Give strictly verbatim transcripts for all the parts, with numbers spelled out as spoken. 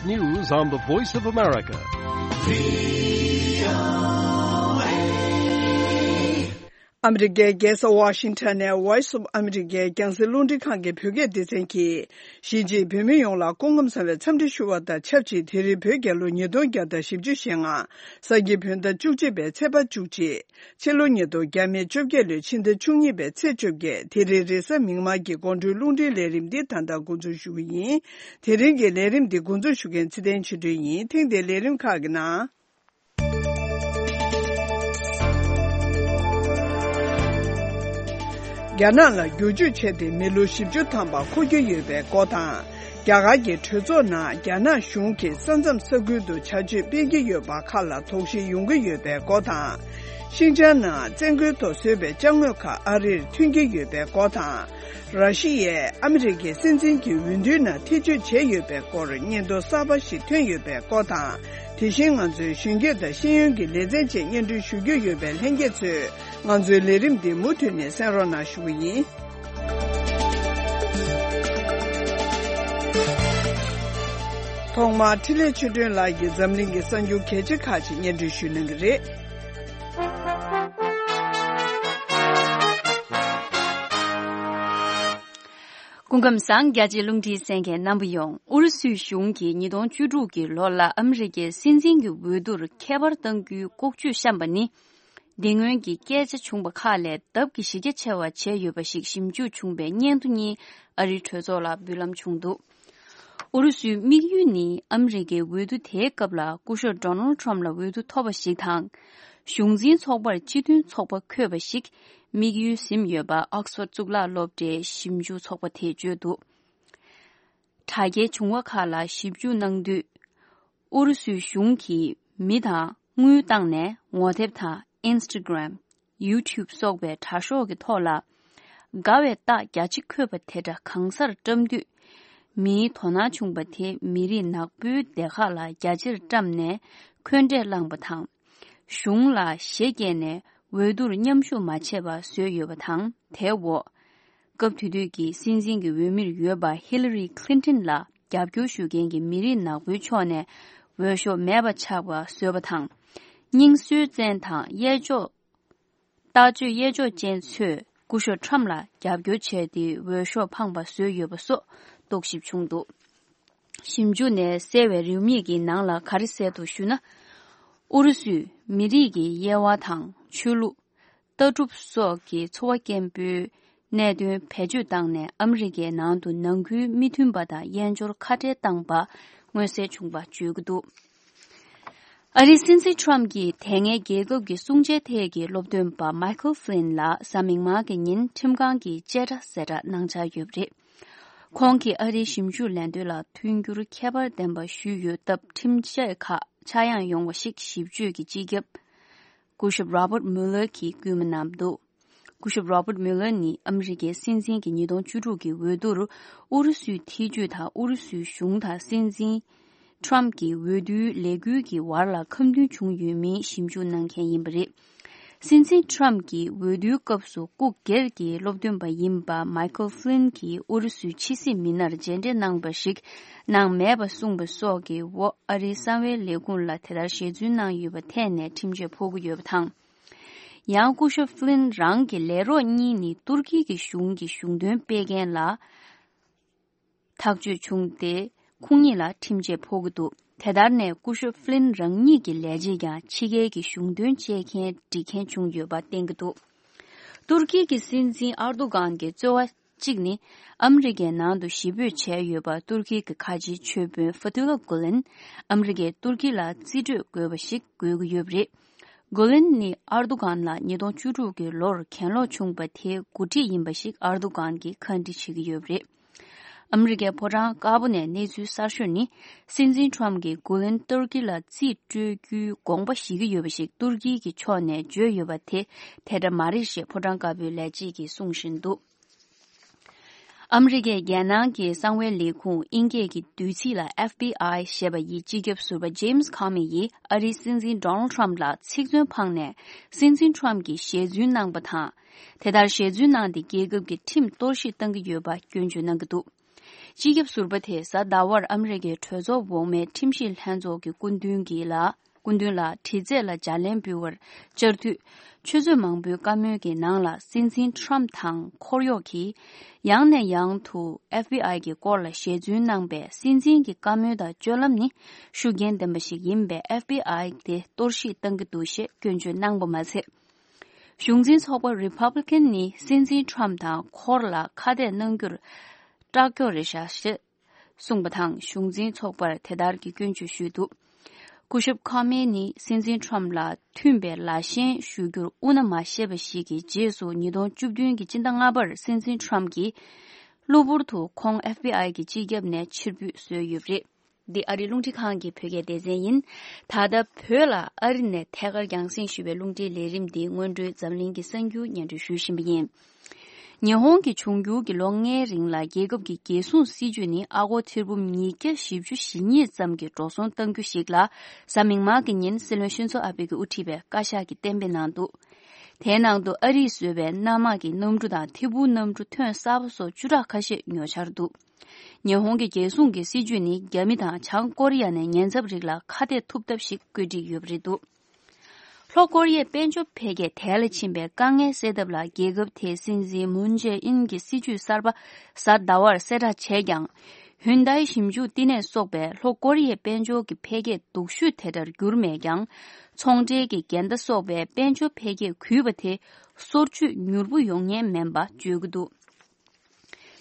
News on the Voice of America. ཨ་མི་རི་ཀའི་རྒྱལ་ས་ཝ་ཤིང་ཊོན་ནས་Voice of America་རྒྱང་སྲིང་རླུང་འཕྲིན་ཁང་གི་བོད་སྐད་སྡེ་ཚན་གྱིས། གཞིས་བྱེས་བོད་མི་ཡོངས་ལ་སྐུ་ཁམས་བཟང་བའི་འཚམས་འདྲི་ཞུ་བ་དང་ཆབས་ཅིག་དེ་རིང་བོད་རྒྱལ་ལོ་ཉིས་སྟོང་བརྒྱ་དང་བཞི་བཅུ་ཞེ་ལྔ། ས་ཁྱི་བོད་ཟླ་བཅུ་གཅིག་པའི་ཚེས་པ་བཅུ་གཅིག་ཕྱི་ལོ་ཉིས་སྟོང་བརྒྱ་མེད་བཅོ་བརྒྱད་ལོའི་ཕྱི་ཟླ་བཅུ་གཉིས་པའི་ཚེས་བཅོ་བརྒྱད། དེ་རིང་རེས་གཟའ་མིག་དམར་གྱི་དགོང་དྲོའི་རླུང་འཕྲིན་ལས་རིམ་འདི་ད་ལྟ་འགོ་འཛུགས་ཞུ་གི་ཡིན། དེ་རིང་གི་ལས་རིམ་འདི་འགོ་འཛུགས་ཞུ་མཁན་ཚེ་བརྟན་ཆོས་སྒྲོན་ཡིན། ཐེངས་འདིའི་ལས་རིམ་ཁག་གི་ནང་། རྒྱ་ནག་ལ་བསྒྱུར་བཅོས་བྱས་ཏེ་མི་ལོ་བཞི་བཅུ་ཐམ་པ་འཁོར་གྱི་ཡོད་པའི་སྐོར་དང་། རྒྱ་གར་གྱི་གྲོས་ཚོགས་ནང་རྒྱ་ནག་གཞུང་གིས་ས་མཚམས་ས་ཁུལ་དུ་བྱ་སྤྱོད་སྤེལ་གྱི་ཡོད་པ་ཁག་ལ་དོགས་གཞི་ཡོང་གི་ཡོད་པའི་སྐོར་དང་། ཤིན་ཅང་ནང་བཙན་རྒོལ་ཐོག་བཟོས་པའི་ཅ་དངོས་ཁག་ཨ་རིར་ཐོན་གྱི་ཡོད་པའི་སྐོར་དང་། ར་ཤི་ཡས་ཨ་མི་རི་ཀའི་སྲིད་འཛིན་གྱི་འོས་བསྡུའི་ནང་ཐེ་བྱུས་བྱས་ཡོད་པའི་སྐོར་སྙན་ཐོ་གསར་པ་ཞིག་ཐོན་ཡོད་པའི་སྐོར་དང་། དེ་བཞིན་ང་ཚོའི་གཞོན་སྐྱེས་དང་ཤེས་ཡོན་གྱི་ལེ་ཚན་བཅས་སྙན་སྒྲོན་ཞུ་རྒྱུ་ཡོད་པས་ལྷན་རྒྱས་ཚོས་ང་ཚོའི་ལས་རིམ་འདི་མུ་མཐུད་ནས་གསན་རོགས་གནང་ཞུ་གི་ཡིན། ཐོག་མར་འཕྲིན་ལས་ཆོས་སྒྲོན་ལགས་ཀྱིས་འཛམ་གླིང་གི་གསར་འགྱུར་གལ་ཆེ་ཁག་ཅིག་སྙན་སྒྲོན་ཞུ་གནང་གི་རེད། སྐུ་ཁམས་བཟང་། རྒྱ་ཆེའི་རླུང་འཕྲིན་གསན་མཁན་རྣམ་པ་ཡོངས། ཨུ་རུ་སུའི་གཞུང་གིས་ཉིས་སྟོང་བཅུ་དྲུག་གི་ལོ་ལ་ཨ་མི་རི་ཀའི་སྲིད་འཛིན་གྱི་འོས་བསྡུར་ཁྱད་པར་གཏང་རྒྱུའི་ལྐོག་ཇུས་བཤམས་པ་ནི། དེ་སྔོན་གྱི་སྐད་ཆ་བྱུང་བ་ཁག་ལས་ལྡབ་ཀྱིས་གཞི་རྒྱ་ཆེ་བ་བྱས་ཡོད་པ་ཞིག་ཞིབ་འཇུག་བྱུང་བའི་སྙན་ཐོ་གཉིས་ཨ་རིའི་གྲོས་ཚོགས་ལ་འབུལ་ལམ་བྱུང་འདུག་ཨུ་རུ་སུའི་དམིགས་ཡུལ་ནི་ཨ་མི་རི་ཀའི་འོས་བསྡུ་དེའི་སྐབས་ལ་སྐུ་ཞབས་Donald Trump་ལ་འོས་བསྡུ་ཐོབ་པ་ཞིག་དང་། གཞུང་འཛིན་ཚོགས་པར་སྤྱི་མཐུན་ཚོགས་པ་འཁོད་པ་ཞིག་དམིགས་ཡུལ་ཟིན་ཡོད་པ་ཨོག་སི་ཕོརྡ་གཙུག་ལག་སློབ་གྲྭའི་ཞིབ་འཇུག་ཚོགས་པ་དེས་བརྗོད་འདུག་དྲ་རྒྱའི་བྱུང་བ་ཁག་ལ་ཞིབ་འཇུག་གནང་དུས། ཨུ་རུ་སུའི་གཞུང་གིས་མི་དང་དངུལ་བཏང་ནས་ངོ་དེབ་དང་Instagram། YouTube་སོགས་པའི་དྲ་ཤོག་གི་ཐོག་ལ། དགའ་བའི་རྟགས་རྒྱ་ཆེ་འཁོད་པ་དེ་འདྲ་གང་སར་བཀྲམ་དུས། མིའི་དོ་སྣང་བྱུང་བ་དེ་མི་རིགས་ནག་པོའི་སྡེ་ཁག་ལ་རྒྱ་ཆེར་བཀྲམ་ནས་འཁོན་འགྲས་བསླངས་པ་དང་། གཞུང་ལ་ཞེ་བརྒྱད་ནས་འོས་བསྡུར་མཉམ་ཞུགས་མ་བྱས་པ་བཟོས་ཡོད་པ་དང་། དེའི་འོག་སྐབས་དེ་དུས་ཀྱི་སྲིད་འཛིན་གྱི་འོས་མིར་ཡོད་པ་Hillary Clinton་ལ་རྒྱབ་སྐྱོར་ཞུ་མཁན་གྱི་མི་རིགས་ནག་པོའི་ཕྱོགས་ནས་འོས་ཤོག་མེད་པ་ཆགས་པ་བཟོས་པ་དང་། རྙིང་སྲོལ་ཅན་དང་གཡས་ཕྱོགས། ལྟག་ཆོད་གཡས་ཕྱོགས་ཅན་ཚོས་སྐུ་ཞབས་Trump་ལ་རྒྱབ་སྐྱོར་བྱས་ཏེ་འོས་ཤོག་འཕངས་པ་བཟོས་ཡོད་པ་སོགས་རྟོག་ཞིབ་བྱུང་འདུག་ཞིབ་འཇུག་ནས་གསལ་བའི་རེའུ་མིག་གི་ནང་ལ་ག་རེ་གསལ་འདུག་ཞུ་ན། ཨུ་རུ་སུས་མི་རིགས་ཀྱི་དབྱེ་བ་དང་ཆོས་ལུགས། ལྟ་གྲུབ་སོགས་ཀྱི་འཚོ་བ་སྐྱེན་པོའི་གནད་དོན་བེད་སྤྱོད་བཏང་ནས་ཨ་མི་རི་ཀའི་ནང་དུ་ནང་ཁུལ་མི་མཐུན་པ་དང་དབྱེན་སྦྱོར་ཁ་བྲལ་བཏང་པ་མངོན་གསལ་བྱུང་བ་བརྗོད་ཀྱི་འདུག་ཨ་རིའི་སྲིད་འཛིན་Trump་གྱིས་དེ་སྔའི་རྒྱལ་ཁབ་ཀྱི་སྲུང་བྱའི་ཐད་ཀྱི་སློབ་སྟོན་པ་Michael Flynn་ལ་གཟའ་མིག་དམར་གྱི་ཉིན་ཁྲིམས་ཁང་གིས་བཅད་ཁྲ་ཟད་འགྲན་གནང་འཆར་ཡོད་པ་རེད། ཁོང་གིས་ཨ་རིའི་ཞིབ་འཇུག་ལས་དོན་ལ་མཐུན་འགྱུར་ཁྱད་པར་ལྡན་པ་ཞུས་ཡོད་སྟབས། ཁྲིམས་ཆད་ཁག་ཆག་ཡང་ཡོང་བ་ཞིག་ཞིབ་དཔྱོད་ཀྱི་སྤྱི་ཁྱབ་སྐུ་ཞབས་Robert Mueller་གྱིས་སྐུལ་མ་གནང་འདུག་སྐུ་ཞབས་Robert Mueller་ནི་ཨ་མི་རི་ཀའི་སྲིད་འཛིན་གྱི་ཉིས་སྟོང་བཅུ་དྲུག་གི་འོས་བསྡུར་ཨུ་རུ་སུའི་ཐེ་ཇུས་དང་ཨུ་རུ་སུའི་གཞུང་དང་སྲིད་འཛིན་Trump་གྱི་འོས་བསྡུའི་ལས་འགུལ་གྱི་བར་ལ་ཁ་མཐུན་བྱུང་ཡོད་མིན་ཞིབ་འཇུག་གནང་མཁན་ཡིན་པ་རེད། སྲིད་འཛིན་Trump་གྱི་འོས་བསྡུའི་སྐབས་སུ་སྐུ་སྒེར་གྱི་སློབ་སྟོན་པ་ཡིན་པ་Michael Flynn་གྱིས་ཨུ་རུ་སུའི་ཕྱི་སྲིད་མི་སྣར་མཇལ་འཕྲད་གནང་བ་ཞིག་གནང་མེད་པ་གསུངས་པ་སོགས་ཀྱི་འོག་ཨ་རིའི་གསང་བའི་ལས་ཁུངས་ལ་དེ་ལྟར་ཞེ་བཙུན་གནང་ཡོད་པ་ཐད་ནས་ཁྲིམས་ཆད་ཕོག་གི་ཡོད་པ་དང་། ཡང་སྐུ་ཞབས་Flynn་རང་གི་ལས་རོགས་གཉིས་ནི་ཏུར་ཀི་གི་གཞུང་གི་གཞུང་དོན་སྤེལ་མཁན་ལ་ཐག་གཅོད་བྱུང་སྟེ། ཁོང་གཉིས་ལ་ཁྲིམས་ཆད་ཕོག་གི་འདུག་དེ་ལྟར་ནས་སྐུ་ཞབས་Flynn་རང་ཉིད་ཀྱི་ལས་བྱེད་ཀྱང་ཕྱི་རྒྱལ་གྱི་གཞུང་དོན་བྱེད་མཁན་སྒྲིག་མཁན་བྱུང་ཡོད་པ་བསྟན་གྱི་འདུག་ཏུར་ཀི་གི་སྲིད་འཛིན་ཨར་དུ་གྷན་གྱི་རྩོལ་བ་གཅིག་ནི། ཨ་མི་རི་ཀའི་ནང་དུ་གཞིས་སྤོས་བྱས་ཡོད་པ་ཏུར་ཀི་གི་ཁ་ཆེའི་ཆོས་དཔོན་Fethullah Gulen་ཨ་མི་རི་ཀས་ཏུར་ཀི་ལ་རྩིས་སྤྲོད་དགོས་པ་ཞིག་དགོས་ཀྱི་ཡོད་པ་རེད། Gulen་ནི་ཨར་དུ་གྷན་ལ་ཉིས་སྟོང་བཅུ་དྲུག་གི་ལོར་གྱེན་ལོག་བྱུང་བ་དེའི་འགོ་ཁྲིད་ཡིན་པ་ཞིག་ཨར་དུ་གྷན་གྱིས་ཁ་འདྲི་བྱེད་ཀྱི་ཡོད་པ་རེད། ཨ་མི་རི་ཀའི་ཕོ་བྲང་དཀར་པོ་ནས་གནས་ཚུལ་གསར་ཤོས་ནི། སྲིད་འཛིན་Trump་གྱིས་Gulen་ཏུར་ཀི་ལ་རྩིས་སྤྲོད་རྒྱུའི་དགོངས་པ་བཞེས་ཀྱི་ཡོད་པ་ཞིག་ཏུར་ཀི་གི་ཕྱོགས་ནས་བརྗོད་ཡོད་པ་དེ་དེ་འདྲ་མ་རེད་ཞེས་ཕོ་བྲང་དཀར་པོའི་ལས་བྱེད་ཀྱིས་གསུང་བཞིན་འདུག་ཨ་མི་རི་ཀའི་རྒྱལ་ནང་གི་གསང་བའི་ལས་ཁུངས་དབྱིན་སྐད་ཀྱི་བསྡུས་ཚིག་ལ་F B I་ཞེས་པ་ཡི་སྤྱི་ཁྱབ་ཟུར་པ་James Comey་ཡིས་ཨ་རིའི་སྲིད་འཛིན་Donald Trump་ལ་ཚིག་མཚོན་འཕངས་ནས་སྲིད་འཛིན་Trump་གྱིས་ཞེ་བཙུན་གནང་པ་དང་། དེ་ལྟར་ཞེ་བཙུན་གནང་སྟེ་རྒྱལ་ཁབ་ཀྱི་ཁྲིམས་གཏོར་བཤིག་བཏང་གི་ཡོད་པ་སྐྱོན་བརྗོད་གནང་གི་འདུག་སྤྱི་ཁྱབ་ཟུར་པ་དེས་གཟའ་ཟླ་བར་ཨ་མི་རི་ཀའི་གྲོས་ཚོགས་འོག་མའི་ཁྲིམས་ཞིབ་ལྷན་ཚོགས་ཀྱི་སྐུ་མདུན་གྱིས་ལ། སྐུ་མདུན་ལ་དྲི་རྩད་ལ་ལྗགས་ལན་འབུལ་བར་བཅར་དུས། ཆུ་ཚོད་མང་པོའི་བཀའ་མོལ་གྱི་ནང་ལ་སྲིད་འཛིན་ཁྲོམ་དང་འཁོར་གཡོག་གིས་ཡང་ནས་ཡང་དུ་ཨེཕ་བྷི་ཨའི་གི་སྐོར་ལ་ཞལ་རྫུན་གནང་པའི་སྲིད་འཛིན་གྱི་བཀའ་མོལ་དང་སྤྱོད་ལམ་ནི་ཤུགས་རྐྱེན་ལྡན་པ་ཞིག་ཡིན་པས་ཨེཕ་བྷི་ཨའི་དེ་གཏོར་བཤིག་གཏང་གི་འདུག་ཞེས་སྐྱོན་བརྗོད་གནང་པ་མ་ཚད། གཞུང་འཛིན་ཚོགས་པ་རི་པབ་ལི་ཀན་ནི་སྲིད་འཛིན་ཁྲོམ་དང་འཁོར་ལ་ཁ་གཏད་གནང་རྒྱུར་སྐྲག་སྐྱོ་རེད་ཤག་ཞེས་གསུངས་པ་དང་། གཞུང་འཛིན་ཚོགས་པར་དེ་ལྟར་གྱི་སྐྱོན་བརྗོད་ཞུས་འདུག་སྐུ་ཞབས་ཁོ་མེ་ནི་སྲིད་འཛིན་ཁྲོམ་ལ་མཐུན་པའི་ལ་ཞེན་ཞུ་རྒྱུར་དབུ་ན་མ་ཤེས་པ་ཞིག་གི་རྗེས་སུ། ཉིས་སྟོང་བཅུ་བདུན་གྱི་སྤྱི་ཟླ་ལྔ་པར་སྲིད་འཛིན་ཁྲོམ་གྱིས་གློ་བུར་དུ་ཁོང་ཨེཕ་བྷི་ཨའི་གི་སྤྱི་ཁྱབ་ནས་ཕྱིར་འབུད་བཟོས་ཡོད་པ་རེད། འདི་ཨ་རིའི་རླུང་འཕྲིན་ཁང་གི་བོད་སྐད་སྡེ་ཚན་ཡིན། ད་ལྟ་བོད་ལ་ཨ་རི་ནས་ཐད་ཀར་རྒྱང་སྲིང་ཞུ་བའི་རླུང་འཕྲིན་ལས་རིམ་འདི་སྔོན་འགྲོའི་འཛམ་གླིང་གི་གསར་འགྱུར་སྙན་སྒྲོན་ཞུ་བཞིན་པ་ཡིན། ཉི་ཧོང་གི་འབྱུང་འགྱུར་གྱི་ལོ་ལྔའི་རིང་ལ་རྒྱལ་ཁབ་ཀྱི་རྒྱལ་སྲུང་སྲིད་ཇུས་ནི་ཨ་སྒོར་ཐེར་འབུམ་ཉིས་བརྒྱ་བཞི་བཅུ་ཞེ་གཉིས་ཙམ་གྱི་འགྲོ་སོང་གཏང་རྒྱུ་ཞིག་ལ་གཟའ་མིག་དམར་གྱི་ཉིན་སྲིད་བློན་ཤིན་ཛོ་ཨ་བྷེ་གིས་དབུ་ཁྲིད་པའི་བཀའ་ཤག་གིས་གཏན་འབེབས་གནང་འདུག་དེའི་ནང་དུ་ཨ་རིས་བཟོས་པའི་གནམ་དམག་གི་གནམ་གྲུ་དང་ཐད་འཕུར་གནམ་གྲུ་ཐོན་གསར་པ་སོགས་བཅུ་ཕྲག་ཁ་ཤས་ཉོ་འཆར་འདུག་ཉི་ཧོང་གི་རྒྱལ་སྲུང་གི་སྲིད་ཇུས་ནི་རྒྱ་མི་དང་བྱང་ཀོ་རི་ཡ་ནས་ཉེན་ཚབས་རིགས་ལ་ཁ་གཏད་ཐུབ་ཐབས་ཤིག་བཀོད་སྒྲིག་ཡོད་པ་རེད་འདུག་ལྷོ་ཀོ་རི་ཡའི་དཔལ་འབྱོར་འཕེལ་རྒྱས་དལ་ལ་ཕྱིན་པའི་དཀའ་ངལ་སེལ་ཐབས་ལ་རྒྱལ་ཁབ་དེའི་སྲིད་འཛིན་མུན་ཇེ་ཨིན་གྱི་སྲིད་ཇུས་གསར་པ་གཟའ་ཟླ་བར་གསལ་བསྒྲགས་བྱས་ཀྱང་། ཧུན་དའི་ཞིབ་འཇུག་བསྟི་གནས་སོགས་པས་ལྷོ་ཀོ་རི་ཡའི་དཔལ་འབྱོར་གྱི་འཕེལ་རྒྱས་སྡུག་ཤོས་དེ་ལྟར་གྱུར་མེད་ཀྱང་། ཚོང་འབྲེལ་གྱི་འགལ་ཟླ་སོགས་པས་དཔལ་འབྱོར་འཕེལ་རྒྱས་གུད་པ་དེ་སོར་ཆུད་མྱུར་པོ་ཡོང་ཉེན་མིན་པ་བརྗོད་ཀྱི་འདུག་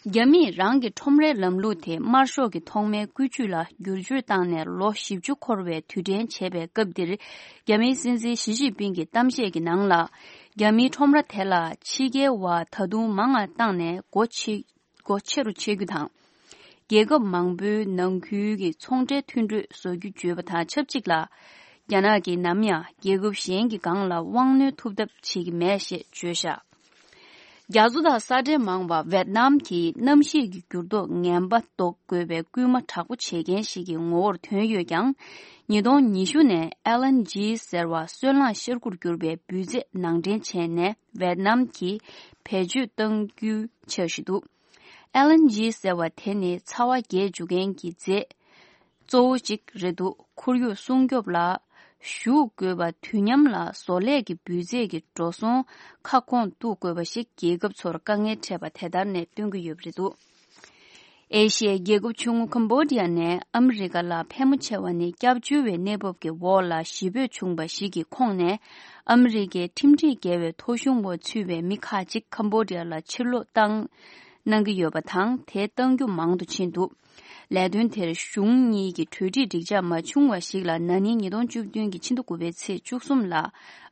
རྒྱ་མིས་རང་གི་ཁྲོམ་རའི་ལམ་ལུགས་དེ་དམར་ཤོག་གི་ཐོག་མའི་བཀོད་ཇུས་ལ་བསྒྱུར་བཅོས་བཏང་ནས་ལོ་བཞི་བཅུ་འཁོར་བའི་དུས་དྲན་བྱེད་པའི་སྐབས་འདིར། རྒྱ་མིའི་སྲིད་འཛིན་ཞི་ཅིན་ཕིང་གི་གཏམ་བཤད་ཀྱི་ནང་ལ། རྒྱ་མིའི་ཁྲོམ་ར་དེ་ལ་ཕྱི་རྒྱལ་བ་ད་དུང་མང་ང་བཏང་ནས་སྒོ་ཕྱེ་སྒོ་ཕྱེ་རུ་ཕྱེ་རྒྱུ་དང་། རྒྱལ་ཁབ་མང་པོའི་ནང་ཁུལ་གྱི་ཚོང་འབྲེལ་མཐུན་གྲོས་བཟོ་རྒྱུ་བརྗོད་པ་དང་ཆབས་ཅིག་ལ། རྒྱ་ནག་གིས་ནམ་ཡང་རྒྱལ་ཁབ་གཞན་གྱི་སྒང་ལ་དབང་གནོད་ཐུབ་ཐབས་བྱེད་ཀྱི་མེད་ཞེས་བརྗོད་བཞག་རྒྱ་མཚོ་དང་ས་ཁྲའི་མང་བ་ཝེད་ནམ་གྱིས་གནམ་གཤིས་ཀྱི་འགྱུར་ལྡོག་ངན་པ་ཟློག་དགོས་པའི་སྐུལ་མ་དྲག་པོ་བྱེད་མཁན་ཞིག་གི་ངོ་བོར་ཐོན་ཡོད་ཀྱང་། ཉིས་སྟོང་ཉི་ཤུ་ནས་ཨེལ་ཨེན་ཇི་ཟེར་བ་སོལ་རླངས་ཤར་ཁུར་གྱུར་པའི་འབུད་རྫས་ནང་འདྲེན་བྱས་ནས་ཝེད་ནམ་གྱིས་བེད་སྤྱོད་གཏང་རྒྱུའི་འཆར་གཞི་འདུག་ཨེལ་ཨེན་ཇི་ཟེར་བ་དེ་ནི་ཚ་བ་རྒྱས་འཇུག་མཁན་གྱི་རྫས་གཙོ་བོ་གཅིག་རེད་འདུག་ཁོར་ཡུག་སྲུང་སྐྱོབ་ལ་ཞུགས་དགོས་པ། དུས་མཉམ་ལ་བཟོ་ལས་ཀྱི་འབུད་རྫས་ཀྱི་འགྲོ་སོང་ཁ་སྐོང་གཏུག་དགོས་པ་ཞིག་རྒྱལ་ཁབ་ཚོར་དཀའ་ངལ་འཕྲད་པ་དེ་ལྟར་ནས་སྟོན་གྱི་ཡོད་པ་རེད་འདུག་ཨེ་ཤི་ཡའི་རྒྱལ་ཁབ་ཆུང་ངུ་ཁམ་བྷོ་ཌི་ཡ་ནས་ཨ་མི་རི་ཀ་ལ་ཕལ་མོ་ཆེ་བ་ནི་སྐྱབས་བཅོལ་བའི་གནས་བབ་ཀྱི་འོག་ལ་གཞིས་སྤོས་བྱུང་བ་ཞིག་གི་ཁོངས་ནས། ཨ་མི་རི་ཀའི་ཁྲིམས་སྒྲིག་འགལ་བའི་ཐོ་གཞུང་འོག་ཚུད་པའི་མི་ཁག་ཅིག་ཁམ་བྷོ་ཌི་ཡ་ལ་ཕྱིར་ལོག་བཏང་གནང་གི་ཡོད་པ་དང་། དེ་གཏང་རྒྱུ་མང་དུ་ཕྱིན་འདུག་ལས་དོན་དེར་གཞུང་གཉིས་ཀྱི་གྲོས་འགྲིག་འགྲིག་འཇགས་མ་བྱུང་བ་ཞིག་ལ། ན་ནིང་ཉིས་སྟོང་བཅུ་བདུན་གྱི་ཕྱི་ཟླ་དགུ་པའི་ཚེས་བཅུ་གསུམ་ལ་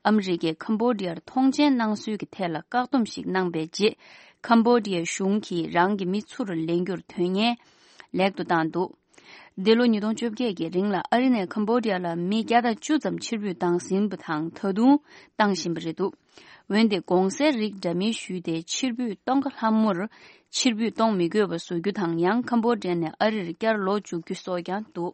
ཨ་མི་རི་ཀས་ཁམ་བྷོ་ཌི་ཡར་ཐོངས་མཆན་གནང་སྲོལ་གྱི་ཐད་ལ་བཀག་སྡོམ་ཞིག་གནང་པའི་རྗེས། ཁམ་བྷོ་ཌི་ཡའི་གཞུང་གིས་རང་གི་མི་ཚུར་ལེན་རྒྱུར་དོན་གཉེར་ལེགས་དུ་བཏང་འདུག་འདི་ལོ་ཉིས་སྟོང་བཅོ་བརྒྱད་ཀྱི་རིང་ལ་ཨ་རི་ནས་ཁམ་བྷོ་ཌི་ཡ་ལ་མི་བརྒྱ་དང་བཅུ་ཙམ་ཕྱིར་འབུད་བཏང་ཟིན་པ་དང་། ད་དུང་བཏང་བཞིན་པ་རེད་འདུག་འོན་ཏེ་གོང་གསལ་རིགས་འདྲ་མིན་ཞུས་ཏེ་ཕྱིར་འབུད་གཏོང་ག་ལྷམ་མོར་ཕྱིར་འབུད་གཏོང་མི་དགོས་པ་བཟོ་རྒྱུ་དང་། ཡང་ཁམ་བྷོ་ཌི་ཡ་ནས་ཨ་རིར་བསྐྱར་ལོག་འཇུག་རྒྱུ་སོགས་ཀྱང་འདུག་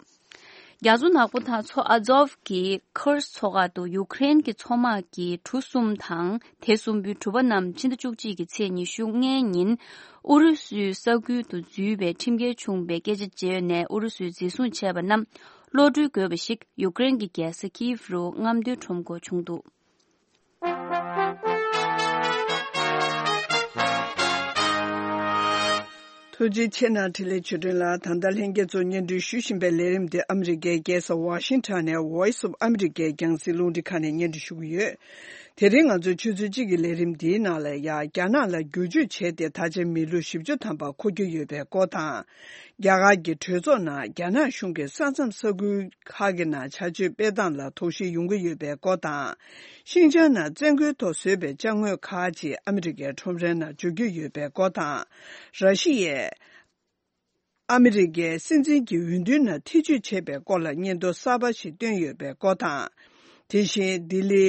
རྒྱ་མཚོ་ནག་པོ་དང་མཚོ་ཨ་ཛོབ་ཀྱི་ཁུར་སི་མཚོ་ཁག་ཏུ་ཡུཀ་རེན་གྱི་མཚོ་དམག་གི་གྲུ་གསུམ་དང་དེ་གསུམ་པོའི་གྲུ་པ་རྣམས་ཕྱི་ཟླ་བཅུ་གཅིག་གི་ཚེས་ཉི་ཤུ་ལྔའི་ཉིན་ཨུ་རུ་སུའི་ས་ཁུལ་དུ་འཛུལ་བའི་ཁྲིམས་འགལ་བྱུང་བའི་སྐད་ཆ་བརྗོད་ནས་ཨུ་རུ་སུས་འཛིན་བཟུང་བྱས་པ་རྣམས་གློད་གྲོལ་དགོས་པ་ཞིག་ཡུཀ་རེན་གྱི་རྒྱལ་ས་ཀིབ་རུ་རྔམ་སྟོན་ཁྲོམ་སྐོར་བྱུང་འདུག་ཐུགས་རྗེ་ཆེ་གནང་། འཕྲིན་ལས་ཆོས་སྒྲོན་ལགས། ད་ལྟ་ལྷན་རྒྱས་ཚོ་སྙན་སྒྲོན་ཞུ་བཞིན་པའི་ལས་རིམ་དེ་ཨ་མི་རི་ཀའི་རྒྱལ་ས་ཝ་ཤིང་ཊོན་ནས་Voice of America་རྒྱང་སྲིང་རླུང་འཕྲིན་ཁང་ནས་སྙན་སྒྲོན་ཞུ་གི་ཡོད། དེ་རིང་ང་ཚོའི་ཆུ་ཚོད་གཅིག་གི་ལས་རིམ་འདིའི་ནང་ལ་ཡང་རྒྱ་ནག་ལ་བསྒྱུར་བཅོས་བྱས་ཏེ་ད་ཆ་མི་ལོ་བཞི་བཅུ་ཐམ་པ་འཁོར་རྒྱུ་ཡོད་པའི་སྐོར་དང་། རྒྱ་གར་གྱི་གྲོས་ཚོགས་ནང་རྒྱ་ནག་གཞུང་གིས་ས་མཚམས་ས་ཁུལ་ཁག་གི་ནང་བྱ་སྤྱོད་སྤེལ་སྟངས་ལ་དོགས་གཞི་ཡོང་གི་ཡོད་པའི་སྐོར་དང་། ཤིན་ཅང་ནང་བཙན་རྒོལ་ཐོག་བཟོས་པའི་ཅ་དངོས་ཁག་ཅིག་ཨ་མི་རི་ཀའི་ཁྲོམ་རའི་ནང་འཇུག་རྒྱུ་ཡོད་པའི་སྐོར་དང་། ར་ཤི་ཡས་ཨ་མི་རི་ཀའི་སྲིད་འཛིན་གྱི་འོས་བསྡུའི་ནང་ཐེ་བྱུས་བྱས་པའི་སྐོར་ལ་སྙན་ཐོ་གསར་པ་ཞིག་བཏོན་ཡོད་པའི་སྐོར་དང་། དེ་བཞིན་ལྡི་ལི་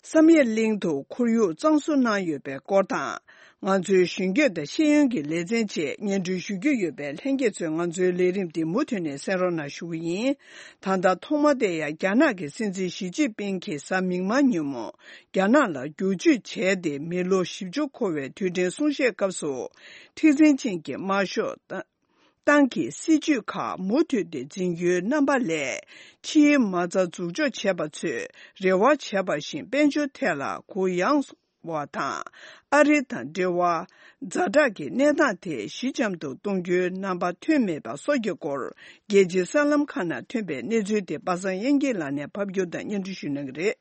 བསམ་ཡས་གླིང་དུ་ཁོར་ཡུག་གཙང་བཟོ་གནང་ཡོད་པའི་སྐོར་དང་། ང་ཚོའི་གཞོན་སྐྱེས་དང་ཤེས་ཡོན་གྱི་ལེ་ཚན་བཅས་སྙན་སྒྲོན་ཞུ་རྒྱུ་ཡོད་པས། ལྷན་རྒྱས་ཚོས་ང་ཚོའི་ལས་རིམ་འདི་མུ་མཐུད་ནས་གསན་རོགས་གནང་ཞུ་གི་ཡིན། ད་ལྟ་ཐོག་མ་དེ་ཡང་རྒྱ་ནག་གི་སྲིད་འཛིན་ཞི་ཅིན་ཕིང་གིས་གཟའ་མིག་དམར་ཉིན་མོ་རྒྱ་ནག་ལ་བསྒྱུར་བཅོས་བྱས་ཏེ་མི་ལོ་བཞི་བཅུ་འཁོར་བའི་དུས་དྲན་གསུང་བཤད་སྐབས་སུ། མཁྲེགས་འཛིན་ཅན་གྱི་དམར་ཤོག་ཏ་ ཏང་གི་སྲིད་ཇུས་ཁག་མུ་མཐུད་དེ་འཛིན་རྒྱུའི་རྣམ་པ་ལས། ཕྱིའི་མ་རྩ་འཛུགས་འཇོག་བྱས་པ་ཚོས་རེ་བ་བྱས་པ་བཞིན་དཔལ་འབྱོར་ཐད་ལ་གུ་ཡངས་བ་དང་། ཨ་རི་དང་འབྲེལ་བ་ཛ་དྲག་གི་གནས་སྟངས་དེ་ཞི་འཇམ་དུ་གཏོང་རྒྱུའི་རྣམ་པ་ཐོན་མེད་པ་སོགས་ཀྱི་སྐོར། རྒྱལ་སྤྱིའི་གསར་ལམ་ཁག་ནང་ཐོན་པའི་གནས་ཚུལ་དེ་པ་སངས་དབྱངས་སྐྱིད་ལགས་ནས་ཕབ་སྒྱུར་དང་སྙན་སྒྲོན་ཞུ་གནང་གི་རེད།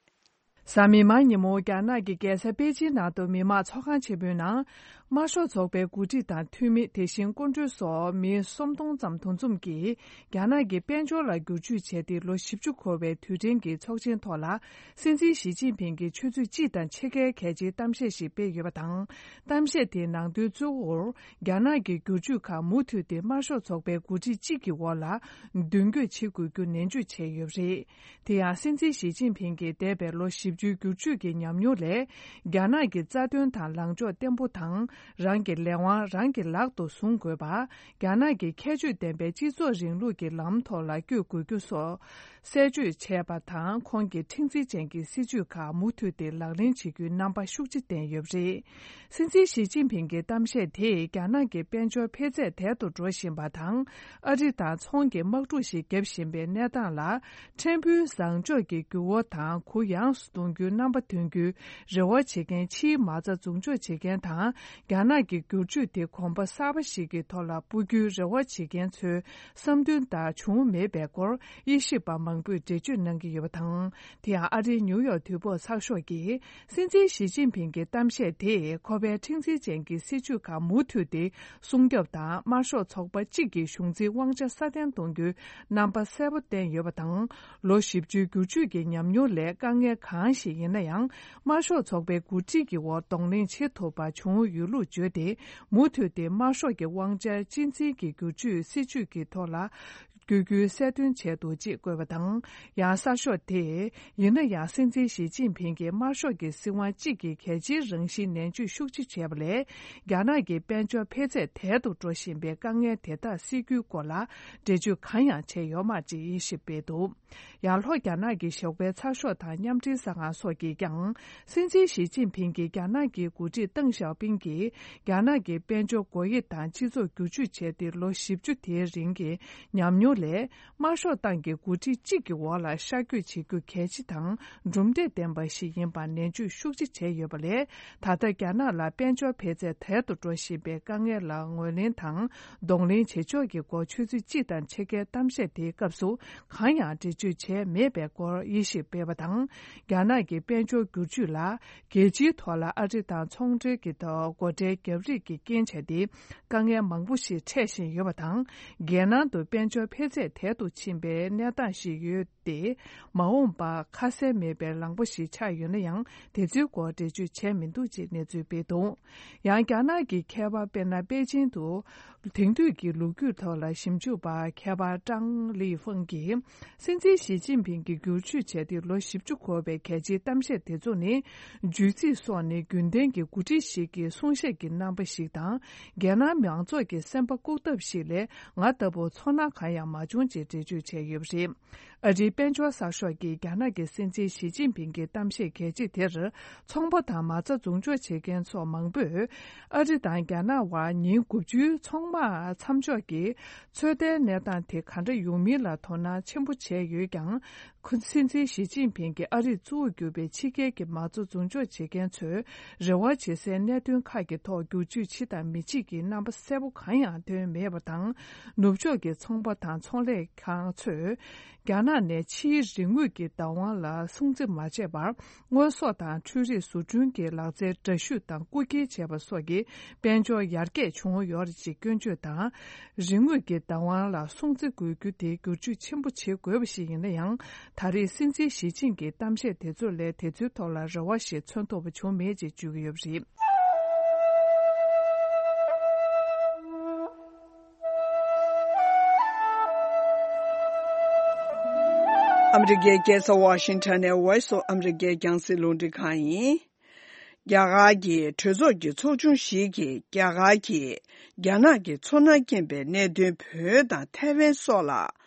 གཟའ་མིག་དམར་ཉིན་མོ་རྒྱ་ནག་གི་རྒྱལ་ས་པེ་ཅིན་ནང་དུ་མི་དམངས་ཚོགས་ཁང་ཆེན་པོའི་ནང་། དམར་ཤོག་ཚོགས་པའི་འགོ་ཁྲིད་དང་འཐུས་མི། དེ་བཞིན་སྐུ་མགྲོན་སོགས་མི་སུམ་སྟོང་ཙམ་འདུ་འཛོམས་ཀྱིས། རྒྱ་ནག་གིས་དཔལ་འབྱོར་ལ་བསྒྱུར་བཅོས་བྱས་ཏེ་ལོ་བཞི་བཅུ་འཁོར་བའི་དུས་དྲན་གྱི་ཚོགས་ཆེན་ཐོག་ལ། སྲིད་འཛིན་ཞི་ཅིན་ཕིང་གིས་ཆུ་ཚོད་གཅིག་དང་ཕྱེད་ཀའི་གལ་ཆེའི་གཏམ་བཤད་ཞིག་སྤེལ་ཡོད་པ་དང་། གཏམ་བཤད་དེའི་ནང་དོན་གཙོ་བོར། རྒྱ་ནག་གི་བསྒྱུར་བཅོས་ཁག་མུ་མཐུད་དེ་དམར་ཤོག་ཚོགས་པའི་འགོ་ཁྲིད་གཅིག་གི་འོག་ལ། མདུན་སྐྱོད་བྱེད་དགོས་རྒྱུ་ནན་བརྗོད་བྱས་ཡོད་པ་རེད། དེ་ཡང་། སྲིད་འཛིན་ཞི་ཅིན་ཕིང་གིས་འདས་པའི་ལོ་བཞི་བཅུའི་བསྒྱུར་བཅོས་ཀྱི་ཉམས་མྱོང་ལས། རྒྱ་ནག་གི་རྩ་དོན་དང་ལངས་ཕྱོགས་བརྟན་པོ་དང་། རང་གི་ལས་དབང་རང་གི་ལག་ཏུ་བཟུང་དགོས་པ། རྒྱ་ནག་གི་ཁྱད་ཆོས་ལྡན་པའི་སྤྱི་ཚོགས་རིང་ལུགས་ཀྱི་ལམ་ཐོག་ལ་བསྐྱོད་དགོས་རྒྱུ་སོགས། གསལ་བརྗོད་བྱས་པ་དང་། ཁོང་གིས་མཁྲེགས་འཛིན་ཅན་གྱི་སྲིད་བྱུས་ཁག་མུ་མཐུད་དེ་ལག་ལེན་བྱེད་རྒྱུའི་རྣམ་པ་ཤུགས་ཆེ་བསྟན་ཡོད་པ་རེད། སྲིད་འཛིན་ཞི་ཅིན་ཕིང་གི་གཏམ་བཤད་དེས་རྒྱ་ནག་གི་དཔལ་འབྱོར་འཕེལ་ཚད་དལ་དུ་འགྲོ་བཞིན་པ་དང་། ཨ་རི་དང་ཚོང་གི་དམག་འཁྲུག་ཞིག་བརྒྱབ་བཞིན་པའི་གནས་སྟངས་ལ། ཕྲན་བུའི་བཟང་ཕྱོགས་ཀྱི་འགྱུར་བ་དང་གུ་ཡངས་སུ་གཏོང་རྒྱུའི་རྣམ་པ་ཐོན་རྒྱུའི་རེ་བ་བྱེད་མཁན། ཕྱིའི་མ་རྩ་འཛུགས་འཇོག་བྱེད་མཁན་དང་། རྒྱ་ནག་གི་བསྒྱུར་བཅོས་དེ་གོམ་པ་གསར་པ་ཞིག་གི་ཐོག་ལ་སྤོ་རྒྱུའི་རེ་བ་བྱེད་མཁན་ཚོའི་བསམ་འདུན་ལྟར་བྱུང་མེད་པའི་སྐོར། དབྱེ་ཞིབ་པ་མང་པོས་འགྲེལ་བརྗོད་གནང་གི་ཡོད་པ་དང་། དེ་ཡང་། ཨ་རིའི་ནིའུ་ཡོག་དུས་བབ་ཚགས་ཤོག་གིས། སྲིད་འཛིན་ཞི་ཅིན་ཕིང་གི་གཏམ་བཤད་དེས། ཁོ་པའི་མཁྲེགས་འཛིན་ཅན་གྱི་སྲིད་བྱུས་ཁག་མུ་མཐུད་དེ་སྲུང་སྐྱོབ་དང་། དམར་ཤོག་ཚོགས་པ་གཅིག་གི་གཞུང་འཛིན་དབང་ཆ་སྲ་བརྟན་གཏོང་རྒྱུའི་རྣམ་པ་གསལ་པོ་བསྟན་ཡོད་པ་དང་། ལོ་བཞི་བཅུའི་བསྒྱུར་བཅོས་ཀྱི་ཉམས་མྱོང་ལས། དཀའ་ངལ་གང་ཞིག་ཡིན་ན་ཡང་། དམར་ཤོག་ཚོགས་པའི་འགོ་ཁྲིད་ཀྱི་འོག་གདོང་ལེན་བྱེད་ཐུབ་པ་བྱུང་ཡོད་ལུགས་བརྗོད་དེ། མུ་མཐུད་དེ་དམར་ཤོག་གི་དབང་ཆ་གཅེས་འཛིན་གྱི་བསྒྱུར་བཅོས་སྲིད་བྱུས་ཀྱི་ཐོག་ལ། བསྐྱོད་རྒྱུའི་གསལ་སྟོན་བྱས་འདུག་ཅེས་བཀོད་པ་དང་། ཡང་གསར་ཤོག་དེས། ཡིན་ན་ཡང་། སྲིད་འཛིན་ཞི་ཅིན་ཕིང་གིས་དམར་ཤོག་གི་སྲིད་དབང་གཅིག་གི་གལ་ཆེའི་རང་བཞིན་ནན་བརྗོད་ཤུགས་ཆེ་བྱས་པ་ལས། རྒྱ་ནག་གི་དཔལ་འབྱོར་འཕེལ་ཚད་དལ་དུ་འགྲོ་བཞིན་པའི་དཀའ་ངལ་དེ་དག་སེལ་རྒྱུའི་སྐོར་ལ་འགྲེལ་བརྗོད་གང་ཡང་བྱས་ཡོད་མ་རེད་ཅེས་དབྱེ་ཞིབ་སྤེལ་འདུག་ཡང་། ལྷོ་རྒྱ་ནག་གི་ཞོགས་པའི་ཚགས་ཤོག་དང་། མཉམ་འབྲེལ་གསར་ཁང་སོགས་ཀྱིས་ཀྱང་། སྲིད་འཛིན་ཞི་ཅིན་ཕིང་གིས་རྒྱ་ནག་གི་འགོ་ཁྲིད་ཏེང་ཞའོ་ཕིང་གིས། རྒྱ་ནག་གི་དཔལ་འབྱོར་སྒོ་དབྱེ་དང་སྤྱི་ཚོགས་བསྒྱུར་བཅོས་བྱས་ཏེ། ལོ་བཞི་བཅུ་དེའི་རིང་གི་ཉམས་མྱོང་ལས། དམར་ཤོག་ཏང་གི་འགོ་ཁྲིད་གཅིག་གི་འོག་ལ་ཤར་བསྐྱོད་བྱེད་རྒྱུ་གལ་ཆེ་དང་། གྲུབ་འབྲས་ལྡན་པ་ཞིག་ཡིན་པར་ནན་བརྗོད་ཤུགས་ཆེ་བྱས་ཡོད་པ་ལས། ད་ལྟ་རྒྱ་ནག་ལ་དཔལ་འབྱོར་འཕེལ་ཚད་དལ་དུ་འགྲོ་བཞིན་པའི་དཀའ་ངལ་ལ་ངོས་ལེན་དང་། གདོང་ལེན་བྱེད་ཕྱོགས་ཀྱི་སྐོར་ཆུ་ཚོད་གཅིག་དང་ཕྱེད་ཀའི་གཏམ་བཤད་དེའི་སྐབས་སུ། གང་ཡང་འགྲེལ་བརྗོད་བྱས་མེད་པའི་སྐོར་དབྱེ་ཞིབ་སྤེལ་བ་དང་། རྒྱ་ནག་གི་དཔལ་འབྱོར་བསྒྱུར་བཅོས་ལ། རྒྱལ་སྤྱིའི་ཐོག་ལ་ཨ་རི་དང་ཚོང་འབྲེལ་གྱི་ཐོག་སྒོ་ཁྲལ་བརྒྱབ་རེས་ཀྱི་རྐྱེན་བྱས་ཏེ། དཀའ་ངལ་མང་པོ་ཞིག་འཕྲད་བཞིན་ཡོད་པ་དང་། རྒྱལ་ནང་དུ་དཔལ་འབྱོར་འཕེལ་ཚད་དལ་དུ་ཕྱིན་པའི་གནས་སྟངས་ཤིག་ཡོད་དེ། མ་འོངས་པར་ཁ་གསལ་མེད་པའི་ལངས་ཕྱོགས་ཤིག་ཆགས་ཡོད་ན་ཡང་། དེ་ཚོའི་སྐོར་འགྲེལ་བརྗོད་བྱས་མི་འདུག་ཅེས་གནས་ཚུལ་སྤེལ་འདུག་ཡང་། རྒྱ་ནག་གི་མཁས་པ། དཔེར་ན། པེ་ཅིན་དུ། དེང་དུས་ཀྱི་ལོ་རྒྱུས་ཐོག་ལ་ཞིབ་འཇུག་པ་མཁས་པ་ཀྲང་ལི་ཧྥང་གིས། སྲིད་འཛིན་ཞི་ཅིན་ཕིང་གིས་བསྒྱུར་བཅོས་བྱས་ཏེ་ལོ་བཞི་བཅུ་འཁོར་བའི་གལ་ཆེའི་གཏམ་བཤད་དེ་ཚོ་ནི། བརྗོད་ཚིག་སོགས་ནི་རྒྱུན་ལྡན་གྱི་འགོ་ཁྲིད་ཞིག་གི་གསུང་བཤད་ཀྱི་རྣམ་པ་ཞིག་དང་། རྒྱལ་ནང་མང་ཚོགས་ཀྱི་སེམས་པ་བཀུག་ཐབས་ཤིག་ལས། ང་ལྟ་བུ་ཚོར་སྣང་གང་ཡང་མ་བྱུང་ཅེས་འགྲེལ་བརྗོད་བྱས་ཡོད་པ་རེད། ཨ་རིའི་དཔལ་འབྱོར་གསར་ཤོག་གིས་རྒྱ་ནག་གི་སྲིད་འཛིན་ཞི་ཅིན་ཕིང་གི་གཏམ་བཤད་གལ་ཆེ་དེར། ཚོང་པ་དང་མ་རྩ་འཛུགས་འཇོག་བྱེད་མཁན་ཚོགས་མང་པོས། ཨ་རི་དང་རྒྱ་ནག་དབར་ཉིན་དགུ་བཅུའི་ཚོང་དམག་མཚམས་འཇོག་གི་ཚོད་ལྟའི་གནས་སྟངས་དེ་ག་འདྲ་ཡོང་མིན་ལ་དོ་སྣང་ཆེན་པོ་བྱས་ཡོད་ཀྱང་། ཁོ། སྲིད་འཛིན་ཞི་ཅིན་ཕིང་གིས་ཨ་རིར་གཙོ་བོར་གྱུར་པའི་ཕྱི་རྒྱལ་གྱི་མ་རྩ་འཛུགས་འཇོག་བྱེད་མཁན་ཚོས་རེ་བ་བྱེད་སའི་གནད་དོན་ཁག་གི་ཐོག་བསྒྱུར་བཅོས་བྱེད་དང་མི་བྱེད་ཀྱི་རྣམ་པ་གསལ་པོ་གང་ཡང་བཏོན་མེད་པ་དང་། ནུབ་ཕྱོགས་ཀྱི་ཚོང་པ་དང་ཚོང་ལས་ཁང་ཚོས། རྒྱ་ནག་ནས་ཕྱིའི་རིན་དངུལ་གྱི་བདག་དབང་ལ་སྲུང་བརྩི་མ་བྱས་པར། དངོས་ཟོག་དང་འཕྲུལ་རིག་བཟོ་སྐྲུན་གྱི་ལག་རྩལ་འདྲ་བཤུས་དང་རྐུ་འཁྱེར་བྱས་པ་སོགས་ཀྱི་དཔལ་འབྱོར་ཡར་རྒྱས་བྱུང་ཡོད་རེད་ཅེས་སྐྱོན་བརྗོད་དང་། རིན་དངུལ་གྱི་བདག་དབང་ལ་སྲུང་བརྩི་དགོས་རྒྱུ་དེ་བསྒྱུར་བཅོས་ཆེན་པོ་བྱེད་དགོས་པ་ཞིག་ཡིན་ན་ཡང་། ད་རེས་སྲིད་འཛིན་ཞི་ཅིན་གྱི་གཏམ་བཤད་དེ་ཚོ་ལས་དེ་ཚོའི་ཐོག་ལ་རེ་བ་ཞིག་མཚོན་ཐུབ་པ་བྱུང་མེད་ཅེས་བརྗོད་ཀྱི་ཡོད་པ་རེད། ཨ་མི་རི་ཀའི་རྒྱལ་ས་ཝ་ཤིང་ཊོན་ནས་Voice of America རྒྱང་སྲིང་རླུང་འཕྲིན་ཁང་ཡིན། རྒྱ་གར་གྱི་གྲོས་ཚོགས་ཀྱི་ཚོགས་ཆུང་ཞིག་གིས་རྒྱ་གར་གྱིས་རྒྱ་ནག་གི་ཚོར་སྣང་སྐྱེན་པའི་གནད་དོན་བོད་དང་ཐའེ་ཝན་སོགས་ལ་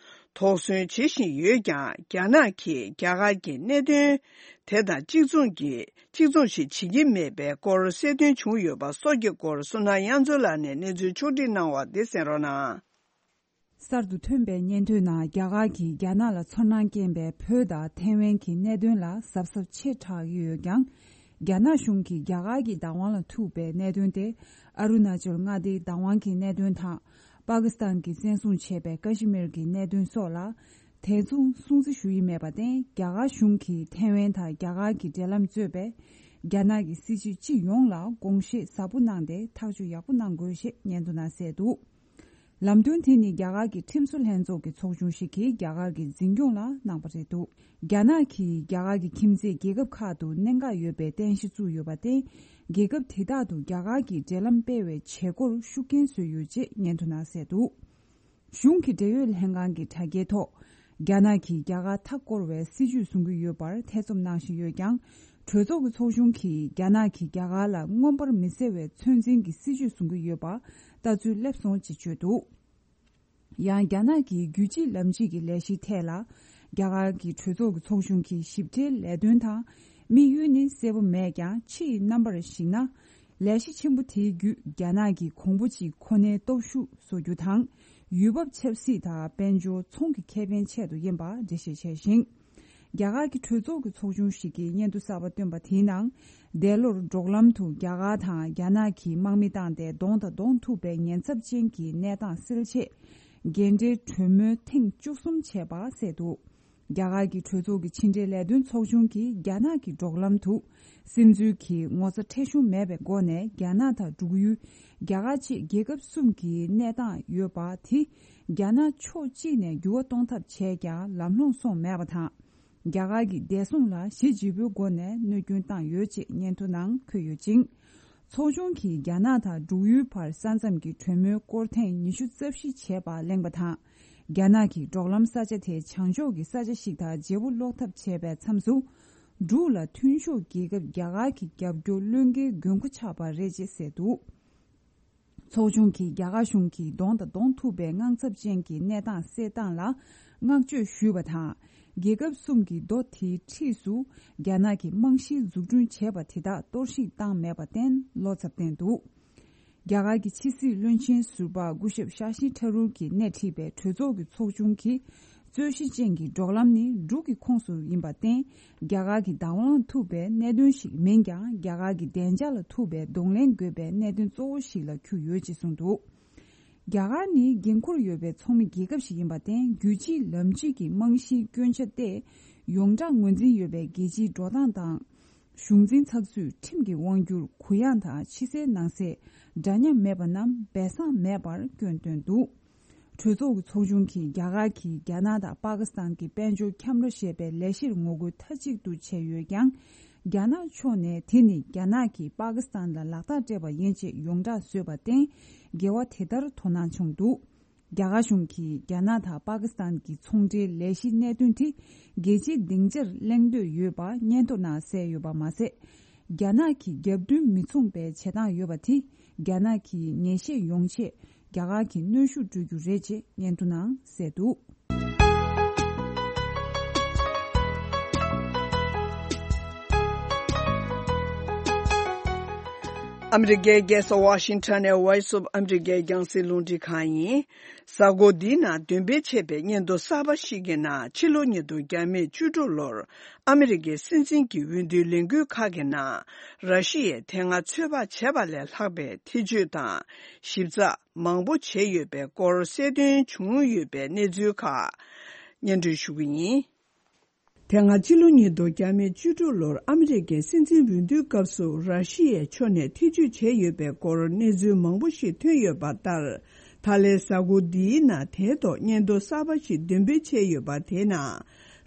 དོགས་ཟོན་བྱེད་བཞིན་ཡོད་ཀྱང་། རྒྱ་ནག་གིས་རྒྱ་གར་གྱི་གནད་དོན་དེ་དང་གཅིག་མཚུངས་ཀྱི་གཅིག་མཚུངས་ཤིག་བྱེད་ཀྱི་མེད་པའི་སྐོར་གསལ་སྟོན་བྱུང་ཡོད་པ་སོགས་ཀྱི་སྐོར་བསོད་ནམས་དབྱངས་མཚོ་ལགས་ནས་གནས་ཚུལ་ཕྱོགས་བསྒྲིགས་གནང་བ་འདི་གསན་རོགས་གནང་། གསར་དུ་ཐོན་པའི་སྙན་ཐོའི་ནང་རྒྱ་གར་གྱིས་རྒྱ་ནག་ལ་ཚོར་སྣང་སྐྱེན་པའི་བོད་དང་ཐའེ་ཝན་གྱི་གནད་དོན་ལ་གཟབ་གཟབ་ཆེ་དྲགས་ཀྱི་ཡོད་ཀྱང་། རྒྱ་ནག་གཞུང་གིས་རྒྱ་གར་གྱི་བདག་དབང་ལ་ཐུག་པའི་གནད་དོན་དེ། ཨ་རུ་ན་ཅལ་མངའ་སྡེའི་བདག་དབང་གི་གནད་དོན་དང་། པ་ཀི་སི་ཐན་གྱིས་བཙན་བཟུང་བྱས་པའི་ཀ་ཤི་མིར་གྱི་གནད་དོན་སོགས་ལ། དེ་མཚུངས་སྲུང་བརྩི་ཞུ་ཡི་མེད་པར་བརྟེན། རྒྱ་གར་གཞུང་གིས་ཐའེ་ཝན་དང་རྒྱ་གར་གྱི་འབྲེལ་ལམ་གཙོས་པའི་རྒྱ་ནག་གི་སྲིད་བྱུས་སྤྱི་ཡོངས་ལ་དགོངས་བཞེས་ཟབ་པོ་གནང་སྟེ་ཐག་གཅོད་ཡག་པོ་གནང་དགོས་ཞེས་སྙན་ཐོ་ནང་གསལ་འདུག། ལམ་སྟོན་དེ་ནི་རྒྱ་གར་གྱི་ཁྲིམས་བཟོ་ལྷན་ཚོགས་ཀྱི་ཚོགས་ཆུང་ཞིག་གིས་རྒྱ་གར་གྱི་འཛིན་སྐྱོང་ལ་གནང་པ་རེད་འདུག། རྒྱ་ནག་གིས་རྒྱ་གར་གྱི་ཁྱིམ་མཚེས་རྒྱལ་ཁབ་ཁག་ཏུ་གནད་འགག་ཡོད་པའི་རྟེན་གཞི་བཙུགས་ཡོད་པར་བརྟེན། རྒྱལ་ཁབ་དེ་དག་ཏུ་རྒྱ་གར་གྱི་འབྲེལ་ལམ་སྤེལ་བའི་བྱེད་སྒོར་ཤུགས་རྐྱེན་བཟོས་ཡོད་ཅེས་སྙན་ཐོ་ནང་གསལ་འདུག། གཞུང་གི་འབྲེལ་ཡོད་ལྷན་ཁང་གི་དྲ་རྒྱའི་ཐོག། རྒྱ་ནག་གིས་རྒྱ་གར་མཐའ་བསྐོར་བའི་སྲིད་ཇུས་བཟུང་གི་ཡོད་པར་ཐེ་ཚོམ་གནང་བཞིན་ཡོད་ཀྱང་། གྲོས་ཚོགས་ཀྱི་ཚོགས་ཆུང་གིས་རྒྱ་ནག་གིས་རྒྱ་གར་ལ་མངོན་པར་མི་གསལ་བའི་ཚོད་འཛིན་གྱི་སྲིད་ཇུས་བཟུང་གི་ཡོད་པ་ལྟ་ཚུལ་སླེབས་སོང་ཅེས་བརྗོད་འདུག། ཡང་། རྒྱ་ནག་གི་རྒྱུད་གཅིག་ལམ་གཅིག་གི་ལས་གཞིའི་ཐད་ལ། རྒྱ་གར་གྱི་གྲོས་ཚོགས་ཀྱི་ཚོགས་ཆུང་གི་ཞིབ་ཕྲའི་ལས་དོན་དང་། དམིགས་ཡུལ་ནི་གསལ་པོ་མེད་ཀྱང་། ཕྱིའི་རྣམ་པར་གཞིགས་ན། ལས་གཞི་ཆེན་པོ་དེའི་བརྒྱུད། རྒྱ་ནག་གི་གོང་བུ་གཅིག་ཁོ་ནའི་སྟོབས་ཤུགས་བཟོ་རྒྱུ་དང་། ཡུལ་བབ་ཆབ་སྲིད་དང་། དཔལ་འབྱོར་ཚོང་གི་ཁེ་ཕན་ཆེད་དུ་ཡིན་པ་འགྲེལ་བཤད་བྱས་ཤིང་། རྒྱ་གར་གྱི་གྲོས་ཚོགས་ཀྱི་ཚོགས་ཆུང་ཞིག་གིས་སྙན་ཐོ་གསར་པ་བཏོན་པ་དེའི་ནང་། འདས་ལོར་འབྲོག་ལམ་དུ་རྒྱ་གར་དང་རྒྱ་ནག་གིས་དམག་མི་བཏང་སྟེ་གདོང་དང་གདོང་ཐུག་པའི་ཉེན་ཚབས་ཅན་གྱི་གནས་སྟངས་སེལ་ཆེད། འགན་འཁྲིའི་གྲོས་མོལ་ཐེངས་བཅུ་གསུམ་བྱས་པ་གསལ་འདུག། རྒྱ་གར་གྱི་གྲོས་ཚོགས་ཀྱི་ཕྱི་འབྲེལ་ལས་དོན་ཚོགས་ཆུང་གིས་རྒྱ་ནག་གི་འབྲོག་ལམ་དུ། སིམ་འཛུལ་གྱི་ངོ་ཚ་ཁྲེལ་གཞུང་མེད་པའི་སྒོ་ནས་རྒྱ་ནག་དང་འབྲུག་ཡུལ། རྒྱ་གར་བཅས་རྒྱལ་ཁབ་གསུམ་གྱི་གནས་སྟངས་ཡོད་པ་དེ། རྒྱ་ནག་ཕྱོགས་གཅིག་ནས་འགྱུར་བ་གཏོང་ཐབས་བྱས་ཀྱང་ལམ་ལྷོང་སོང་མེད་པ་དང་། རྒྱ་གར་གྱི་བདེ་སྲུང་ལ་གཞི་བརྗིད་པོའི་སྒོ་ནས་གནོད་སྐྱོན་བཏང་ཡོད་ཅེས་སྙན་ཐོ་ནང་འཁོད་ཡོད་ཅིང་། ཚོགས་ཆུང་གིས་རྒྱ་ནག་དང་འབྲུག་ཡུལ་བར་ས་མཚམས་ཀྱི་གྲོས་མོལ་སྐོར་ཐེངས་ཉི་ཤུ་རྩ་བཞི་བྱས་པ་གླེང་པ་དང་། རྒྱ་ནག་གིས་འབྲོག་ལམ་ས་ཆ་དེ་བྱང་ཕྱོགས་ཀྱི་ས་ཆ་ཞིག་དང་བརྗེ་པོ་སློག་ཐབས་བྱས་པའི་མཚམས་སུ། འབྲུག་ལ་མཐུན་ཕྱོགས་རྒྱལ་ཁབ་རྒྱ་གར་གྱི་རྒྱབ་སྐྱོར་བློས་འགེལ་དགོས་མཁོ་ཆགས་པ་རེད་ཅེས་གསལ་འདུག། ཚོགས་ཆུང་གིས་རྒྱ་གར་གཞུང་གིས་གདོང་དང་གདོང་ཐུག་པའི་དངངས་འཚབ་ཅན་གྱི་གནས་སྟངས་སེལ་སྟངས་ལ་བསྔགས་བརྗོད་ཞུས་པ་དང་། རྒྱལ་ཁབ་གསུམ་གྱི་མདོ་དེའི་འཁྲིས་སུ་རྒྱ་ནག་གིས་རྨང་གཞི་འཛུགས་སྐྲུན་བྱས་པ་དེ་དག་གཏོར་བཤིག་བཏང་མེད་པར་བརྟེན་བློ་འཚབ་བསྟན་འདུག། རྒྱ་གར་གྱི་ཕྱི་སྲིད་བློན་ཆེན་ཟུར་པ་སྐུ་ཞབས་ཤ་ཤི་ཐ་རུར་གྱིས་སྣེ་ཁྲིད་པའི་གྲོས་ཚོགས་ཀྱི་ཚོགས་ཆུང་གིས། རྩོད་གཞི་ཅན་གྱི་འབྲོག་ལམ་ནི་འབྲུག་གི་ཁོངས་སུ་ཡིན་པར་བརྟེན། རྒྱ་གར་གྱི་བདག་དབང་ཐུབ་པའི་གནད་དོན་ཞིག་མིན་ཀྱང་། རྒྱ་གར་གྱི་བདེ་འཇགས་ལ་ཐུབ་པའི་གདོང་ལེན་དགོས་པའི་གནད་དོན་གཙོ་བོ་ཞིག་ལ་གྱུར་ཡོད་ཅེས་གསུངས་འདུག། རྒྱ་གར་ནི་འགན་འཁུར་ཡོད་པའི་ཚོགས་མི་རྒྱལ་ཁབ་ཞིག་ཡིན་པར་བརྟེན། རྒྱུད་གཅིག་ལམ་གཅིག་གི་རྨང་གཞིའི་སྐྱོན་ཆ་སྟེ། ཡོངས་གྲགས་ངོས་འཛིན་ཡོད་པའི་རྒྱལ་སྤྱིའི་འགྲོ་སྟངས་དང་། གཞུང་འཛིན་ཚགས་ཚུད་ཁྲིམས་ཀྱི་དབང་སྒྱུར་གུ་ཡངས་དང་། ཕྱི་གསལ་ནང་གསལ་འདྲ་མཉམ་མེད་པ་རྣམས་སྦས་གསང་མེད་པར་སྐྱོན་བཏོན་འདུག། གྲོས་ཚོགས་ཀྱི་ཚོགས་ཆུང་གིས་རྒྱ་གར་གྱིས་རྒྱ་ནག་དང་པ་ཀི་སི་ཐན་གྱི་དཔལ་འབྱོར་ཁྱམས་ར་ཞེས་པའི་ལས་གཞིར་ངོ་རྒོལ་མཐའ་གཅིག་ཏུ་བྱས་ཡོད་ཀྱང་། རྒྱ་ནག་ཕྱོགས་ནས་དེ་ནི་རྒྱ་ནག་གིས་པ་ཀི་སི་ཐན་ལ་ལག་རྟགས་སྤྲད་པ་ཡིན་ཅེས་ཡོངས་གྲགས་བཟོས་པར་བརྟེན། འགལ་བ་དེ་ལྟར་དོ་སྣང་བྱུང་འདུག། རྒྱ་གར་གཞུང་གིས་རྒྱ་ནག་དང་པ་ཀི་སི་ཐན་གྱི་ཚོང་འབྲེལ་ལས་གཞིའི་གནད་དོན་དེ་རྒྱལ་སྤྱིའི་སྡིངས་ཆར་གླེང་འདོད་ཡོད་པ་སྙན་ཐོ་ནང་གསལ་ཡོད་པ་མ་ཟད། རྒྱ་ནག་གི་རྒྱབ་མདུན་མི་མཚུངས་པའི་བྱེད་སྟངས་ཡོད་པ་དེ་རྒྱ་ནག་གི་ངེས་ཤེས་ཡོང་ཆེད་རྒྱ་གར་གྱི་གནོན་ཤུགས་སྤྲོད་རྒྱུ་རེད་ཅེས་སྙན་ཐོ་ནང་གསལ་འདུག། ཨ་མི་རི་ཀའི་རྒྱལ་ས་ཝ་ཤིང་ཊོན་ནས་Voice of America རྒྱང་སྲིང་རླུང་འཕྲིན་ཁང་ཡིན། གཟའ་འཁོར་འདིའི་ནང་འདོན་སྤེལ་བྱས་པའི་སྙན་ཐོ་གསར་པ་ཞིག་གི་ནང་ཕྱི་ལོ་ཉིས་སྟོང་བརྒྱ་མེད་བཅུ་དྲུག་ལོར་ཨ་མི་རི་ཀའི་སྲིད་འཛིན་གྱི་འོས་བསྡུའི་ལས་འགུལ་ཁག་གི་ནང་ར་ཤི་ཡས་དེ་སྔ་ཚོད་དཔག་བྱས་པ་ལས་ལྷག་པའི་ཐེ་བྱུས་དང་ཞིབ་ཚགས་མང་པོ་བྱས་ཡོད་པའི་སྐོར་གསལ་སྟོན་བྱུང་ཡོད་པའི་གནས་ཚུལ་ཁག་སྙན་སྒྲོན་ཞུ་གི་ཡིན། དེ་སྔ་ཕྱི་ལོ་ཉིས་སྟོང་བརྒྱ་མེད་བཅུ་དྲུག་ལོར་ཨ་མི་རི་ཀའི་སྲིད་འཛིན་འོས་བསྡུའི་སྐབས་སུ་ར་ཤི་ཡའི་ཕྱོགས་ནས་ཐེ་བྱུས་བྱས་ཡོད་པའི་སྐོར་གནས་ཚུལ་མང་པོ་ཞིག་ཐོན་ཡོད་པ་ལྟར། ད་ལན་གཟའ་འཁོར་འདིའི་ནང་དེའི་ཐོག་སྙན་ཐོ་གསར་པ་ཞིག་འདོན་སྤེལ་བྱས་ཡོད་པ་དེའི་ནང་།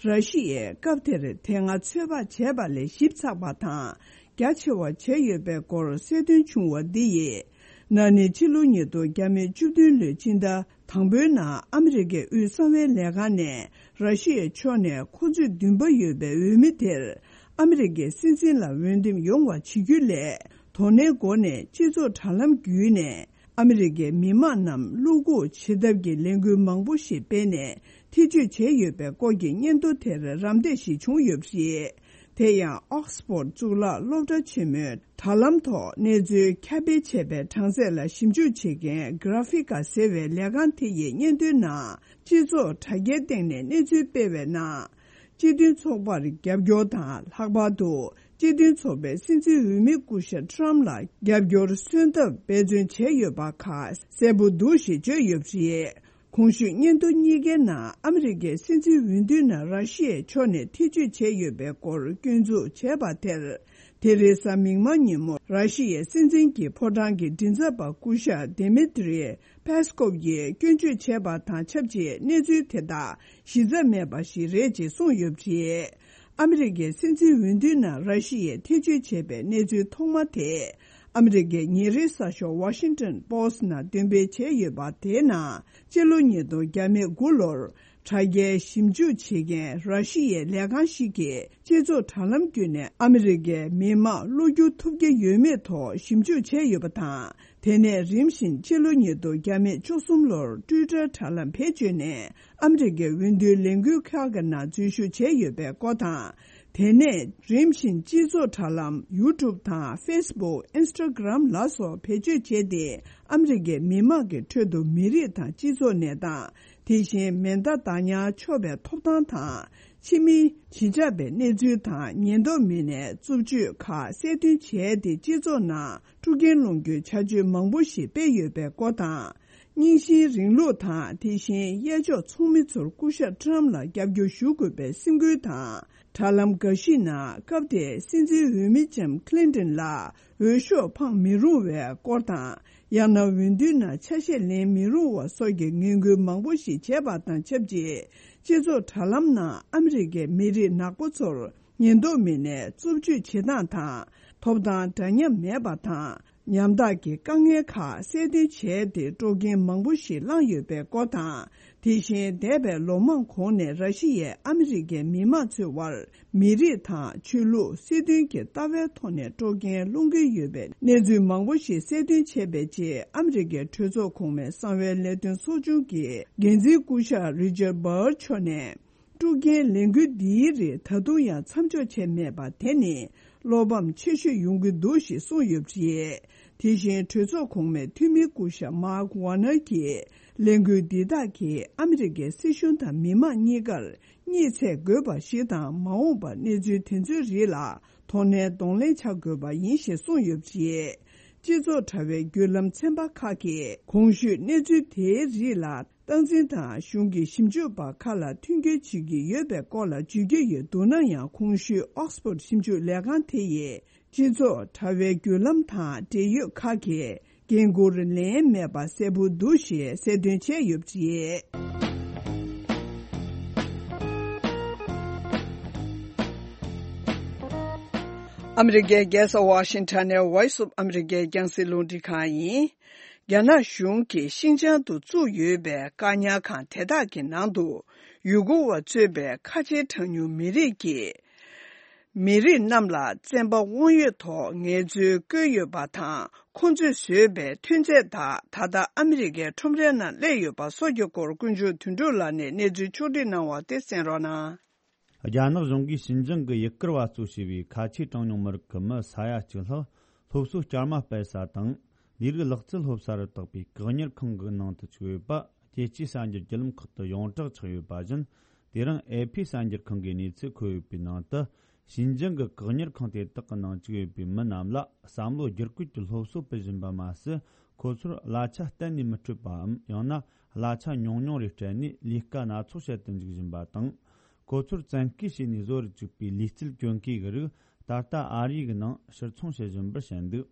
ར་ཤི་ཡས་སྐབས་དེར་དེ་སྔ་ཚོད་དཔག་བྱས་པ་ལས་ཞིབ་ཚགས་པ་དང་རྒྱ་ཆེ་བ་བྱས་ཡོད་པའི་སྐོར་གསལ་སྟོན་བྱུང་བ་འདི་ཡིས། ན་ནིང་ཕྱི་ལོ་ཉིས་སྟོང་བརྒྱ་མེད་བཅུ་བདུན་ལོའི་ཕྱི་ཟླ་དང་པོའི་ནང་ཨ་མི་རི་ཀའི་དབུས་གསང་བའི་ལས་ཁང་ནས་ར་ཤི་ཡའི་ཕྱོགས་ནས་ཁོ་ཚོས་འདུན་པ་ཡོད་པའི་འོས་མི་དེར་ཨ་མི་རི་ཀའི་སྲིད་འཛིན་ལ་འོས་འདེམས་ཡོང་བ་བྱེད་རྒྱུ་ལས། དོ་ནན་སྒོ་ནས་སྤྱི་ཚོགས་དྲ་ལམ་བརྒྱུད་ནས་ཨ་མི་རི་ཀའི་མི་མང་རྣམས་བློ་འགུག་བྱེད་ཐབས་ཀྱི་ལས་འགུལ་མང་པོ་ཞིག་སྤེལ་ནས་ཐེ་བྱུས་བྱས་ཡོད་པའི་སྐོར་གྱི་སྙན་ཐོ་དེར་རམ་འདེགས་ཤིག་བྱུང་ཡོད་པ་རེད། དེ་ཡང་ཨོག་སི་ཕོར་གཙུག་ལག་སློབ་གྲྭ་ཆེན་མོའི་དྲ་ལམ་ཐོག་གནས་ཚུལ་ཁྱབ་སྤེལ་བྱས་པའི་གྲངས་ཚད་ལ་ཞིབ་འཇུག་བྱེད་མཁན་Graphika་ཟེར་བའི་ལས་ཁང་དེ་ཡི་སྙན་ཐོའི་ནང་། སྤྱི་ཚོགས་དྲ་རྒྱའི་སྟེང་ནས་གནས་ཚུལ་སྤེལ་བའི་ནང་། སྤྱི་མཐུན་ཚོགས་པར་རྒྱབ་སྐྱོར་དང་། ལྷག་པར་དུ་སྤྱི་མཐུན་ཚོགས་པའི་སྲིད་འཛིན་འོས་མི་སྐུ་ཞབས་Trump་ལ་རྒྱབ་སྐྱོར་མཚོན་ཐབས་འབད་བརྩོན་བྱས་ཡོད་པ་ཁ་གསལ་པོ་འདུག་ཞེས་བརྗོད་ཡོད་པ་རེད། གོང་ཞུས་སྙན་ཐོ་གཉིས་ཀའི་ནང་ཨ་མི་རི་ཀའི་སྲིད་འཛིན་འོས་བསྡུའི་ནང་ར་ཤི་ཡའི་ཕྱོགས་ནས་ཐེ་བྱུས་བྱས་ཡོད་པའི་སྐོར་སྐྱོན་འཛུགས་བྱས་པ་དེར། དེ་རིང་གཟའ་མིག་དམར་ཉིན་མོ་ར་ཤི་ཡའི་སྲིད་འཛིན་གྱི་ཕོ་བྲང་གི་མགྲིན་ཚབ་པ་སྐུ་ཞབས་Dmitry Peskov་ཡིས་སྐྱོན་བརྗོད་བྱས་པ་དང་ཆབས་ཅིག་གནས་ཚུལ་དེ་དག་གཞི་རྩ་མེད་པ་ཞིག་རེད་ཅེས་གསུངས་ཡོད་པ་རེད། ཨ་མི་རི་ཀའི་སྲིད་འཛིན་འོས་བསྡུའི་ནང་ར་ཤི་ཡས་ཐེ་བྱུས་བྱས་པའི་གནས་ཚུལ་ཐོག་མ་དེ། ཨ་མི་རི་ཀའི་ཉིན་རེའི་གསར་ཤོག་Washington Post་ནང་འདོན་སྤེལ་བྱས་ཡོད་པ་དེའི་ནང་། སྤྱི་ལོ་ཉིས་སྟོང་དགུ་ལོར་དྲ་རྒྱའི་ཞིབ་འཇུག་བྱེད་མཁན་ར་ཤི་ཡའི་ལས་ཁང་ཞིག་གིས་སྤྱི་ཚོགས་དྲ་ལམ་བརྒྱུད་ནས་ཨ་མི་རི་ཀའི་མི་མང་བློ་འགྱུར་ཐུབ་ཀྱི་ཡོད་མེད་ཐོག་ཞིབ་འཇུག་བྱས་ཡོད་པ་དང་། དེ་ནས་རིམ་བཞིན་སྤྱི་ལོ་ཉིས་སྟོང་བཅུ་གསུམ་ལོར་Twitter་དྲ་ལམ་བེད་སྤྱོད་ནས་ཨ་མི་རི་ཀའི་འོས་བསྡུའི་ལས་འགུལ་ཁག་གི་ནང་འཛུལ་ཞུགས་བྱས་ཡོད་པའི་སྐོར་དང་། དེ་ནས་རིམ་བཞིན་སྤྱི་ཚོགས་དྲ་ལམ་YouTube་དང་Facebook། Instagram་ལ་སོགས་བེད་སྤྱོད་བྱས་ཏེ་ཨ་མི་རི་ཀའི་མི་མང་གི་ཁྲོད་དུ་མི་རིགས་དང་སྤྱི་ཚོགས་གནས་སྟངས། དེ་བཞིན་མེ་མདའ་བདག་ཉར་ཆོག་པའི་ཐོབ་ཐང་དང་། ཕྱི་མིའི་གཞིས་ཆགས་པའི་གནས་ཚུལ་དང་ཉེན་རྟོག་མི་སྣའི་རྩུབ་སྤྱོད་ཁག་གསལ་སྟོན་བྱས་ཏེ་སྤྱི་ཚོགས་ནང་དཀྲུག་རྐྱེན་སློང་རྒྱུའི་བྱ་སྤྱོད་མང་པོ་ཞིག་སྤེལ་ཡོད་པའི་སྐོར་དང་། རྙིང་ཞེན་རིང་ལུགས་དང་དེ་བཞིན་གཡས་ཕྱོགས་ཚོགས་མི་ཚོར་སྐུ་ཞབས་Trump་ལ་རྒྱབ་སྐྱོར་ཞུ་དགོས་པའི་སེམས་འགུལ་དང་། དྲ་ལམ་འགའ་ཞིག་ནང་སྐབས་དེའི་སྲིད་འཛིན་འོས་མི་ལྕམ་Clinton་ལ་འོས་ཤོག་འཕང་མི་རུང་བའི་སྐོར་དང་། ཡང་ན་འོས་བསྡུའི་ནང་ཆ་ཤས་ལེན་མི་རུང་བ་སོགས་ཀྱི་ངན་སྐུལ་མང་པོ་ཞིག་བྱས་པ་དང་ཆབས་ཅིག་སྤྱི་ཚོགས་དྲ་ལམ་ནང་ཨ་མི་རི་ཀའི་མི་རིགས་ནག་པོ་ཚོར་ཉེན་རྟོག་མི་སྣས་རྩུབ་སྤྱོད་བྱེད་སྟངས་དང་། ཐོབ་ཐང་འདྲ་མཉམ་མེད་པ་དང་། ཉམ་ཐག་གི་དཀའ་ངལ་ཁག་གསལ་སྟོན་བྱས་ཏེ་དཀྲུག་རྐྱེན་མང་པོ་ཞིག་བསླངས་ཡོད་པའི་སྐོར་དང་། དེ་བཞིན་འདས་པའི་ལོ་མང་གོང་ནས་ར་ཤི་ཡས་ཨ་མི་རི་ཀའི་མི་མང་ཚོའི་དབར་མི་རིགས་དང་ཆོས་ལུགས་སྲིད་དོན་གྱི་ལྟ་བའི་ཐོག་ནས་དཀྲུག་རྐྱེན་སློང་གི་ཡོད་པའི་གནས་ཚུལ་མང་པོ་ཞིག་གསལ་སྟོན་བྱས་པའི་རྗེས་ཨ་མི་རི་ཀའི་གྲོས་ཚོགས་གོང་མའི་གསང་བའི་ལས་དོན་ཚོགས་ཆུང་གི་འགན་འཛིན་སྐུ་ཞབས་Richard Burr་མཆོག་ནས། དཀྲུག་རྐྱེན་ལས་འགུལ་འདིའི་རིགས་ད་དུང་ཡང་མཚམས་འཇོག་བྱས་མེད་པ་དེ་ནི་བློ་ཕམ་ཆེ་ཤོས་ཡོང་གི་འདུག་ཞེས་གསུངས་ཡོད་པ་རེད། དེ་བཞིན་གྲོས་ཚོགས་གོང་མའི་འཐུས་མི་སྐུ་ཞབས་Mark Warner་གྱིས་ལས་འགུལ་འདི་དག་གིས་ཨ་མི་རི་ཀའི་སྲིད་གཞུང་དང་མི་མང་གཉིས་ཀར་གཉིད་ཚད་དགོས་པ་ཞིག་དང་མ་འོངས་པར་གནས་ཚུལ་དེ་ཚོའི་རིགས་ལ་དོ་ནན་གདོང་ལེན་བྱ་དགོས་པ་ཡིན་ཞེས་གསུངས་ཡོད་པ་རེད། སྤྱི་ཚོགས་དྲ་བའི་བརྒྱུད་ལམ་ཚན་པ་ཁག་གིས་གོང་ཞུས་གནས་ཚུལ་དེའི་རིགས་ལ། སྟངས་འཛིན་དང་གཞུང་གི་ཞིབ་འཇུག་པ་ཁག་ལ་མཐུན་འགྱུར་བྱེད་ཀྱི་ཡོད་པའི་སྐོར་ལ་བརྗོད་ཀྱི་ཡོད་འདུག་ན་ཡང་གོང་ཞུས་ཨོག་སི་ཕོར་ཞིབ་འཇུག་ལས་ཁང་དེ་ཡིས་སྤྱི་ཚོགས་དྲ་བའི་བརྒྱུད་ལམ་དང་འབྲེལ་ཡོད་ཁག་གིས་འགན་འཁུར་ལེན་མེད་པ་གསལ་པོ་འདུག་ཞེས་གསལ་སྟོན་བྱས་ཡོད་པ་རེད། ཨ་མི་རི་ཀའི་རྒྱལ་ས་ཝ་ཤིང་ཊོན་ནས་Voice of America་རྒྱང་སྲིང་རླུང་འཕྲིན་ཁང་ཡིན། རྒྱ་ནག་གཞུང་གིས་ཤིན་ཅང་དུ་བཙུགས་ཡོད་པའི་བཀག་ཉར་ཁང་དེ་དག་གི་ནང་དུ་ཡུ་གུར་བ་གཙོས་པའི་ཁ་ཆེའི་གྲངས་ཉུང་མི་རིགས་ཀྱི་མི་རིགས་རྣམས་ལ་བཙན་པ་དབང་ཡོད་ཐོག་ངལ་རྩོལ་བཀོལ་ཡོད་པ་དང་། ཁོང་ཚོས་བཟོས་པའི་ཐོན་རྫས་དག་ད་ལྟ་ཨ་མི་རི་ཀའི་ཁྲོམ་རའི་ནང་སླེབས་ཡོད་པ་སོགས་ཀྱི་སྐོར་དཀོན་མཆོག་དོན་གྲུབ་ལགས་ནས་གནས་ཚུལ་ཕྱོགས་སྒྲིག་གནང་བ་དེ་གསན་རོགས་གནང་། རྒྱ་ནག་གཞུང་གིས་ཞིན་ཅང་གི་ཡུ་གུར་བ་གཙོས་བྱས་པའི་ཁ་ཆེའི་གྲངས་ཉུང་མི་རིགས་ཀྱི་མི་ས་ཡ་གཅིག་ལྷག་སློབ་གསོ་བསྐྱར་མ་སྤེལ་ས་དང་། ལས་རིགས་ལག་རྩལ་སློབ་གསར་དུ་བཏགས་པའི་བཀག་ཉར་ཁང་གི་ནང་དུ་བཅུག་ཡོད་པ། རྒྱལ་སྤྱིའི་གསར་འགྱུར་བརྒྱུད་ལམ་ཁག་ཏུ་ཡོངས་གྲགས་ཆགས་ཡོད་པ་བཞིན། དེ་རིང་ཨེ་ཕི་གསར་འགྱུར་ཁང་གི་གནས་ཚུལ་འཁོད་ཡོད་པའི་ནང་དུ། ཞིན་ཅང་གི་བཀག་ཉར་ཁང་དེ་དག་གི་ནང་བཅུག་ཡོད་པའི་མི་རྣམས་ལ་བསམ་བློ་བསྒྱུར་བཀོད་ཀྱི་སློབ་གསོ་སྤེལ་བཞིན་པ་མ་ཟད། ཁོ་ཚོར་གླ་ཆ་གཏན་ནས་མི་སྤྲོད་པའམ། ཡང་ན་གླ་ཆ་ཉུང་ཉུང་རེ་སྤྲད་ནས་ལས་ཀ་སྣ་ཚོགས་བྱེད་དུ་འཇུག་བཞིན་པ་དང་། ཁོ་ཚོར་བཙན་སྐུལ་བྱས་ནས་བཟོ་རུ་བཅུག་པའི་ལུས་རྩལ་གྱོན་གོས་ཀྱི་རིགས་ད་ལྟ་ཨ་རིའི་ནང་ཕྱིར་ཚོང་བྱེད་བཞིན་པར་བཤད་འདུག་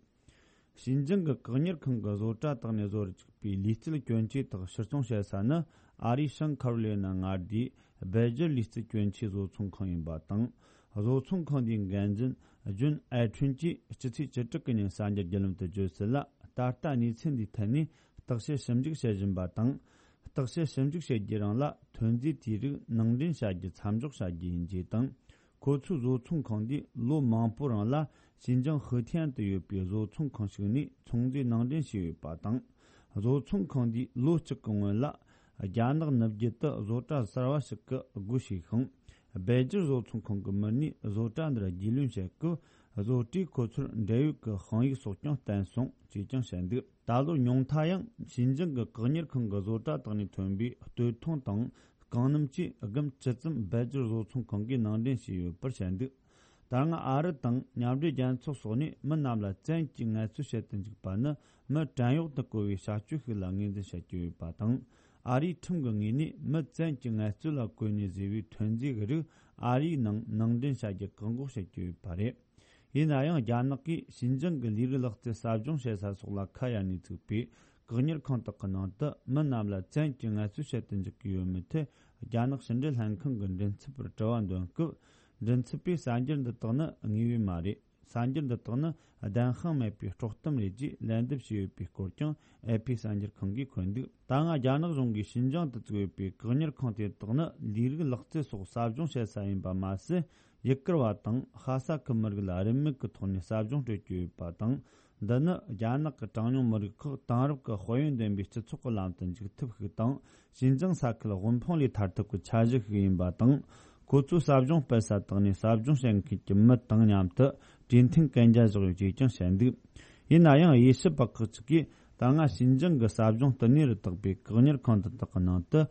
ཞིན་ཅང་གི་བཀག་ཉར་ཁང་གི་བཟོ་གྲྭ་དག་ནས་བཟོ་རུ་བཅུག་པའི་ལུས་རྩལ་གྱོན་ཆས་དག་ཕྱིར་ཚོང་བྱེད་ས་ནི། ཨ་རིའི་བྱང་ཁ་རོ་ལི་ན་མངའ་སྡེའི་སྦེལ་ཇར་ལུས་རྩལ་གྱོན་ཆས་བཟོ་ཚོང་ཁང་ཡིན་པ་དང་། བཟོ་ཚོང་ཁང་འདིའི་འགན་འཛིན་ཇུན་ཨའེ་ཁྲུན་གྱིས་སྤྱི་ཚེས་བཅུ་དྲུག་གི་ཉིན་གསར་འགྱུར་བརྒྱུད་ལམ་དུ་བརྗོད་གསལ་ལ། ད་ལྟ་གནས་ཚུལ་འདིའི་ཐད་ནས་བརྟག་དཔྱད་ཞིབ་འཇུག་བྱེད་བཞིན་པ་དང་། བརྟག་དཔྱད་ཞིབ་འཇུག་བྱེད་རྒྱུའི་རིང་ལ་ཐོན་རྫས་དེའི་རིགས་ནང་འདྲེན་བྱ་རྒྱུ་མཚམས་འཇོག་བྱ་རྒྱུ་ཡིན་ཅེས་དང་། ཁོ་ཚོའི་བཟོ་ཚོང་ཁང་འདིས་ལོ་མང་པོའི་རིང་ལ་ཞིན་ཅང་ཧུའུ་ཐན་དུ་ཡོད་པའི་བཟོ་ཚོང་ཁང་ཞིག་ནས་ཚོང་རྫས་ནང་འདྲེན་བྱས་ཡོད་པ་དང་། བཟོ་ཚོང་ཁང་འདིས་ལོ་གཅིག་གི་སྔོན་ལ་རྒྱ་ནག་ནུབ་རྒྱུད་དུ་བཟོ་གྲྭ་གསར་བ་ཞིག་གི་སྒོ་ཕྱེས་ཤིང་། སྦེལ་ཇིར་བཟོ་ཚོང་ཁང་གི་མི་སྣས་བཟོ་གྲྭ་འདིར་རྒྱུས་ལོན་བྱེད་སྐབས། བཟོ་གྲྭས་ཁོ་ཚོར་འབྲེལ་ཡོད་ཀྱི་དཔང་ཡིག་སོགས་ཀྱང་བསྟན་སོང་ཅེས་ཀྱང་བཤད་འདུག་ད་ལོ་ཉུང་མཐའ་ཡང་ཞིན་ཅང་གི་བཀག་ཉར་ཁང་གི་བཟོ་གྲྭ་དག་ནས་ཐོན་པའི་སྟོད་ཐུང་དང་རྐང་སྣམ་བཅས་སྒམ་བཅུ་ཙམ་སྦེལ་ཇིར་བཟོ་ཚོང་ཁང་གིས་ནང་འདྲེན་བྱས་ཡོད་པར་བཤད་འདུག་ད་སྔ་ཨ་རི་དང་མཉམ་འབྲེལ་རྒྱལ་ཚོགས་སོགས་ནས་མི་རྣམས་ལ་བཙན་གྱིས་ངལ་རྩོལ་བྱེད་དུ་འཇུག་པ་ནི་མི་བྲན་གཡོག་ཏུ་བཀོལ་བའི་བྱ་སྤྱོད་ཤིག་ལ་ངོས་འཛིན་བྱེད་ཀྱི་ཡོད་པ་དང་། ཨ་རིའི་ཁྲིམས་ཀྱི་ངོས་ནས་མི་བཙན་གྱིས་ངལ་རྩོལ་ལ་བཀོལ་ནས་བཟོས་པའི་ཐོན་རྫས་ཀྱི་རིགས་ཨ་རིའི་ནང་ནང་འདྲེན་བྱ་རྒྱུ་བཀག་འགོག་བྱེད་ཀྱི་ཡོད་པ་རེད། ཡིན་ན་ཡང་རྒྱ་ནག་གིས་ཞིན་ཅང་གི་ལས་རིགས་ལག་རྩལ་ཟབ་སྦྱོང་བྱེད་ས་སོགས་ལ་ཁ་གཡར་ནས་བཙུགས་པའི་བཀག་ཉར་ཁང་དག་གི་ནང་དུ་མི་རྣམས་ལ་བཙན་གྱིས་ངལ་རྩོལ་བྱེད་དུ་འཇུག་གི་ཡོད་མེད་ཐད། རྒྱ་ནག་ཕྱི་འབྲེལ་ལྷན་ཁང་གི་མགྲིན་ཚབ་པར་དྲི་བ་འདོན་སྐབས། མགྲིན་ཚབ་པས་གསར་འགྱུར་འདི་དག་ནི་དངོས་ཡོད་མ་རེད། གསར་འགྱུར་འདི་དག་ནི་བདེན་དཔང་མེད་པའི་དཀྲོག་གཏམ་རེད་ཅེས་ལན་འདེབས་བྱས་ཡོད་པའི་སྐོར་ཀྱང་ཨེ་ཕི་གསར་འགྱུར་ཁང་གིས་འཁོད་འདུག་ད་སྔ་རྒྱ་ནག་གཞུང་གིས་ཞིན་ཅང་དུ་བཙུགས་ཡོད་པའི་བཀག་ཉར་ཁང་དེ་དག་ནི་ལས་རིགས་ལག་རྩལ་སོགས་ཟབ་སྦྱོང་བྱེད་ས་ཡིན་པ་མ་ཟད། ཡུ་གུར་བ་དང་ཤ་ས་ཁུལ་མི་རིགས་ལ་རིན་མེད་ཀྱི་ཐོག་ནས་ཟབ་སྦྱོང་སྤྲོད་ཀྱི་ཡོད་པ་དང་། འདི་ནི་རྒྱ་ནག་གི་གྲངས་ཉུང་མི་རིགས་ཁག་དེང་རབས་ཀྱི་དཔལ་ཡོན་ལྡན་པའི་སྤྱི་ཚོགས་ཀྱི་ལམ་དུ་འཇུག་ཐབས་ཤིག་དང་། ཞིན་ཅང་ས་ཁུལ་དབུལ་ཕོངས་ལས་ཐར་ཐབས་ཀྱི་འཆར་གཞི་ཞིག་ཡིན་པ་དང་། ཁོ་ཚོས་ཟབ་སྦྱོང་སྤེལ་ས་དག་ནས་ཟབ་སྦྱོང་བྱེད་མཁན་གྱི་མི་དང་མཉམ་དུ་གྲོས་མཐུན་གན་རྒྱ་བཞག་ཡོད་ཅེས་ཀྱང་བཤད་འདུག་ཡིན་ན་ཡང་། དབྱེ་ཞིབ་པ་ཁག་ཅིག་གིས་ད་སྔ་ཞིན་ཅང་གི་ཟབ་སྦྱོང་བསྟུད་ནུས་རུ་དག་པའི་བཀག་ཉར་ཁང་དེ་དག་གི་ནང་དུ་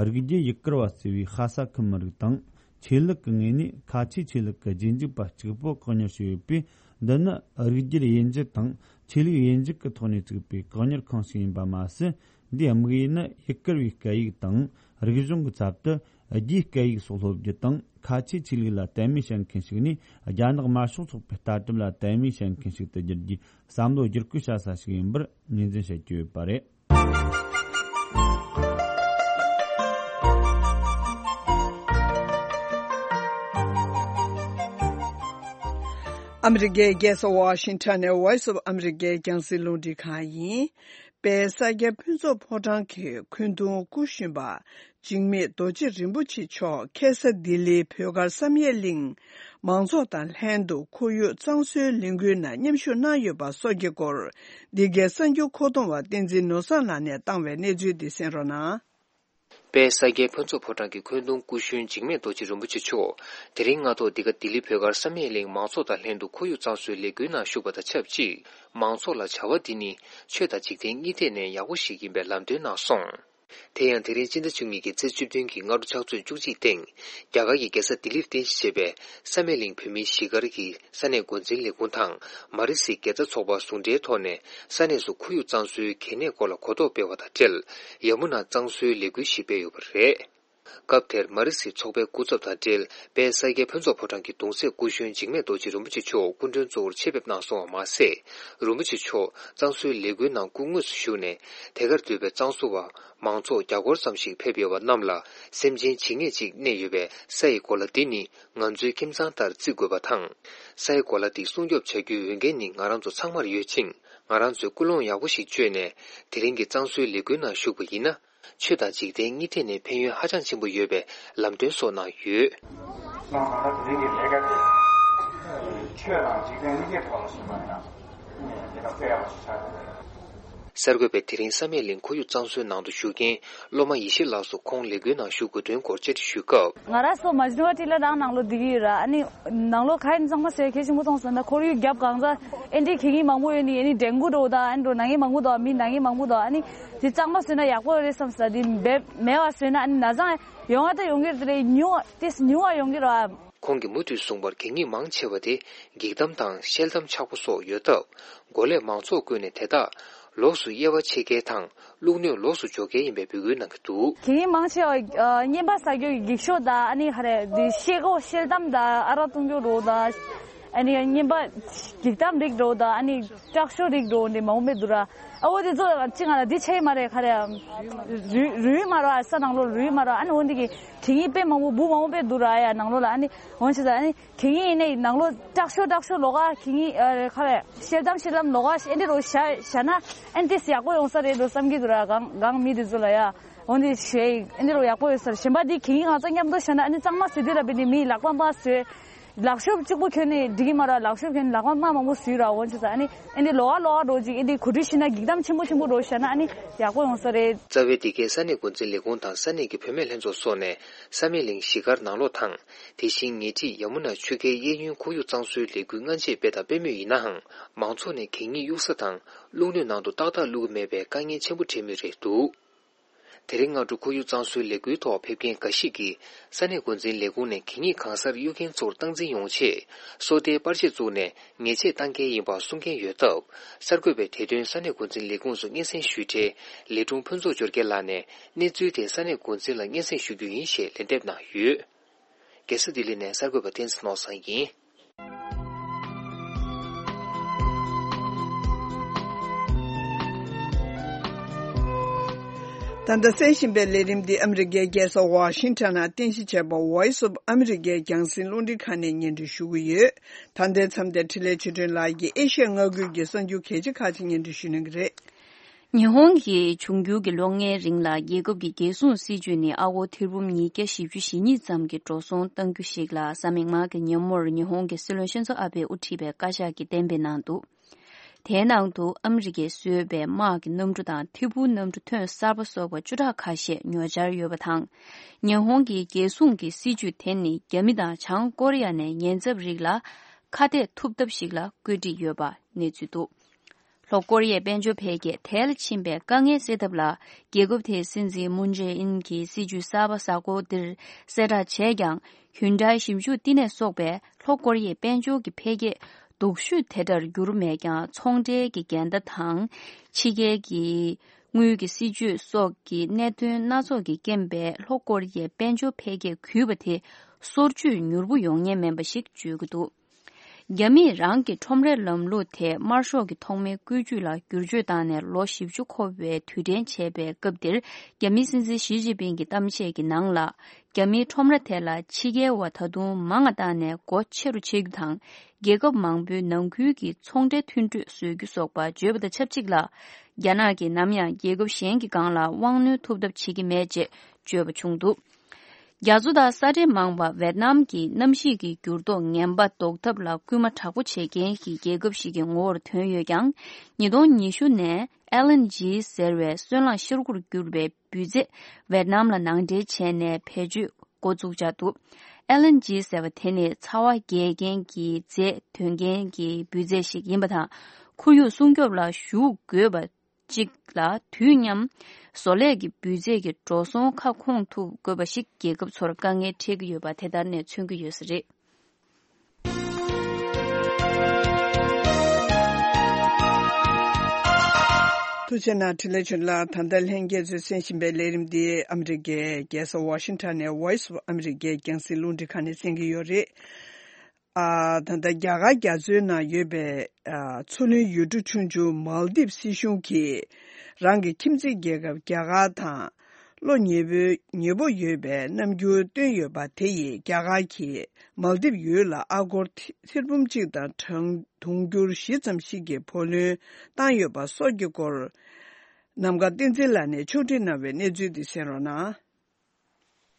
རིགས་རྒྱུད་ཡུ་གུར་བ་ཟེར་བའི་ཤ་ས་ཁུལ་མི་རིགས་དང་། ཆོས་ལུགས་ཀྱི་ངོས་ནས་ཁ་ཆེའི་ཆོས་ལུགས་ཀྱི་རྗེས་འཇུག་པ་གཅིག་པོ་བཀག་ཉར་བྱས་ཡོད་པས། འདི་ནི་རིགས་རྒྱུད་དབྱེ་འབྱེད་དང་ཆོས་ལུགས་དབྱེ་འབྱེད་ཀྱི་ཐོག་ནས་བཙུགས་པའི་བཀག་ཉར་ཁང་ཞིག་ཡིན་པ་མ་ཟད། འདིའི་དམིགས་ཡུལ་ནི་ཡུ་གུར་བའི་སྐད་ཡིག་དང་རིག་གཞུང་གི་ཚབ་ཏུ་རྒྱའི་སྐད་ཡིག་སོགས་སློབ་རྒྱུ་དང་། ཁ་ཆེའི་ཆོས་ལུགས་ལ་དད་མོས་བྱེད་མཁན་ཞིག་ནས་རྒྱ་ནག་དམར་ཤོག་ཚོགས་པའི་ལྟ་གྲུབ་ལ་དད་མོས་བྱེད་མཁན་ཞིག་ཏུ་འགྱུར་རྒྱུའི་བསམ་བློ་བསྒྱུར་བཀོད་བྱ་ས་ཞིག་ཡིན་པར་ངོས་འཛིན་བྱེད་ཀྱི་ཡོད་པ་རེད། ཨ་མི་རི་ཀའི་རྒྱལ་ས་ཝ་ཤིང་ཊོན་ནས་Voice of America རྒྱང་སྲིང་རླུང་འཕྲིན་ཁང་ཡིན། པའི་ས་སྐྱ་ཕུན་ཚོགས་ཕོ་བྲང་གི་འཁོན་གདུང་སྐུ་གཞོན་པ་འཇིགས་མེད་རྡོ་རྗེ་རིན་པོ་ཆེ་མཆོག་ཁ་སང་ལྡི་ལིའི་བོད་སྒར་བསམ་ཡས་གླིང་མང་ཚོགས་དང་ལྷན་དུ་ཁོར་ཡུག་གཙང་བཟོའི་ལས་འགུལ་ནང་མཉམ་ཞུགས་གནང་ཡོད་པ་སོགས་ཀྱི་སྐོར། འདི་གའི་གསར་འགྱུར་མཁོ་གཏོང་བ་བསྟན་འཛིན་ནོར་བཟང་ལགས་ནས་བཏང་བའི་གནས་ཚུལ་འདི་གསན་རོགས་གནང་། པའི་ས་སྐྱའི་ཕུན་ཚོགས་ཕོ་བྲང་གི་འཁོན་གདུང་སྐུ་གཞོན་འཇིགས་མེད་རྡོ་རྗེ་རིན་པོ་ཆེ་མཆོག་དེ་རིང་སྔ་ཐོག་འདི་ག་ལྡི་ལི་བོད་སྒར་བསམ་ཡས་གླིང་མང་ཚོགས་དང་ལྷན་དུ་ཁོར་ཡུག་གཙང་བཟོའི་ལས་འགུལ་ནང་ཞུགས་པ་དང་ཆབས་ཅིག་མང་ཚོགས་ལ་བྱ་བ་འདི་ནི་ཆོས་དང་འཇིག་རྟེན་གཉིས་ཐད་ནས་ཡག་པོ་ཞིག་ཡིན་པའི་ལམ་སྟོན་གནང་སོང་། དེ་ཡང་དེ་རིང་སྤྱི་ཟླ་བཅུ་གཉིས་ཀྱི་ཚེས་བཅུ་བདུན་གྱི་སྔ་དྲོ་ཕྱག་ཚོད་བཅུ་གཅིག་སྟེང་རྒྱ་གར་གྱི་རྒྱལ་ས་ལྡི་ལིར་རྟེན་གཞི་བྱས་པའི་བསམ་ཡས་གླིང་བོད་མིའི་གཞིས་སྒར་གྱི་ས་གནས་འགོ་འཛིན་ལས་ཁུངས་དང་མ་རི་སི་དགེ་རྩ་ཚོགས་པ་ཟུང་འབྲེལ་ཐོག་ནས་ས་གནས་སུ་ཁོར་ཡུག་གཙང་བཟོའི་གལ་གནད་སྐོར་ལ་གོ་རྟོགས་སྤེལ་བ་དང་འབྲེལ། ཡ་མུ་ན་གཙང་བཟོའི་ལས་འགུལ་ཞིག་སྤེལ་ཡོད་པ་རེད། སྐབས་དེར་མ་རི་སི་ཚོགས་པའི་སྐུ་ཚབ་དང་འབྲེལ་པའི་ས་སྐྱའི་ཕུན་ཚོགས་ཕོ་བྲང་གི་གདུང་སྲས་སྐུ་གཞོན་འཇིགས་མེད་རྡོ་རྗེ་རིན་པོ་ཆེ་མཆོག་སྐུ་མགྲོན་གཙོ་བོར་ཆེད་ཕེབས་གནང་སོང་བ་མ་ཟད། རིན་པོ་ཆེ་མཆོག་གཙང་བཟོའི་ལས་འགུལ་ནང་སྐུ་དངོས་སུ་ཞུགས་ནས་དེ་གར་འདུས་པའི་གཙང་བཟོ་བ་མང་ཚོགས་བརྒྱ་སྐོར་ཙམ་ཞིག་ཕེབས་ཡོད་པ་རྣམས་ལ་སེམས་ཅན་ཇི་སྙེད་ཅིག་གནས་ཡོད་པའི་ས་ཡི་གོ་ལ་འདི་ནི་ང་ཚོའི་ཁྱིམ་ཚང་ལྟར་བརྩི་དགོས་པ་དང་། ས་ཡི་གོ་ལ་འདི་སྲུང་སྐྱོབ་བྱ་རྒྱུའི་འོས་འགན་ནི་ང་རང་ཚོ་ཚང་མར་ཡོད་ཅིང་། ང་རང་ཚོས་ཀུན་སློང་ཡག་པོ་ཞིག་བཅོས་ནས་དེ་རིང་གི་གཙང་བཟོའི་ལས་འགུལ་ནང་ཞུགས་པ་ཡིན་ན། ཆོས་དང་འཇིག་རྟེན་གཉིས་ཐད་ནས་ཕན་ཡོན་ཧ་ཅང་ཆེན་པོ་ཡོད་པའི་ལམ་སྟོན་སོགས་གནང་ཡོད། ལགས་སོ། ད་ལྟ་དེ་རིང་གི་ལས་ཀ་དེ་ཆོས་དང་འཇིག་རྟེན་གཉིས་ཀའི་ཐོག་ལ་ཞུགས་པ་ཡིན་ན་དེ་ལ་དཔེ་ཡག་པོ་ཞིག་ཆགས་ཀྱི་རེད། གསར་འགོད་པས་དེ་རིང་བསམ་ཡས་གླིང་ཁོར་ཡུག་གཙང་བཟོའི་ནང་དུ་ཞུགས་མཁན་སློབ་མ་ཡེ་ཤེས་ལགས་སུ་ཁོང་ལས་འགུལ་ནང་ཞུགས་དགོས་དོན་སྐོར་བཅར་འདྲི་ཞུས་སྐབས། ང་རང་ཚོ་མ་ཇི་ནི་ཝ་ཊི་ལ་རང་ནང་ལོགས་བསྡད་ཀྱི་ཡོད་ར། ཨ་ནི་ནང་ལོགས་ག་ཡིན་ཚང་མ་ཟེར་གལ་ཆེན་པོ་མཐོང་སོང་ན་ཁོར་ཡུག་རྒྱབ་གང་ཚ་ཨེ་འདྲའི་གད་སྙིགས་མང་པོ་ཡོད་ནི། ཨ་ནི་ཌེང་གུ་འགྲོ་དང་། ཨ་ནི་འགྲོ་ན་མཁན་མང་པོ་འདུག་མི་ན་མཁན་མང་པོ་འདུག་ཨ་ནི་དེ་གཙང་མ་བཟོས་ན་ཡག་པོ་རེད་བསམ་ས། དེ་འབེབས་མེད་པ་བཟོས་ན་ཨ་ནི་ན་ཚ་ཡོང་བ་ད་ཡོང་གི་རེད། ཉུང་བ་ཏིས་ཉུང་བ་ཡོང་གི་རེད། ཁོང་གིས་མུ་མཐུད་གསུངས་པར་གད་སྙིགས་མང་ཆེ་བ་དེ་འགྱིག་དམ་དང་ཤེལ་དམ་ཆག་པོ་སོགས་ཡོད་སྟབས། འགོ་ལས་མང་ཚོགས་བསྐོས་ནས་དེ་དག་ལོགས་སུ་དབྱེ་བ་ཕྱེ་གལ་དང་བླུགས་སྣོད་ལོགས་སུ་འཇོག་གལ་ཡིན་པའི་འབོད་སྐུལ་གནང་གི་འདུག་གད་སྙིགས་མང་ཆེ་བ་ཨ་རྔན་པ་ཟ་རྒྱུ་གི་འགྱིག་ཤོག་དང་། ཨ་ནི་ག་རེ་འདི་ཤེལ་སྒོ་ཤེལ་དམ་དང་ཨ་རག་བཏུང་རྒྱུ་རོ་དང་། ཨ་ནི་རྔན་པ་འགྱིག་དམ་རིགས་རོ་དང་། ཨ་ནི་སྐྲག་ཤོ་རིགས་རོ་འདི་མང་པོ་མེད་འདུག་ར། ཨ་འོ་འདི་ཚོ་ཅི་ང་ལ་འདི་ཆེ་མ་རེད། ག་རེ་རུལ་རུལ་མ་རོ། ཨ་ས་ནང་ལོགས་རུལ་མ་རོ། ཨ་ནི་འོ་འདི་གི་གད་སྙིགས་དཔེ་མང་པོ་འབུ་མང་པོ་དཔེ་འདུག་ར་ཡ་ནང་ལོགས་ལ། ཨ་ནི་འོ་ཆེ་ས་ཨ་ནི། གད་སྙིགས་ཡིན་ནའི་ནང་ལོགས་སྐྲག་ཤོ་སྐྲག་ཤོ་ལོག་ག་གད་སྙིགས་ཨ་རེ་ཁ་རེ་ཤེལ་དམ་ཤེལ་དམ་ལོག་ག་ཨེ་འདྲ་རོ་བཞག་བཞག་ན་ཨེ་འདྲས་ཡག་པོ་ཡོང་ས་རེད་འགྲོ་བསམ་གྱི་འདུག་ར། གང་གང་མི་དེ་ཚོ་ལ་ཡ་འོ་འདི་ཞེས་ཨེ་འདྲ་རོ་ཡག་པོ་ཡོད་ས་རེད། གཞན་པ་འདི་གད་སྙིགས་གང་ཚང་མཉམ་དུ་བཞག་ན་ཨ་ནི་གཙང་མ་བཟོས་དུས་ར་བི་ནི་མིའི་ལག་པ་མ་བཟོས་ ལག་ཤོབ་གཅིག་པོ་གྱོན་ནས་འགྲིག་གི་མ་རེད། ལག་ཤོབ་གྱོན་ནས་ལག་པ་རྨ་མང་པོ་བཟོས་ར་འོན་ཆུ་ས་ཨ་ནི་ཨེ་འདི་ལོ་བ་ལོ་བ་འགྲོ་ཅིག་ཨེ་འདི་གོ་སྒྲིག་ཤེས་ན་སྒྲིག་གཏམ་ཆེན་པོ་ཆེན་པོ་འགྲོ་བཤད་ན་ཨ་ནི་ཡག་པོ་ཡོང་ས་རེད། རྩ་བའི་འདི་གའི་ས་གནས་འགོ་འཛིན་ལས་ཁུངས་དང་ས་གནས་ཀྱི་བུད་མེད་ལྷན་ཚོགས་སོགས་ནས་ས་མེད་གླིང་གཞིས་སྒར་ནང་ལོགས་དང་། དེ་བཞིན་ཉེ་འཁྲིས་ཡ་མུ་ན་ཆུ་ཁའི་གཡས་གཡོན་ཁོར་ཡུག་གཙང་བཟོའི་ལས་འགུལ་སྔ་རྗེས་སྤེལ་དང་སྤེལ་མུས་ཡིན་ནའང་། མང་ཚོགས་ནས་གད་སྙིགས་གཡུག་ས་དང་རླུང་སྣོད་ནང་དུ་ཏག་ཏག་བླུག་གི་མེད་པའི་དཀའ་ངལ་ཆེན་པོ་འཕྲད་མུས་རེད་འདུག་དེ་རིང་སྔ་དྲོ་ཁོར་ཡུག་གཙང་བཟོའི་ལས་འགུལ་ཐོག་ཕེབས་མཁན་འགའ་ཞིག་གིས་ས་གནས་འགོ་འཛིན་ལས་ཁུངས་ནས་གད་སྙིགས་གང་སར་གཡུག་མཁན་ཚོར་སྟངས་འཛིན་ཡོང་ཆེད། སོ་ལྟའི་པར་ཆས་བཙུགས་ནས་ཉེས་ཆད་གཏང་གལ་ཡིན་པ་གསུང་མཁན་ཡོད་སྟབས། གསར་འགོད་པས་དེ་དོན་ས་གནས་འགོ་འཛིན་ལས་ཁུངས་སུ་སྙན་སེང་ཞུས་འཕྲལ། ལས་དྲུང་ཕུན་ཚོགས་འབྱོར་རྒྱལ་ལགས་ནས་གནས་ཚུལ་དེ་ས་གནས་འགོ་འཛིན་ལ་སྙན་སེང་ཞུ་རྒྱུ་ཡིན་ཞེས་ལན་འདེབས་གནང་ཡོད། རྒྱལ་ས་ལྡི་ལི་ནས་གསར་འགོད་པ་བསྟན་འཛིན་ནོར་བཟང་ཡིན། ད་ལྟ་གསན་བཞིན་པའི་ལས་རིམ་འདི་ཨ་མི་རི་ཀའི་རྒྱལ་ས་ཝ་ཤིང་ཊོན་ནང་རྟེན་གཞི་བྱས་པ་Voice of America རྒྱང་སྲིང་རླུང་འཕྲིན་ཁང་ནས་སྙན་སྒྲོན་ཞུ་གི་ཡོད། ད་ལྟའི་མཚམས་དེར་འཕྲིན་ལས་ཆོས་སྒྲོན་ལགས་ཀྱིས་ཨེ་ཤ་ཡ་མངའ་ཁུལ་གྱི་གསར་འགྱུར་གལ་ཆེ་ཁག་ཅིག་སྙན་སྒྲོན་ཞུ་གནང་གི་རེད། ཉི་ཧོང་གི་འབྱུང་འགྱུར་གྱི་ལོ་ལྔའི་རིང་ལ་རྒྱལ་ཁབ་ཀྱི་རྒྱལ་སྲུང་སྲིད་ཇུས་ནི་ཨ་སྒོར་ཐེར་འབུམ་ཉིས་བརྒྱ་བཞི་བཅུ་ཞེ་གཉིས་ཙམ་གྱི་འགྲོ་སོང་གཏང་རྒྱུ་ཞིག་ལ་གཟའ་མིག་དམར་གྱི་ཉིན་མོར་ཉི་ཧོང་གི་སྲིད་བློན་ཤིན་ཛོ་ཨ་བྷེས་དབུ་ཁྲིད་པའི་བཀའ་ཤག་གིས་གཏན་འབེབས་གནང་འདུག་དེའི་ནང་དུ་ཨ་མི་རི་ཀས་བཟོས་པའི་དམག་གི་གནམ་གྲུ་དང་ཐད་འཕུར་གནམ་གྲུ་ཐོན་གསར་པ་སོགས་པ་བཅུ་ཕྲག་ཁ་ཤས་ཉོ་འཆར་ཡོད་པ་དང་། ཉི་ཧོང་གི་རྒྱལ་སྲུང་གི་སྲིད་ཇུས་དེ་ནི་རྒྱ་མི་དང་བྱང་ཀོ་རི་ཡ་ནས་ཉེན་ཚབས་རིགས་ལ་ཁ་གཏད་ཐུབ་ཐབས་ཤིག་ལ་བཀོད་སྒྲིག་ཡོད་པ་གནས་ཚུལ་འདུག་ལྷོ་ཀོ་རི་ཡའི་དཔལ་འབྱོར་འཕེལ་རྒྱས་དལ་ཕྱིན་པའི་དཀའ་ངལ་སེལ་ཐབས་ལ། རྒྱལ་ཁབ་དེའི་སྲིད་འཛིན་མུན་ཇེ་ཨིན་གྱི་སྲིད་ཇུས་གསར་པ་གཟའ་འཁོར་འདིར་གསལ་བསྒྲགས་བྱས་ཀྱང་། ཧུན་ཌའི་ཞིབ་འཇུག་བསྟི་གནས་སོགས་པས་ལྷོ་ཀོ་རི་ཡའི་དཔལ་འབྱོར་གྱི་འཕེལ་རྒྱས་སྡུག་ཤོས་དེ་འདྲར་འགྱུར་མེད་ཀྱང་། ཚོང་འབྲེལ་གྱི་འགལ་ཟླ་དང་། ཕྱི་རྒྱལ་གྱི་དངུལ་གྱི་སྲིད་ཇུས་སོགས་ཀྱི་གནད་དོན་སྣ་ཚོགས་ཀྱི་རྐྱེན་པས། ལྷོ་ཀོ་རི་ཡའི་དཔལ་འབྱོར་འཕེལ་རྒྱས་གུད་པ་དེ་སོར་ཆུད་མྱུར་པོ་ཡོང་ཉེན་མིན་པ་ཞིག་བརྗོད་ཀྱི་འདུག་རྒྱ་མིས་རང་གི་ཁྲོམ་རའི་ལམ་ལུགས་དེ་དམར་ཤོག་གི་ཐོག་མའི་བཀོད་ཇུས་ལ་བསྒྱུར་བཅོས་བཏང་ནས་ལོ་བཞི་བཅུ་འཁོར་བའི་དུས་དྲན་བྱས་པའི་སྐབས་འདིར། རྒྱ་མིའི་སྲིད་འཛིན་ཞི་ཅིན་ཕིང་གི་གཏམ་བཤད་ཀྱི་ནང་ལ། རྒྱ་མིའི་ཁྲོམ་ར་དེ་ལ་ཕྱི་རྒྱལ་བ་ད་དུང་མང་ང་བཏང་ནས་སྒོ་ཕྱེ་རུ་ཕྱེ་རྒྱུ་དང་། རྒྱལ་ཁབ་མང་པོའི་ནང་ཁུལ་གྱི་ཚོང་འབྲེལ་མཐུན་གྲོས་བཟོ་རྒྱུ་སོགས་པ་བརྗོད་པ་དང་ཆབས་ཅིག་ལ། རྒྱ་ནག་གིས་ནམ་ཡང་རྒྱལ་ཁབ་གཞན་གྱི་སྒང་ལ་དབང་གནོད་ཐུབ་ཐབས་བྱེད་ཀྱི་མེད་ཅེས་བརྗོད་པ་བྱུང་འདུག་རྒྱ་མཚོ་དང་ས་འདྲེས་མང་བ་ཝེད་ནམ་གྱི་གནམ་གཤིས་ཀྱི་འགྱུར་ལྡོག་ངན་པ་ཟློག་ཐབས་ལ་སྐུལ་མ་དྲག་པོ་བྱེད་མཁན་གྱི་རྒྱལ་ཁབ་ཞིག་གི་ངོ་བོར་ཐོན་ཡོད་ཀྱང་། ཉིས་སྟོང་ཉི་ཤུ་ནས་ཨེ་ལ་ཨེན་ཇི་ཟེར་བའི་སོལ་རླངས་ཤར་ཁུག་གྱུར་པའི་འབུད་རྫས་ཝེད་ནམ་ལ་ནང་འདྲེན་བྱས་ནས་བེད་སྤྱོད་འགོ་བཙུགས་འཆར་འདུག་ཨེ་ལ་ཨེན་ཇི་ཟེར་བ་དེ་ནི་ཚ་བ་རྒྱས་མཁན་གྱི་རྫས་འདོན་མཁན་གྱི་འབུད་རྫས་ཤིག་ཡིན་པ་དང་། ཁོར་ཡུག་སྲུང་སྐྱོབ་ལ་ཞུགས་དགོས་པ། གཅིག་ལ་དུས་མཉམ་བཟོ་ལས་ཀྱི་འབུད་རྫས་ཀྱི་འགྲོ་སོང་ཁ་སྐོང་ཐུབ་དགོས་པ་ཞིག་རྒྱལ་ཁབ་ཚོར་དཀའ་ངལ་འཕྲད་ཀྱི་ཡོད་པ་དེ་ལྟར་ནས་མཚོན་གྱི་ཡོད་ས་རེད། ཐུགས་རྗེ་གནང་། འཕྲིན་ལས་ཆོས་ལགས། ད་ལྟ་ལྷན་རྒྱས་ཚོས་གསན་བཞིན་པའི་ལས་རིམ་འདི་ཨ་མི་རི་ཀའི་རྒྱལ་ས་ཝ་ཤིང་ཊོན་ནས་Voice of America རྒྱང་སྲིང་རླུང་འཕྲིན་ཁང་ནས་གསན་གྱི་ཡོད་རེད། ཨ། ད་ལྟ་རྒྱ་གར་རྒྱ་མཚོའི་ནང་ཡོད་པའི་ཨ། མཚོ་གླིང་ཡུལ་གྲུ་ཆུང་ཆུང་མཱལ་དིབ་སྲིད་གཞུང་གིས་རང་གི་ཁྱིམ་མཚེས་རྒྱལ་ཁབ་རྒྱ་གར་དང་བློ་ཉེ་པོ་ཉེ་པོ་ཡོད་པའི་རྣམ་འགྱུར་བསྟན་ཡོད་པ་དེ་ཡིས་རྒྱ་གར་གྱིས་མཱལ་དིབ་ཡུལ་ལ་ཨ་སྒོར་ཐེར་འབུམ་གཅིག་དང་གྲངས་དུང་ཕྱུར་བཞི་ཙམ་ཞིག་གི་བུ་ལོན་བཏང་ཡོད་པ་སོགས་ཀྱི་སྐོར། ནམ་མཁའ་བསྟན་འཛིན་ལགས་ནས་ཕྱོགས་སྒྲིག་གནང་བའི་གནས་ཚུལ་འདི་གསན་རོགས་གནང་།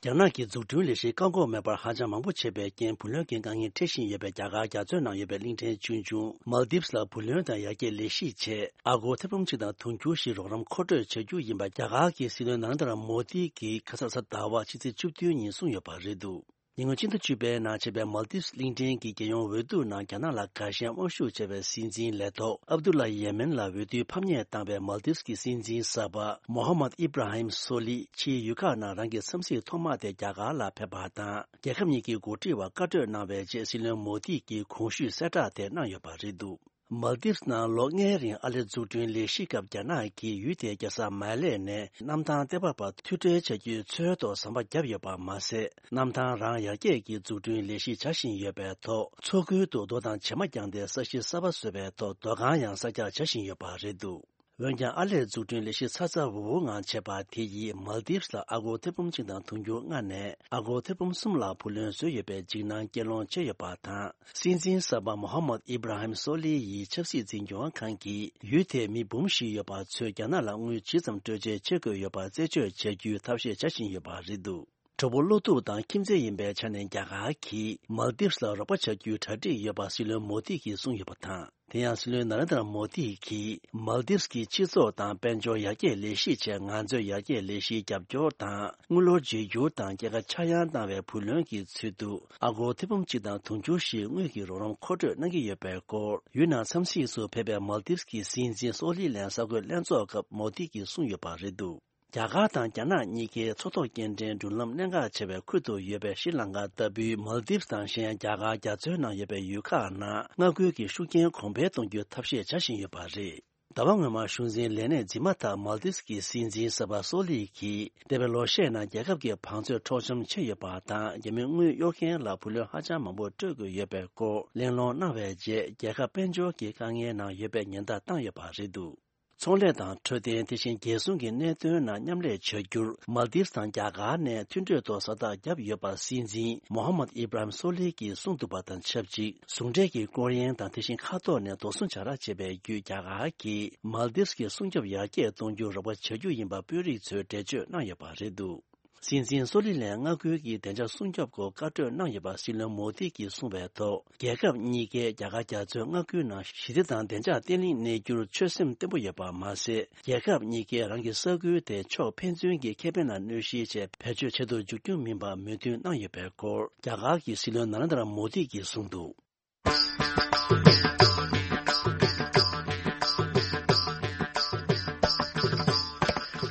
རྒྱ་ནག་གི་འཛུགས་སྐྲུན་ལས་གཞི་བཀག་འགོག་མེད་པར་ཧ་ཅང་མང་པོ་བྱས་པའི་རྐྱེན། བུ་ལོན་གྱི་དཀའ་ངལ་འཕྲད་བཞིན་ཡོད་པའི་རྒྱ་གར་རྒྱ་མཚོའི་ནང་ཡོད་པའི་གླིང་ཕྲན་ཆུང་ཆུང་མཱལ་དིབ་ལ་བུ་ལོན་དང་ཡར་རྒྱས་ལས་གཞི་ཆེད་ཨ་སྒོར་ཐེར་འབུམ་གཅིག་དང་དུང་ཕྱུར་བཞི་རོགས་རམ་མཁོ་སྤྲོད་བྱ་རྒྱུ་ཡིན་པ་རྒྱ་གར་གྱི་སྲིད་བློན་ནཱ་རེན་དྲ་མོ་དི་གིས་ཁ་ས་གཟའ་ཟླ་བ་ཕྱི་ཚེས་བཅུ་བདུན་ཉིན་གསུངས་ཡོད་པ་རེད་འདུག་ཉེ་སྔོན་ཕྱི་ཟླ་བཅུ་པའི་ནང་བྱས་པའི་མཱལ་དིབ་གླིང་ཕྲན་གྱི་རྒྱལ་ཡོངས་འོས་བསྡུ་ནང་རྒྱ་ནག་ལ་དགའ་ཞེན་དབང་ཤུགས་ཆེ་བའི་སྲིད་འཛིན་ལས་ཐོག་ཨབ་དུ་ལ་ཡེ་མེན་ལ་འོས་བསྡུའི་ཕམ་ཉེས་བཏང་བའི་མཱལ་དིབ་ཀྱི་སྲིད་འཛིན་གསར་པ་མོ་ཧམ་མད་ཨི་བྷ་ར་ཧིམ་སོ་ལི་ཕྱིའི་ཡུལ་ཁག་ནང་རང་གི་འཚམས་གཟིགས་ཐོག་མ་དེ་རྒྱ་གར་ལ་ཕེབས་པ་དང་། རྒྱལ་ཁབ་གཉིས་ཀྱི་འགོ་ཁྲིད་བར་བཀའ་གྲོས་གནང་བའི་རྗེས་སྲིད་བློན་མོ་དི་གིས་གོང་ཞུས་གསལ་བསྒྲགས་དེ་གནང་ཡོད་པ་རེད་འདུག་མཱལ་དིབ་ནང་ལོ་ལྔའི་རིང་ཨ་ལེ་འཛུགས་སྐྲུན་ལས་གཞི་སྐབས་རྒྱ་ནག་གིས་ཡུལ་དེའི་རྒྱལ་ས་མཱ་ལེ་ནས་གནམ་ཐང་ལྟེ་བ་བར་མཐུད་སྦྲེལ་བྱ་རྒྱུའི་འཚོལ་དོ་ཟམ་པ་བརྒྱབ་ཡོད་པ་མ་ཟད། གནམ་ཐང་རང་ཡར་རྒྱས་ཀྱི་འཛུགས་སྐྲུན་ལས་གཞི་བྱ་བཞིན་ཡོད་པའི་ཐོག་མཚོ་ཁུལ་དུ་རྡོ་དང་བྱེ་མ་བརྒྱངས་ཏེ་ས་གཞི་གསར་པ་བཟོ་བའི་ཐོག་རྡོ་ཁང་ཡང་གསར་རྒྱག་བྱ་བཞིན་ཡོད་པ་རེད་འདུག་འོན་ཀྱང་ཨ་ལེ་འཛུགས་སྐྲུན་ལས་གཞི་ཚ་ཚ་འུར་འུར་ངང་བྱས་པ་དེ་ཡིས་མཱལ་དིབ་ལ་ཨ་སྒོར་ཐེར་འབུམ་གཅིག་དང་དུང་ཕྱུར་ལྔ་ནས་ཨ་སྒོར་ཐེར་འབུམ་གསུམ་ལ་བུ་ལོན་བཟོས་ཡོད་པའི་འཇིགས་སྣང་སྐྱེ་སློང་བྱས་ཡོད་པ་དང་། སྲིད་འཛིན་གསར་པ་མོ་ཧམ་མད་ཨི་བྷ་ར་ཧིམ་སོ་ལི་ཡི་ཆབ་སྲིད་འཛིན་སྐྱོང་ཁང་གིས་ཡུལ་དེའི་མི་འབུམ་བཞི་ཡོད་པ་ཚོས་རྒྱ་ནག་ལ་དངུལ་ཇི་ཙམ་སྤྲོད་འཇལ་བྱེད་དགོས་ཡོད་པ་རྩད་གཅོད་བྱ་རྒྱུའི་ཐབས་ཤེས་བྱ་བཞིན་ཡོད་པ་རེད་འདུག་གྲོགས་པོ་བློ་ཐུབ་དང་ཁྱིམ་མཚེས་ཡིན་པའི་ཆ་ནས་རྒྱ་གར་གྱིས་མཱལ་དིབ་ལ་རོགས་པ་བྱ་རྒྱུའི་གྲ་སྒྲིག་ཡོད་པ་སྲིད་བློན་མོ་དི་གིས་གསུངས་ཡོད་པ་དང་། དེ་ཡང་སྲིད་བློན་ན་རེན་དྲ་མོ་དི་གིས་མཱལ་དིབ་ཀྱི་སྤྱི་ཚོགས་དང་དཔལ་འབྱོར་ཡར་རྒྱས་ལས་གཞིའི་ཆེད་ང་ཚོས་ཡར་རྒྱས་ལས་གཞིའི་རྒྱབ་སྐྱོར་དང་དངུལ་ལོར་བརྗེ་སྒྱུར་དང་རྒྱལ་ཁ་ཆག་ཡང་གནང་བའི་བུ་ལོན་གྱི་ཚུལ་དུ་ཨ་སྒོར་ཐེར་འབུམ་གཅིག་དང་དུང་ཕྱུར་བཞི་དངུལ་གྱི་རོགས་རམ་མཁོ་སྤྲོད་གནང་གི་ཡོད་པའི་སྐོར། ཡུལ་ནང་འཚམས་གཟིགས་སུ་ཕེབས་པའི་མཱལ་དིབ་ཀྱི་སྲིད་འཛིན་སོ་ལི་ལན་གསར་འགོད་ལྷན་ཚོགས་སྐབས་མོ་དི་གིས་གསུངས་ཡོད་པ་རེད་འདུག་རྒྱ་གར་དང་རྒྱ་ནག་གཉིས་ཀའི་མཚོ་ཐོག་སྐྱེལ་འདྲེན་འགྲུལ་ལམ་གནད་འགག་ཆེ་བའི་ཁུལ་དུ་ཡོད་པའི་ཤྲི་ལང་ཀ་ལྟ་བུའི་མཱལ་དིབ་དང་གཞན་རྒྱ་གར་རྒྱ་མཚོའི་ནང་ཡོད་པའི་ཡུལ་ཁག་ནང་མངའ་ཁུལ་གྱི་ཤུགས་རྐྱེན་གོང་འཕེལ་གཏོང་རྒྱུའི་ཐབས་ཤེས་བྱ་བཞིན་ཡོད་པ་རེད། ཟླ་བ་སྔོན་མ་གཞུང་འཛིན་ལས་གནས་འཛིན་མ་ཐག་མཱལ་དིབ་ཀྱི་སྲིད་འཛིན་གསར་པ་སོ་ལི་གིས་འདས་པའི་ལོ་ཤས་ནང་རྒྱལ་ཁབ་ཀྱི་བང་མཛོད་འཕྲོག་བཅོམ་ཕྱིན་ཡོད་པ་དང་། རྒྱ་མིའི་དངུལ་གཡོར་མཁན་ལ་བུ་ལོན་ཧ་ཅང་མང་པོ་སྤྲོད་དགོས་ཡོད་པའི་སྐོར་གླེང་སློང་གནང་བའི་རྗེས། རྒྱལ་ཁབ་དཔལ་འབྱོར་གྱི་དཀའ་ངལ་ནང་ཡོད་པའི་ཉེན་བརྡ་བཏང་ཡོད་པ་རེད་འདུག་ཚོང་ལས་དང་འཕྲོད་བསྟེན། དེ་བཞིན་རྒྱལ་སྲུང་གི་གནད་དོན་ནང་མཉམ་ལས་བྱ་རྒྱུར་མཱལ་དིབ་དང་རྒྱ་གར་ནས་མཐུན་གྲོས་ཐོག་ས་རྟགས་བརྒྱབ་ཡོད་པ་སྲིད་འཛིན་མོ་ཧམ་མད་ཨི་བྷ་ར་ཧིམ་སོ་ལི་གིས་གསུངས་འདུག་པ་དང་ཆབས་ཅིག་ཟུང་འབྲེལ་གྱི་སྐོར་གཡེང་དང་དེ་བཞིན་མཁའ་ཐོག་ནས་རྡོ་སོལ་བྱ་ར་བྱེད་པའི་བརྒྱུད་རྒྱ་གར་གྱིས་མཱལ་དིབ་ཀྱི་སྲུང་སྐྱོབ་ཡར་རྒྱས་གཏོང་རྒྱུར་རོགས་པ་བྱ་རྒྱུ་ཡིན་པ་དཔོན་རིགས་ཚོས་འགྲེལ་བརྗོད་གནང་ཡོད་པ་རེད་འདུག་སྲིད་འཛིན་སོ་ལི་ལན་མངའ་ཁུལ་གྱི་བདེ་འཇགས་སྲུང་སྐྱོབ་སྐོར་བཀའ་གྲོས་གནང་ཡོད་པ་སྲིད་བློན་མོ་དི་གིས་གསུངས་པའི་ཐོག་རྒྱལ་ཁབ་གཉིས་ཀས་རྒྱ་གར་རྒྱ་མཚོའི་མངའ་ཁུལ་ནང་ཞི་བདེ་དང་བདེ་འཇགས་བརྟན་ལྷིང་གནས་རྒྱུར་ཆོད་སེམས་བརྟན་པོ་ཡོད་པ་མ་ཟད། རྒྱལ་ཁབ་གཉིས་ཀས་རང་གི་ས་ཁུལ་དེ་ཕྱོགས་ཕན་ཚུན་གྱི་ཁེ་ཕན་ལ་གནོད་གཞིའི་ཆེད་བེད་སྤྱོད་བྱེད་དུ་འཇུག་རྒྱུ་མིན་པ་མོས་མཐུན་གནང་ཡོད་པའི་སྐོར། རྒྱ་གར་གྱི་སྲིད་བློན་ན་རེན་དྲ་མོ་དི་གིས་གསུངས་འདུག་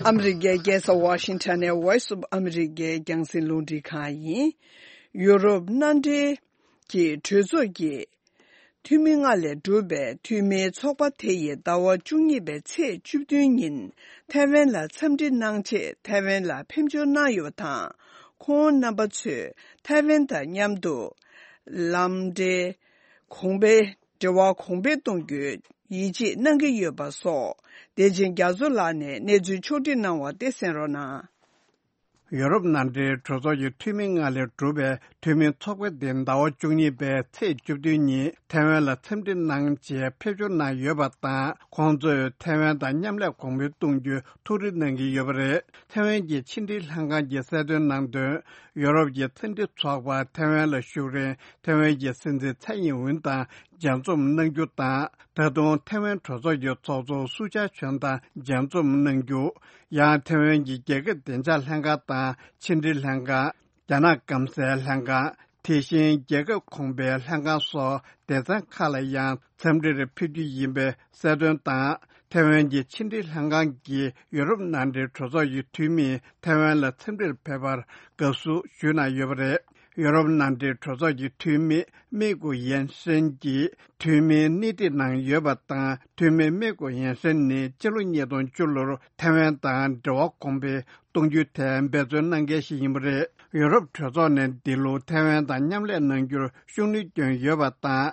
ཨ་མི་རི་ཀའི་རྒྱལ་ས་ཝ་ཤིང་ཊོན་ནས་Voice of America རྒྱང་སྲིང་རླུང་འཕྲིན་ཁང་ཡིན། ཡུ་རོབ་མནའ་འབྲེལ་གྱི་གྲོས་ཚོགས་ཀྱི་འཐུས་མི་ལྔ་ལས་གྲུབ་པའི་འཐུས་མིའི་ཚོགས་པ་དེ་ཡིས་ཟླ་བ་བཅུ་གཉིས་པའི་ཚེས་བཅུ་བདུན་ཉིན་ཐའེ་ཝན་ལ་འཚམས་འདྲི་གནང་ཆེད་ཐའེ་ཝན་ལ་ཕེབས་འབྱོར་གནང་ཡོད་པ་དང་། ཁོང་རྣམ་པ་ཚོས་ཐའེ་ཝན་དང་མཉམ་དུ་ལམ་འབྲེལ་གོང་འཕེལ། འབྲེལ་བ་གོང་འཕེལ་གཏོང་རྒྱུའི་ཡིད་ཆེས་གནང་གི་ཡོད་པ་སོགས། བདེ་ཆེན་རྒྱ་མཚོ་ལགས་ནས་གནས་ཚུལ་ཕྱོགས་སྒྲིག་གནང་བ་དེ་གསན་རོགས་གནང་། ཡོ་རོབ་མནའ་འབྲེལ་གྲོས་ཚོགས་ཀྱི་འཐུས་མི་ལྔ་ལས་གྲུབ་པའི་འཐུས་མིའི་ཚོགས་པ་དེ་ཟླ་བ་བཅུ་གཉིས་པའི་ཚེས་བཅུ་བདུན་ཉིན་ཐའེ་ཝན་ལ་འཚམས་འདྲི་གནང་ཆེད་ཕེབས་འབྱོར་གནང་ཡོད་པ་དང་། ཁོང་ཚོས་ཐའེ་ཝན་དང་མཉམ་ལས་གོང་འཕེལ་གཏོང་རྒྱུའི་ཐུགས་རེ་གནང་གི་ཡོད་པ་རེད། ཐའེ་ཝན་གྱི་ཕྱི་འབྲེལ་ལྷན་ཁང་གིས་གསལ་སྟོན་གནང་དོན། ཡོ་རོབ་ཀྱི་མཚམས་འདྲི་ཚོགས་པ་ཐའེ་ཝན་ལ་བཞུགས་རིང་ཐའེ་ཝན་གྱི་སྲིད་འཛིན་ཚའེ་ཡིན་ཝུན་དང་མཇལ་འཛོམས་གནང་རྒྱུ་དང་། ད་དུང་ཐའེ་ཝན་གྲོས་ཚོགས་ཀྱི་ཚོགས་གཙོ་སུ་ཅཱ་ཆོན་དང་མཇལ་འཛོམས་གནང་རྒྱུ། ཡང་ཐའེ་ཝན་གྱི་རྒྱལ་ཁབ་བདེ་འཇགས་ལྷན་ཁང་དང་ཕྱི་འབྲེལ་ལྷན་ཁང་། རྒྱ་ནག་སྐམ་སའི་ལྷན་ཁང་། དེ་བཞིན་རྒྱལ་ཁབ་གོང་འཕེལ་ལྷན་ཁང་སོགས་སྡེ་ཚན་ཁག་ལ་ཡང་འཚམས་འདྲིར་ཕེབས་རྒྱུ་ཡིན་པའི་གསལ་སྟོན་དང་། ཐའེ་ཝན་གྱི་ཕྱི་འབྲེལ་ལྷན་ཁང་གིས་ཡུ་རོབ་མནའ་འབྲེལ་གྲོས་ཚོགས་ཀྱི་འཐུས་མིས་ཐའེ་ཝན་ལ་འཚམས་འདྲིར་ཕེབས་པར་དགའ་བསུ་ཞུས་གནང་ཡོད་པ་རེད། ཡུ་རོབ་མནའ་འབྲེལ་གྲོས་ཚོགས་ཀྱི་འཐུས་མི་མེ་ཀུ་ཡན་ཧྲེན་གྱིས་འཐུས་མིའི་སྣེ་ཁྲིད་གནང་ཡོད་པ་དང་། འཐུས་མི་མེ་ཀུ་ཡན་ཧྲེན་ནི་སྤྱི་ལོ་ཉིས་སྟོང་བཅུ་ལོར་ཐའེ་ཝན་དང་འབྲེལ་བ་གོང་འཕེལ་གཏོང་རྒྱུའི་ཐད་འབད་བརྩོན་གནང་མཁན་ཞིག་ཡིན་པ་རེད། ཡུ་རོབ་གྲོས་ཚོགས་ནས་འདི་ལོ་ཐའེ་ཝན་དང་མཉམ་ལས་གནང་རྒྱུར་ཤུགས་སྣོན་བསྐྱོན་ཡོད་པ་དང་།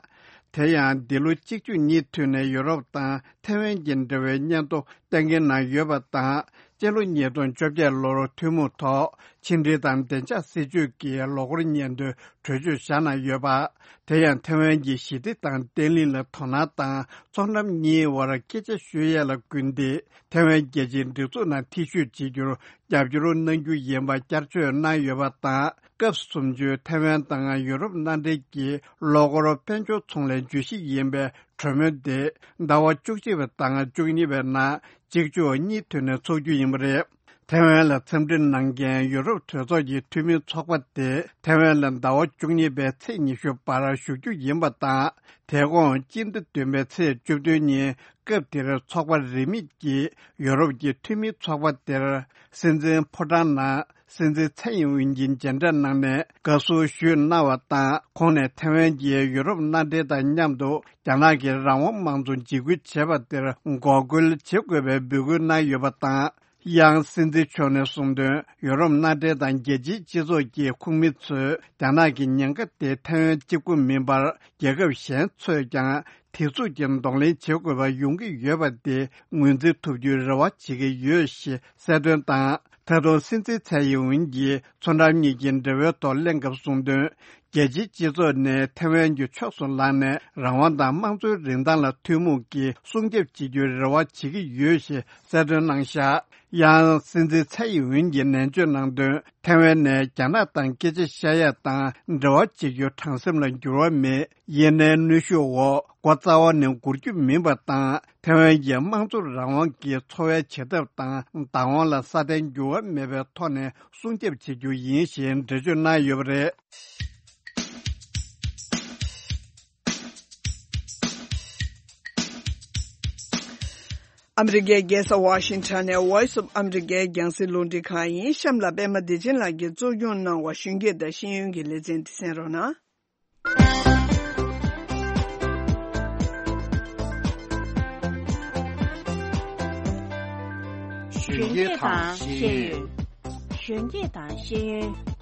དེ་ཡང་འདི་ལོ་གཅིག་མཇུག་གཉིས་མཐུད་ནས་ཡུ་རོབ་དང་ཐའེ་ཝན་གྱི་འབྲེལ་བའི་སྙན་ཐོ་གཏན་འཁེལ་གནང་ཡོད་པ་དང་། སྤྱི་ལོ་ཉིས་སྟོང་བཅོ་བརྒྱད་ལོར་ཐུན་མོང་ཐོག་ཕྱི་འབྲེལ་དང་བདེ་འཇགས་སྲིད་ཇུས་ཀྱི་ལོ་འཁོར་སྙན་ཐོའི་གྲོས་ཆོད་བཞག་གནང་ཡོད་པ། དེ་ཡང་ཐའེ་ཝན་གྱི་ཞི་བདེ་དང་བརྟན་ལྷིང་ལ་དོ་སྣང་དང་། མཚོ་འགྲམ་གཉིས་དབར་སྐད་ཆ་ཤོད་ཡས་ལ་སྐུལ་འདེད། ཐའེ་ཝན་རྒྱལ་སྤྱིའི་སྒྲིག་འཛུགས་ནང་ཐེ་བྱུས་བྱེད་རྒྱུར་རྒྱབ་སྐྱོར་གནང་རྒྱུ་ཡིན་པ་བསྐྱར་བརྗོད་གནང་ཡོད་པ་དང་། སྐབས་སུམ་ཅུའི་ཐའེ་ཝན་དང་ཡུ་རོབ་མནའ་འབྲེལ་གྱི་ལོ་འཁོར་དཔལ་འབྱོར་ཚོང་ལས་བརྗོད་གཞི་ཡིན་པའི་གྲོས་མོལ་དེ་ཟླ་བ་བཅུ་གཅིག་པ་དང་བཅུ་གཉིས་པའི་ནང་གཅིག་མཇུག་གཉིས་མཐུད་ནས་འཚོགས་རྒྱུ་ཡིན་པ་རེད། ཐའེ་ཝན་ལ་འཚམས་འདྲི་གནང་མཁན་ཡུ་རོབ་གྲོས་ཚོགས་ཀྱི་འཐུས་མིའི་ཚོགས་པ་དེ་ཐའེ་ཝན་ལ་ཟླ་བ་བཅུ་གཉིས་པའི་ཚེས་ཉི་ཤུ་བར་བཞུགས་རྒྱུ་ཡིན་པ་དང་། དེ་གོང་སྤྱི་ཟླ་བདུན་པའི་ཚེས་བཅུ་བདུན་ཉིན་སྐབས་དེར་ཚོགས་པ་རིས་མེད་ཀྱིས་ཡུ་རོབ་ཀྱི་འཐུས་མིའི་ཚོགས་པ་དེར་སྲིད་འཛིན་ཕོ་བྲང་ནང་སྲིད་འཛིན་ཚའེ་ཡིན་ཝུན་གྱིས་མཇལ་འཕྲད་གནང་ནས་དགའ་བསུ་ཞུས་གནང་བ་དང་། ཁོང་ནས་ཐའེ་ཝན་གྱིས་ཡུ་རོབ་མནའ་འབྲེལ་དང་མཉམ་དུ་རྒྱ་ནག་གི་རང་དབང་དམངས་གཙོ་འཇིགས་སྐུལ་བྱས་པ་དེར་འགོག་རྒོལ་བྱེད་དགོས་པའི་འབོད་སྐུལ་གནང་ཡོད་པ་དང་། ཡང་སྲིད་འཛིན་མཆོག་ནས་གསུངས་དོན། ཡུ་རོབ་མནའ་འབྲེལ་དང་རྒྱལ་སྤྱིའི་སྤྱི་ཚོགས་ཀྱི་ཁོངས་མི་ཚོས་རྒྱ་ནག་གི་ཉེན་ཁ་དེ་ཐའེ་ཝན་གཅིག་པུ་མིན་པར་རྒྱལ་ཁབ་གཞན་ཚོས་ཀྱང་དེ་ཚུགས་ཀྱིས་གདོང་ལེན་བྱེད་དགོས་པ་ཡོང་གི་ཡོད་པ་དེ་ངོས་འཛིན་ཐུབ་རྒྱུའི་རེ་བ་བྱེད་ཀྱི་ཡོད་ཞེས་གསལ་སྟོན་དང་། ད་དུང་སྲིད་འཛིན་ཚའེ་ཡིན་ཝུན་གྱིས་མཚོ་འགྲམ་གཉིས་ཀྱི་འབྲེལ་བའི་ཐོག་གླེང་སྐབས་གསུངས་དོན། རྒྱལ་སྤྱིའི་སྤྱི་ཚོགས་ནས་ཐེ་ཝན་གྱི་ཕྱོགས་སུ་ལངས་ནས་རང་དབང་དང་དམངས་གཙོའི་རིན་ཐང་ལ་ཐུན་མོང་གིས་སྲུང་སྐྱོབ་བྱེད་རྒྱུའི་རེ་བ་བྱེད་ཀྱི་ཡོད་ཞེས་གསལ་སྟོན་གནང་བཞག་ཡང་སྲིད་འཛིན་ཚའེ་ཡིན་ཝུན་གྱིས་ནན་བརྗོད་གནང་དོན། ཐེ་ཝན་ནས་རྒྱ་ནག་དང་སྐད་ཆ་བཤད་ཡ་དང་འབྲེལ་བ་བྱེད་རྒྱུ་དྲང་སེམས་ལ་འགྱུར་བ་མེད། ཡིན་ནའི་གནོན་ཤུགས་འོག་སྒོ་རྩ་བ་ནས་སྒུར་རྒྱུ་མིན་པ་དང་། ཐེ་ཝན་གྱི་དམངས་གཙོ་རང་དབང་གི་འཚོ་བའི་བྱེད་ཐབས་དང་བདག་དབང་ལ་སྲ་བརྟན་འགྱུར་བ་མེད་པའི་ཐོག་ནས་སྲུང་སྐྱོབ་བྱེད་རྒྱུ་ཡིན་ཞེས་འགྲེལ་བརྗོད་གནང་ཡོད་པ་རེད། ཨ་མི་རི་ཀའི་རྒྱལ་ས་ཝ་ཤིང་ཊོན་ནས་Voice of America རྒྱང་སྲིང་རླུང་འཕྲིན་ཁང་ཡིན། གཤམ་ལ་པད་མ་བདེ་ཆེན་ལགས་ཀྱིས་གཙོ་སྐྱོང་གནང་བ་གཞོན་སྐྱེས་དང་ཤེས་ཡོན་གྱི་ལེ་ཚན་འདི་གསན་རོགས་གནང་། གཞོན་སྐྱེས་དང་ཤེས་ཡོན། གཞོན་སྐྱེས་དང་ཤེས་ཡོན།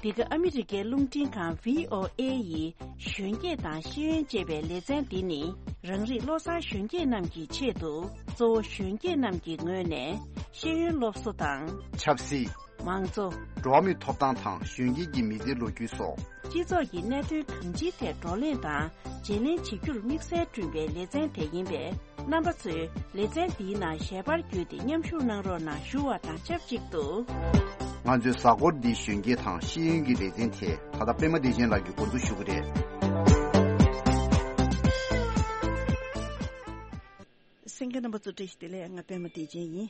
འདི་ག་ཨ་མི་རི་ཀའི་རླུང་འཕྲིན་ཁང་བྷི་ཨོ་ཨེ་ཡི་གཞོན་སྐྱེས་དང་ཤེས་ཡོན་ཅེས་པའི་ལེ་ཚན་འདི་ནི། རང་རིགས་བློ་བཟང་གཞོན་སྐྱེས་རྣམས་ཀྱི་ཆེད་དུ། གཙོ་བོ་གཞོན་སྐྱེས་རྣམས་ཀྱི་ངོས་ནས་ཤེས་ཡོན་སློབ་གསོ་དང་། ཆབ་སྲིད། མང་གཙོ། འགྲོ་བ་མིའི་ཐོབ་ཐང་དང་གཞོན་སྐྱེས་ཀྱི་མི་ཚེའི་ལོ་རྒྱུས་སོགས། སྤྱི་ཚོགས་ཀྱི་གནད་དོན་གང་ཅིའི་ཐད་བགྲོ་གླེང་དང་བརྗེ་ལེན་བྱེད་རྒྱུར་དམིགས་བསལ་བསྐྲུན་པའི་ལེ་ཚན་དེ་ཡིན་པས། རྣམ་པ་ཚོས་ལེ་ཚན་འདིའི་ནང་ཞལ་པར་བརྒྱུད་དེ་མཉམ་ཞུགས་གནང་རོགས་གནང་ཞུ་བ་དང་ཆབས་ཅིག་ཏུ། ང་ཚོའི་གཟའ་འཁོར་འདིའི་གཞོན་སྐྱེས་དང་ཤེས་ཡོན་གྱི་ལེ་ཚན་དེ་ད་ལྟ་པད་མ་བདེ་ཆེན་ལགས་ཀྱིས་འགོ་འཛུགས་ཞུ་གི་རེད། གསན་མཁན་རྣམ་པ་ཚོ་བཀྲ་ཤིས་བདེ་ལེགས། ང་པད་མ་བདེ་ཆེན་ཡིན།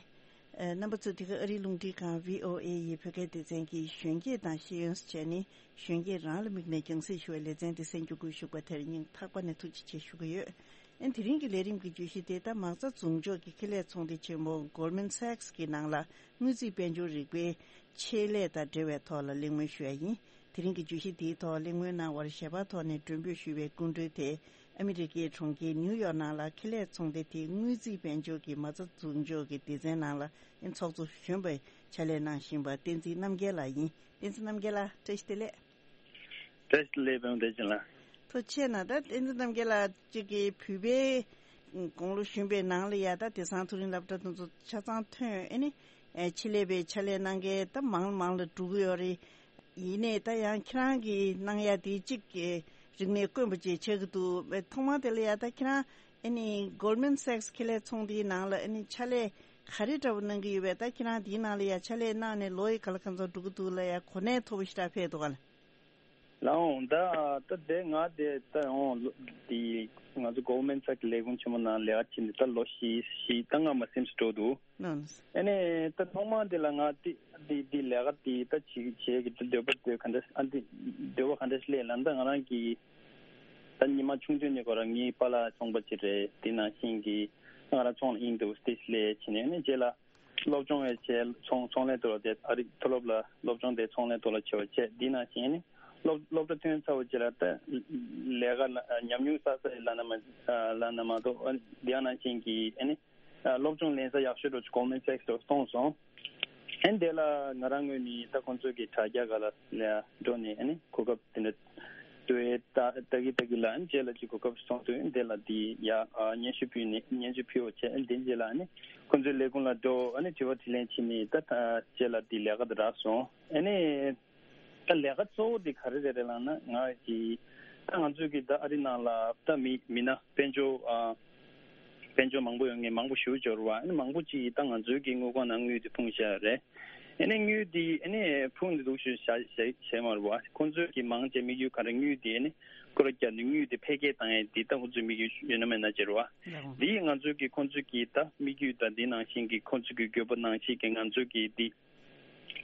ཨ། རྣམ་པ་ཚོས་འདི་ག་ཨ་རིའི་རླུང་འཕྲིན་ཁང་བྷི་ཨོ་ཨེ་ཡི་བོད་སྐད་སྡེ་ཚན་གྱི་གཞོན་སྐྱེས་དང་ཤེས་ཡོན་ཟེར་བྱས་ནས་གཞོན་སྐྱེས་རང་ལ་དམིགས་ནས་རྒྱང་སྲིང་ཞུ་བའི་ལེ་ཚན་འདི་གསན་རྒྱུ་དགོས་ཞུགས་པ་དེར་སྙིང་ཐག་པ་ནས་ཐུགས་རྗེ་ཆེ་ཞུ་གི་ཡོད། ཨ། དེ་རིང་གི་ལས་རིམ་གྱི་བརྗོད་གཞི་དེ་ད་མ་རྩ་འཛུགས་འཇོག་གི་ཁེ་ལས་ཚོང་སྡེ་ཆེན་མོ་Goldman Sachs གི་ནང་ལ་དངུལ་རྩིས་དཔལ་འབྱོར་རིག་པའི་ཆེད་ལས་དང་འབྲེལ་བའི་ཐོག་ལ་གླེང་མོལ་ཞུ་ཡ་ཡིན། དེ་རིང་གི་བརྗོད་གཞི་འདིའི་ཐོག་གླེང་མོལ་གནང་བར་ཞལ་པར་ཐོག་ནས་མགྲོན་འབོད་ཞུས་པའི་སྐུ་མགྲོན་དེ་ཨ་མི་རི་ཀའི་གྲོང་ཁྱེར་ནིའུ་ཡོག་ནང་ལ་ཁེ་ལས་ཚོང་སྡེ་དེའི་དངུལ་རྩིས་དཔལ་འབྱོར་གྱི་མ་རྩ་འཛུགས་འཇོག་གི་སྡེ་ཚན་ནང་ལ་ཚོགས་གཙོ་གཞོན་པའི་ཕྱག་ལས་གནང་བཞིན་པ་བསྟན་འཛིན་རྣམ་རྒྱལ་ལགས་ཡིན། བསྟན་འཛིན་རྣམ་རྒྱལ་ལགས་བཀྲ་ཤིས་བདེ་ལེགས། བཀྲ་ཤིས་བདེ་ལེགས་པད་མ་བདེ་ཆེན་ལགས། ཐུགས་རྗེ་ཆེ་གནང་། ད་བསྟན་འཛིན་རྣམ་རྒྱལ་ལགས་གཅིག་གིས་བོད་པའི་དགུང་ལོ་གཞོན་པའི་ནང་ལ་ཡ་ད་དེང་སང་མཐོ་རིམ་སློབ་གྲྭ་དེ་ཚོ་ཆ་ཚང་ཐོན། ཨ་ནི་ཨེ་ཆེད་ལས་པའི་ཕྱག་ལས་གནང་མཁན་ད་མང་མང་ལ་འགྲོ་གི་ཡོད་རེད། ཡིན་ནའི་ད་ཡང་ཁྱེད་རང་གིས་གནང་ཡ་དེ་གཅིག་གི་རིག་གནས་དཀོན་པོ་ཅིག་ཆགས་ཀྱི་འདུག་ཐོག་མར་དེ་ལ་ཡ་ད་ཁྱེད་རང་ཨ་ནི་Goldman Sachs ཁེ་ལས་ཚོང་སྡེའི་ནང་ལ་ཨ་ནི་ཕྱག་ལས་ག་རེ་འདྲ་བོ་གནང་གི་ཡོད་པས། ད་ཁྱེད་རང་དེའི་ནང་ལ་ཡ་ཕྱག་ལས་གནང་ནས་ལོ་ཡི་ག་ལ་ག་ཚོད་འགྲོ་གི་འདུག་ལ་ཡ་གོ་གནས་མཐོ་པོ་ཞེ་དྲག་ཕེབས་འདུག་ག་ལ། ལགས་འོང་། ད་ད་དེ་ང་དེ་ད་འོང་དེ་ང་ཚོ་Goldman Sachs ལས་ཁུངས་ཆེན་མོ་ནང་ལས་ཀ་བྱེད་འདི་ད་ལོ་བཞི་བཞི་ད་ལྔ་མ་ཟིན་ཙམ་འགྲོ་འདུག་ནོ། ཨ་ནི་ད་ཐོག་མ་དེ་ལ་ང་དེ་དེ་དེ་ལས་ཀ་དེ་ད་བྱེད་བྱེད་ཀྱི་འདོད་པ་འདོད་ག་འདྲ་ཨ་དེ་འདོད་པ་ག་འདྲ་སླེབས་ལབ་ན། ད་ང་རང་གི་ད་ཉི་མ་ཆུང་ཆུང་ནས་ཁོ་རང་ངའི་པཱ་ལགས་ཚོང་པ་ཅིག་རེད། དེ་ནང་བཞིན་གྱི་ང་རང་ཚོང་ལ་ཨིན་འདུག་དེ་སླེབས་བྱས་ནས་ཨ་ནི་རྗེས་ལ་སློབ་སྦྱོང་ཡང་བྱས། ཚོང་ཚོང་ལས་ཐོག་ལ་དེ་ཨ་རི་མཐོ་སློབ་ལ་སློབ་སྦྱོང་དེ་ཚོང་ལས་ཐོག་ལ་བྱས་པ་བྱས། དེ་ནང་བཞིན་ཨ་ནི་སློབ་སློབ་གྲྭ་ཐོན་ཚར་བ་རྗེས་ལ་ད་ལས་ཀ་ལ་ཉམས་མྱོང་བསགས་ས་ཡི་ལབ་ན་མ་ལབ་ན་མ་གཏོགས་ཨ་ནི་དེ་ནང་བཞིན་གྱི་ཨ་ནི་སློབ་སྦྱོང་ལེན་ས་ཡག་ཤོས་འདྲ་བོ་ཅིག་Goldman Sachs ལ་སོང་སོང་། ཨ་ནི་དེ་ལ་ང་རང་ངོས་ནས་ད་ཁོང་ཚོ་གི་དྲ་རྒྱ་སྒང་ལ་ལ་འགྲོ་ནས་ཨ་ནི་གོ་སྐབས་དེ་འདྲ་འདུག་ཨེ། ལྟ་ལྟ་གི་ལྟ་གི་ལ་ཨ་ནི་རྗེས་ལ་ཅིག་གོ་སྐབས་སོང་དུས་ཨ་ནི་དེ་ལ་དེ་ཡ་ཨ་སྙན་ཞུ་ཕུལ་ནས་སྙན་ཞུ་ཕུལ་བ་བྱས། ཨ་ནི་དེ་རྗེས་ལ་ཨ་ནི་ཁོང་ཚོའི་ལས་ཁུངས་ལ་འགྲོ། ཨ་ནི་དྲི་བ་དྲིས་ལན་བྱས་ནས་ད་ད་རྗེས་ལ་དེ་ལས་ཀ་དེ་རག་སོང་། ཨ་ནི། ད་ལས་ཀ་གཙོ་བོ་དེ་ག་རེ་རེད་རེད་ལབ་ན། ང་གི་ད་ང་ཚོའི་གི་ད་ཨ་རི་ནང་ལ་ད་མི་མི་སྣ་དཔལ་འབྱོར་ཨ་དཔལ་འབྱོར་མང་པོ་ཡོང་མཁན་མང་པོ་ཞེ་པོ་ཅིག་ཡོད་རེད་བ། ཨ་ནི་མང་པོ་ཅིག་གིས་ད་ང་ཚོའི་གི་དངུལ་ཁང་ནང་དངུལ་དེ་ཕུང་བཞག་ཡོད་རེད། ཨ་ནི་དངུལ་དེ་ཨ་ནི་ཕུང་ནས་འདུག་ཞུ་བཞག་བཞག་བཞག་མ་རེད་བ། ཁོང་ཚོའི་གི་མང་ཆེ་དམིགས་ཡུལ་ག་རེ། དངུལ་དེ་ཨ་ནི་སྐོར་ར་བརྒྱབ་ནས་དངུལ་དེ་འཕེལ་རྒྱས་བཏང་ཡས་དེ་ད་ཁོང་ཚོའི་དམིགས་ཡུལ་ཡོད་ན་མེད་ན་ཅིག་རེད་བ། ལགས་འོང་། དེ་ང་ཚོའི་གི་ཁོང་ཚོའི་གི་ད་དམིགས་ཡུལ་དང་དེ་ནང་བཞིན་གི་ཁོང་ཚོའི་གི་དགོས་པ་ནང་བཞིན་གི་ང་ཚོའི་གི་དེ།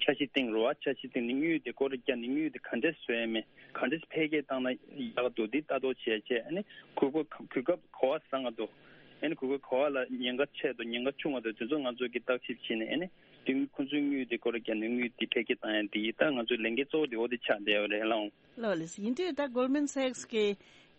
འཆར་གཞི་བཏིང་རོགས། འཆར་གཞི་བཏིང་ནས་དངུལ་དེ་སྐོར་ར་བརྒྱབ་ནས་དངུལ་དེ་ག་འདྲས་བཟོ་ཡ་མེད། ག་འདྲས་འཕེལ་རྒྱས་བཏང་ན་ཡག་འདུག་དེ་ལྟ་རྟོག་བྱས་བྱས། ཨ་ནི་གོ་སྐབས་གོ་སྐབས་ག་པར་བཟང་ང་འདུག་ཨ་ནི་གོ་སྐབས་ག་པར་ལ་ཉེན་ཁ་ཆེ་འདུག་ཉེན་ཁ་ཆུང་བ་འདུག་དེ་ཚོ་ང་ཚོ་གིས་བརྟག་ཞིབ་བྱས་ནས། ཨ་ནི་དེ་ཁོང་ཚོའི་དངུལ་དེ་སྐོར་ར་བརྒྱབ་ནས་དངུལ་དེ་འཕེལ་རྒྱས་བཏང་ཡ་དེ་ད་ང་ཚོའི་ལས་འགན་གཙོ་བོ་དེ་འོ་དེ་ཆགས་བསྡད་ཡོད་རེད་ལགས་འོང་། ལགས་ལགས། ཡིན་དུས་ད་Goldman Sachs གི་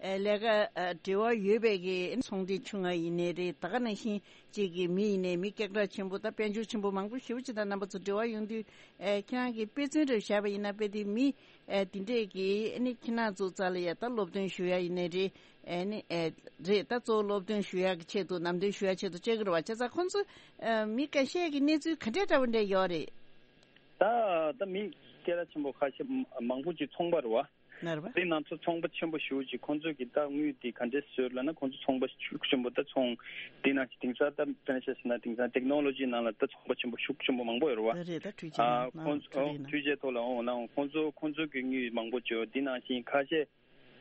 ཨ་ལས་ཀ་ཨ་འབྲེལ་བ་ཡོད་པའི་གི་ཚོང་སྡེ་ཆུང་ང་ཡིན་ནའི་རེད། ད་ག་ནང་བཞིན་གཅིག་གི་མི་ཡིན་ནའི་མི་སྐད་གྲགས་ཆེན་པོ་དང་དཔལ་འབྱོར་ཆེན་པོ་མང་པོ་ཞེ་པོ་ཅིག་དང་རྣམ་པ་ཚོ་འབྲེལ་བ་ཡོང་དུས། ཨ་ཁྱེད་རང་གིས་དཔེ་མཚོན་རེ་བཞག་པ་ཡིན་ན། དཔེ་དེ་མི་ཨ་དེ་འདྲས་ཀྱིས་ཨ་ནི་ཁྱེད་རང་ཚོ་རྩ་ལ་ཡ་ད་སློབ་སྟོན་ཞུ་ཡ་ཡིན་ནའི་རེད། ཨ་ནི་ཨ་རེད། ད་གཙོ་བོ་སློབ་སྟོན་ཞུ་ཡ་གི་ཆེད་དུ། ནམ་སྟོན་ཞུ་ཡ་ཆེད་དུ་བཅར་གི་རེད་བ། བྱས་ཙང་ཁོང་ཚོ་ཨ་མི་ཁ་ཤས་ཀྱི་གནས་ཚུལ་ག་འདྲས་འདྲ་བོ་འདྲས་ཡོད་རེད། ད་ད་མི་སྐད་གྲགས་ཆེན་པོ་ཁ་ཤས་མང་པོ་ཅིག་ཚོང་པ་རེད་བ། ནར་བ། དེ་ནང་ཚོ་ཚོང་པ་ཆེན་པོ་ཞེ་པོ་ཅིག་ཁོང་ཚོ་གི་ད་དངུལ་དེ་ག་འདྲས་བཟོས་ལབ་ན། ཁོང་ཚོ་ཚོང་པ་ཤུགས་ཆེན་པོ། ད་ཚོང་དེ་ནང་བཞིན་དེང་སང་ད་དཔེར་ན་ཆ་བཞག་ན་དེང་སང་ཊེག་ནོ་ལོ་ཇི་ནང་ལ་ད་ཚོང་པ་ཆེན་པོ་ཤུགས་ཆེན་པོ་མང་པོ་ཡོད་རེད་བ། ད་རེད། ད་འཕྲུལ་ཆས་ཨ་ནང་ཁོང་ཚོ་ད་རེད་ན། འཕྲུལ་ཆས་ཐོག་ལ་འོང་ན་ཁོང་ཚོ་ཁོང་ཚོ་གི་དངུལ་མང་པོ་བྱོས། དེ་ནང་བཞིན་ཁ་ཤས་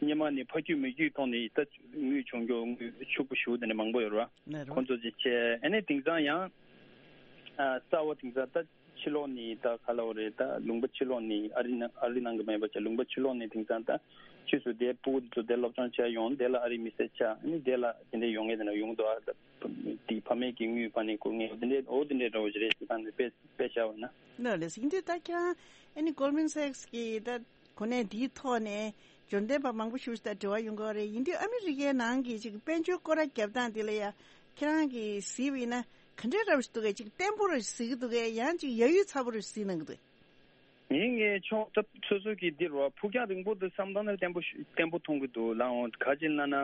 སྔོན་མ་ནས་ཕ་རྒྱུད་མ་རྒྱུད་ཐོག་ནས་ད་དངུལ་བྱུང་རྒྱུ་དངུལ་ཕྱུག་པོ་ཞེ་པོ་དེ་འདྲ་མང་པོ་ཡོད་རེད་བ། ནར་བ། ཁོང་ཚོ་ཅིག་བྱས། ཨ་ནི་དེང་སང་ཡང་ཨ་གསར་བ་དེང་སང་ད་ཕྱི་ལོགས་ནས་ད་ག་ལབ་དགོས་རེད། ད་ལུང་པ་ཕྱི་ལོགས་ནས་ཨ་རི་ནང་ཨ་རི་ནང་གི་མེད་པ་བྱས། ལུང་པ་ཕྱི་ལོགས་ནས་དེང་སང་ད་ཕྱིས་སུ་དེ་སྤུ་གུ་དེ་ཚོ་དེ་སློབ་སྦྱོང་བྱས་ཡོང་། དེ་ལ་ཨ་རི་མི་སེར་ཆགས། ཨ་ནི་དེ་ལ་དེ་འདྲའི་ཡོང་མཁན་དེ་འདྲ་ཡོང་གི་འདུག་ཨ་ད་དེ་ཕ་མེས་ཀྱི་དངུལ་ཕར་ནས་བསྐུར་མཁན་དེ་འདྲའི། འོ་དེ་འདྲའི་འདྲ་བོ་ཞིག་རེད། དེ་ད་ནི་དཔེ་དཔེ་བཞག་པ་ན། ལགས་ལགས། ཡིན་དུས་ད་ཁྱེད་རང་ཨ་ནི་Goldman Sachs་གི་ད་གོ་གནས་འདིའི་ཐོག་ནས་འབྱོར་ལྡན་པ་མང་པོ་ཞིག་དང་འབྲེལ་བ་ཡོང་གི་ཡོད་རེད། ཡིན་དུས་ཨ་མི་རི་ཀའི་ནང་གི་ཅིག་དཔལ་འབྱོར་སྐོར་ར་རྒྱབ་སྟངས་འདི་ལ་ཡ་ཁྱེད་རང་གིས་གཟིགས་པ་ཡིན་ན་ག་འདྲའི་འདྲ་བོ་ཞིག་འདུག་གས། ཅིག་བརྟན་པོ་ར་གཟིགས་ཀྱི་འདུག་གས། ཡང་ཅིག་ཡ་ཡུལ་ཚ་པོ་ར་གཟིགས་གནང་གི་འདུག་ངའི་ངའི་ཕྱོགས་ད་སོ་སོ་གི་འདི་རེད་བ། ཕུགས་རྒྱང་རིང་པོ་དེ་བསམ་བཏང་ན་བརྟན་པོ་ཞུ་བརྟན་པོ་མཐོང་གི་འདུག་ལགས་འོང་། ག་ཅི་ལབ་ན།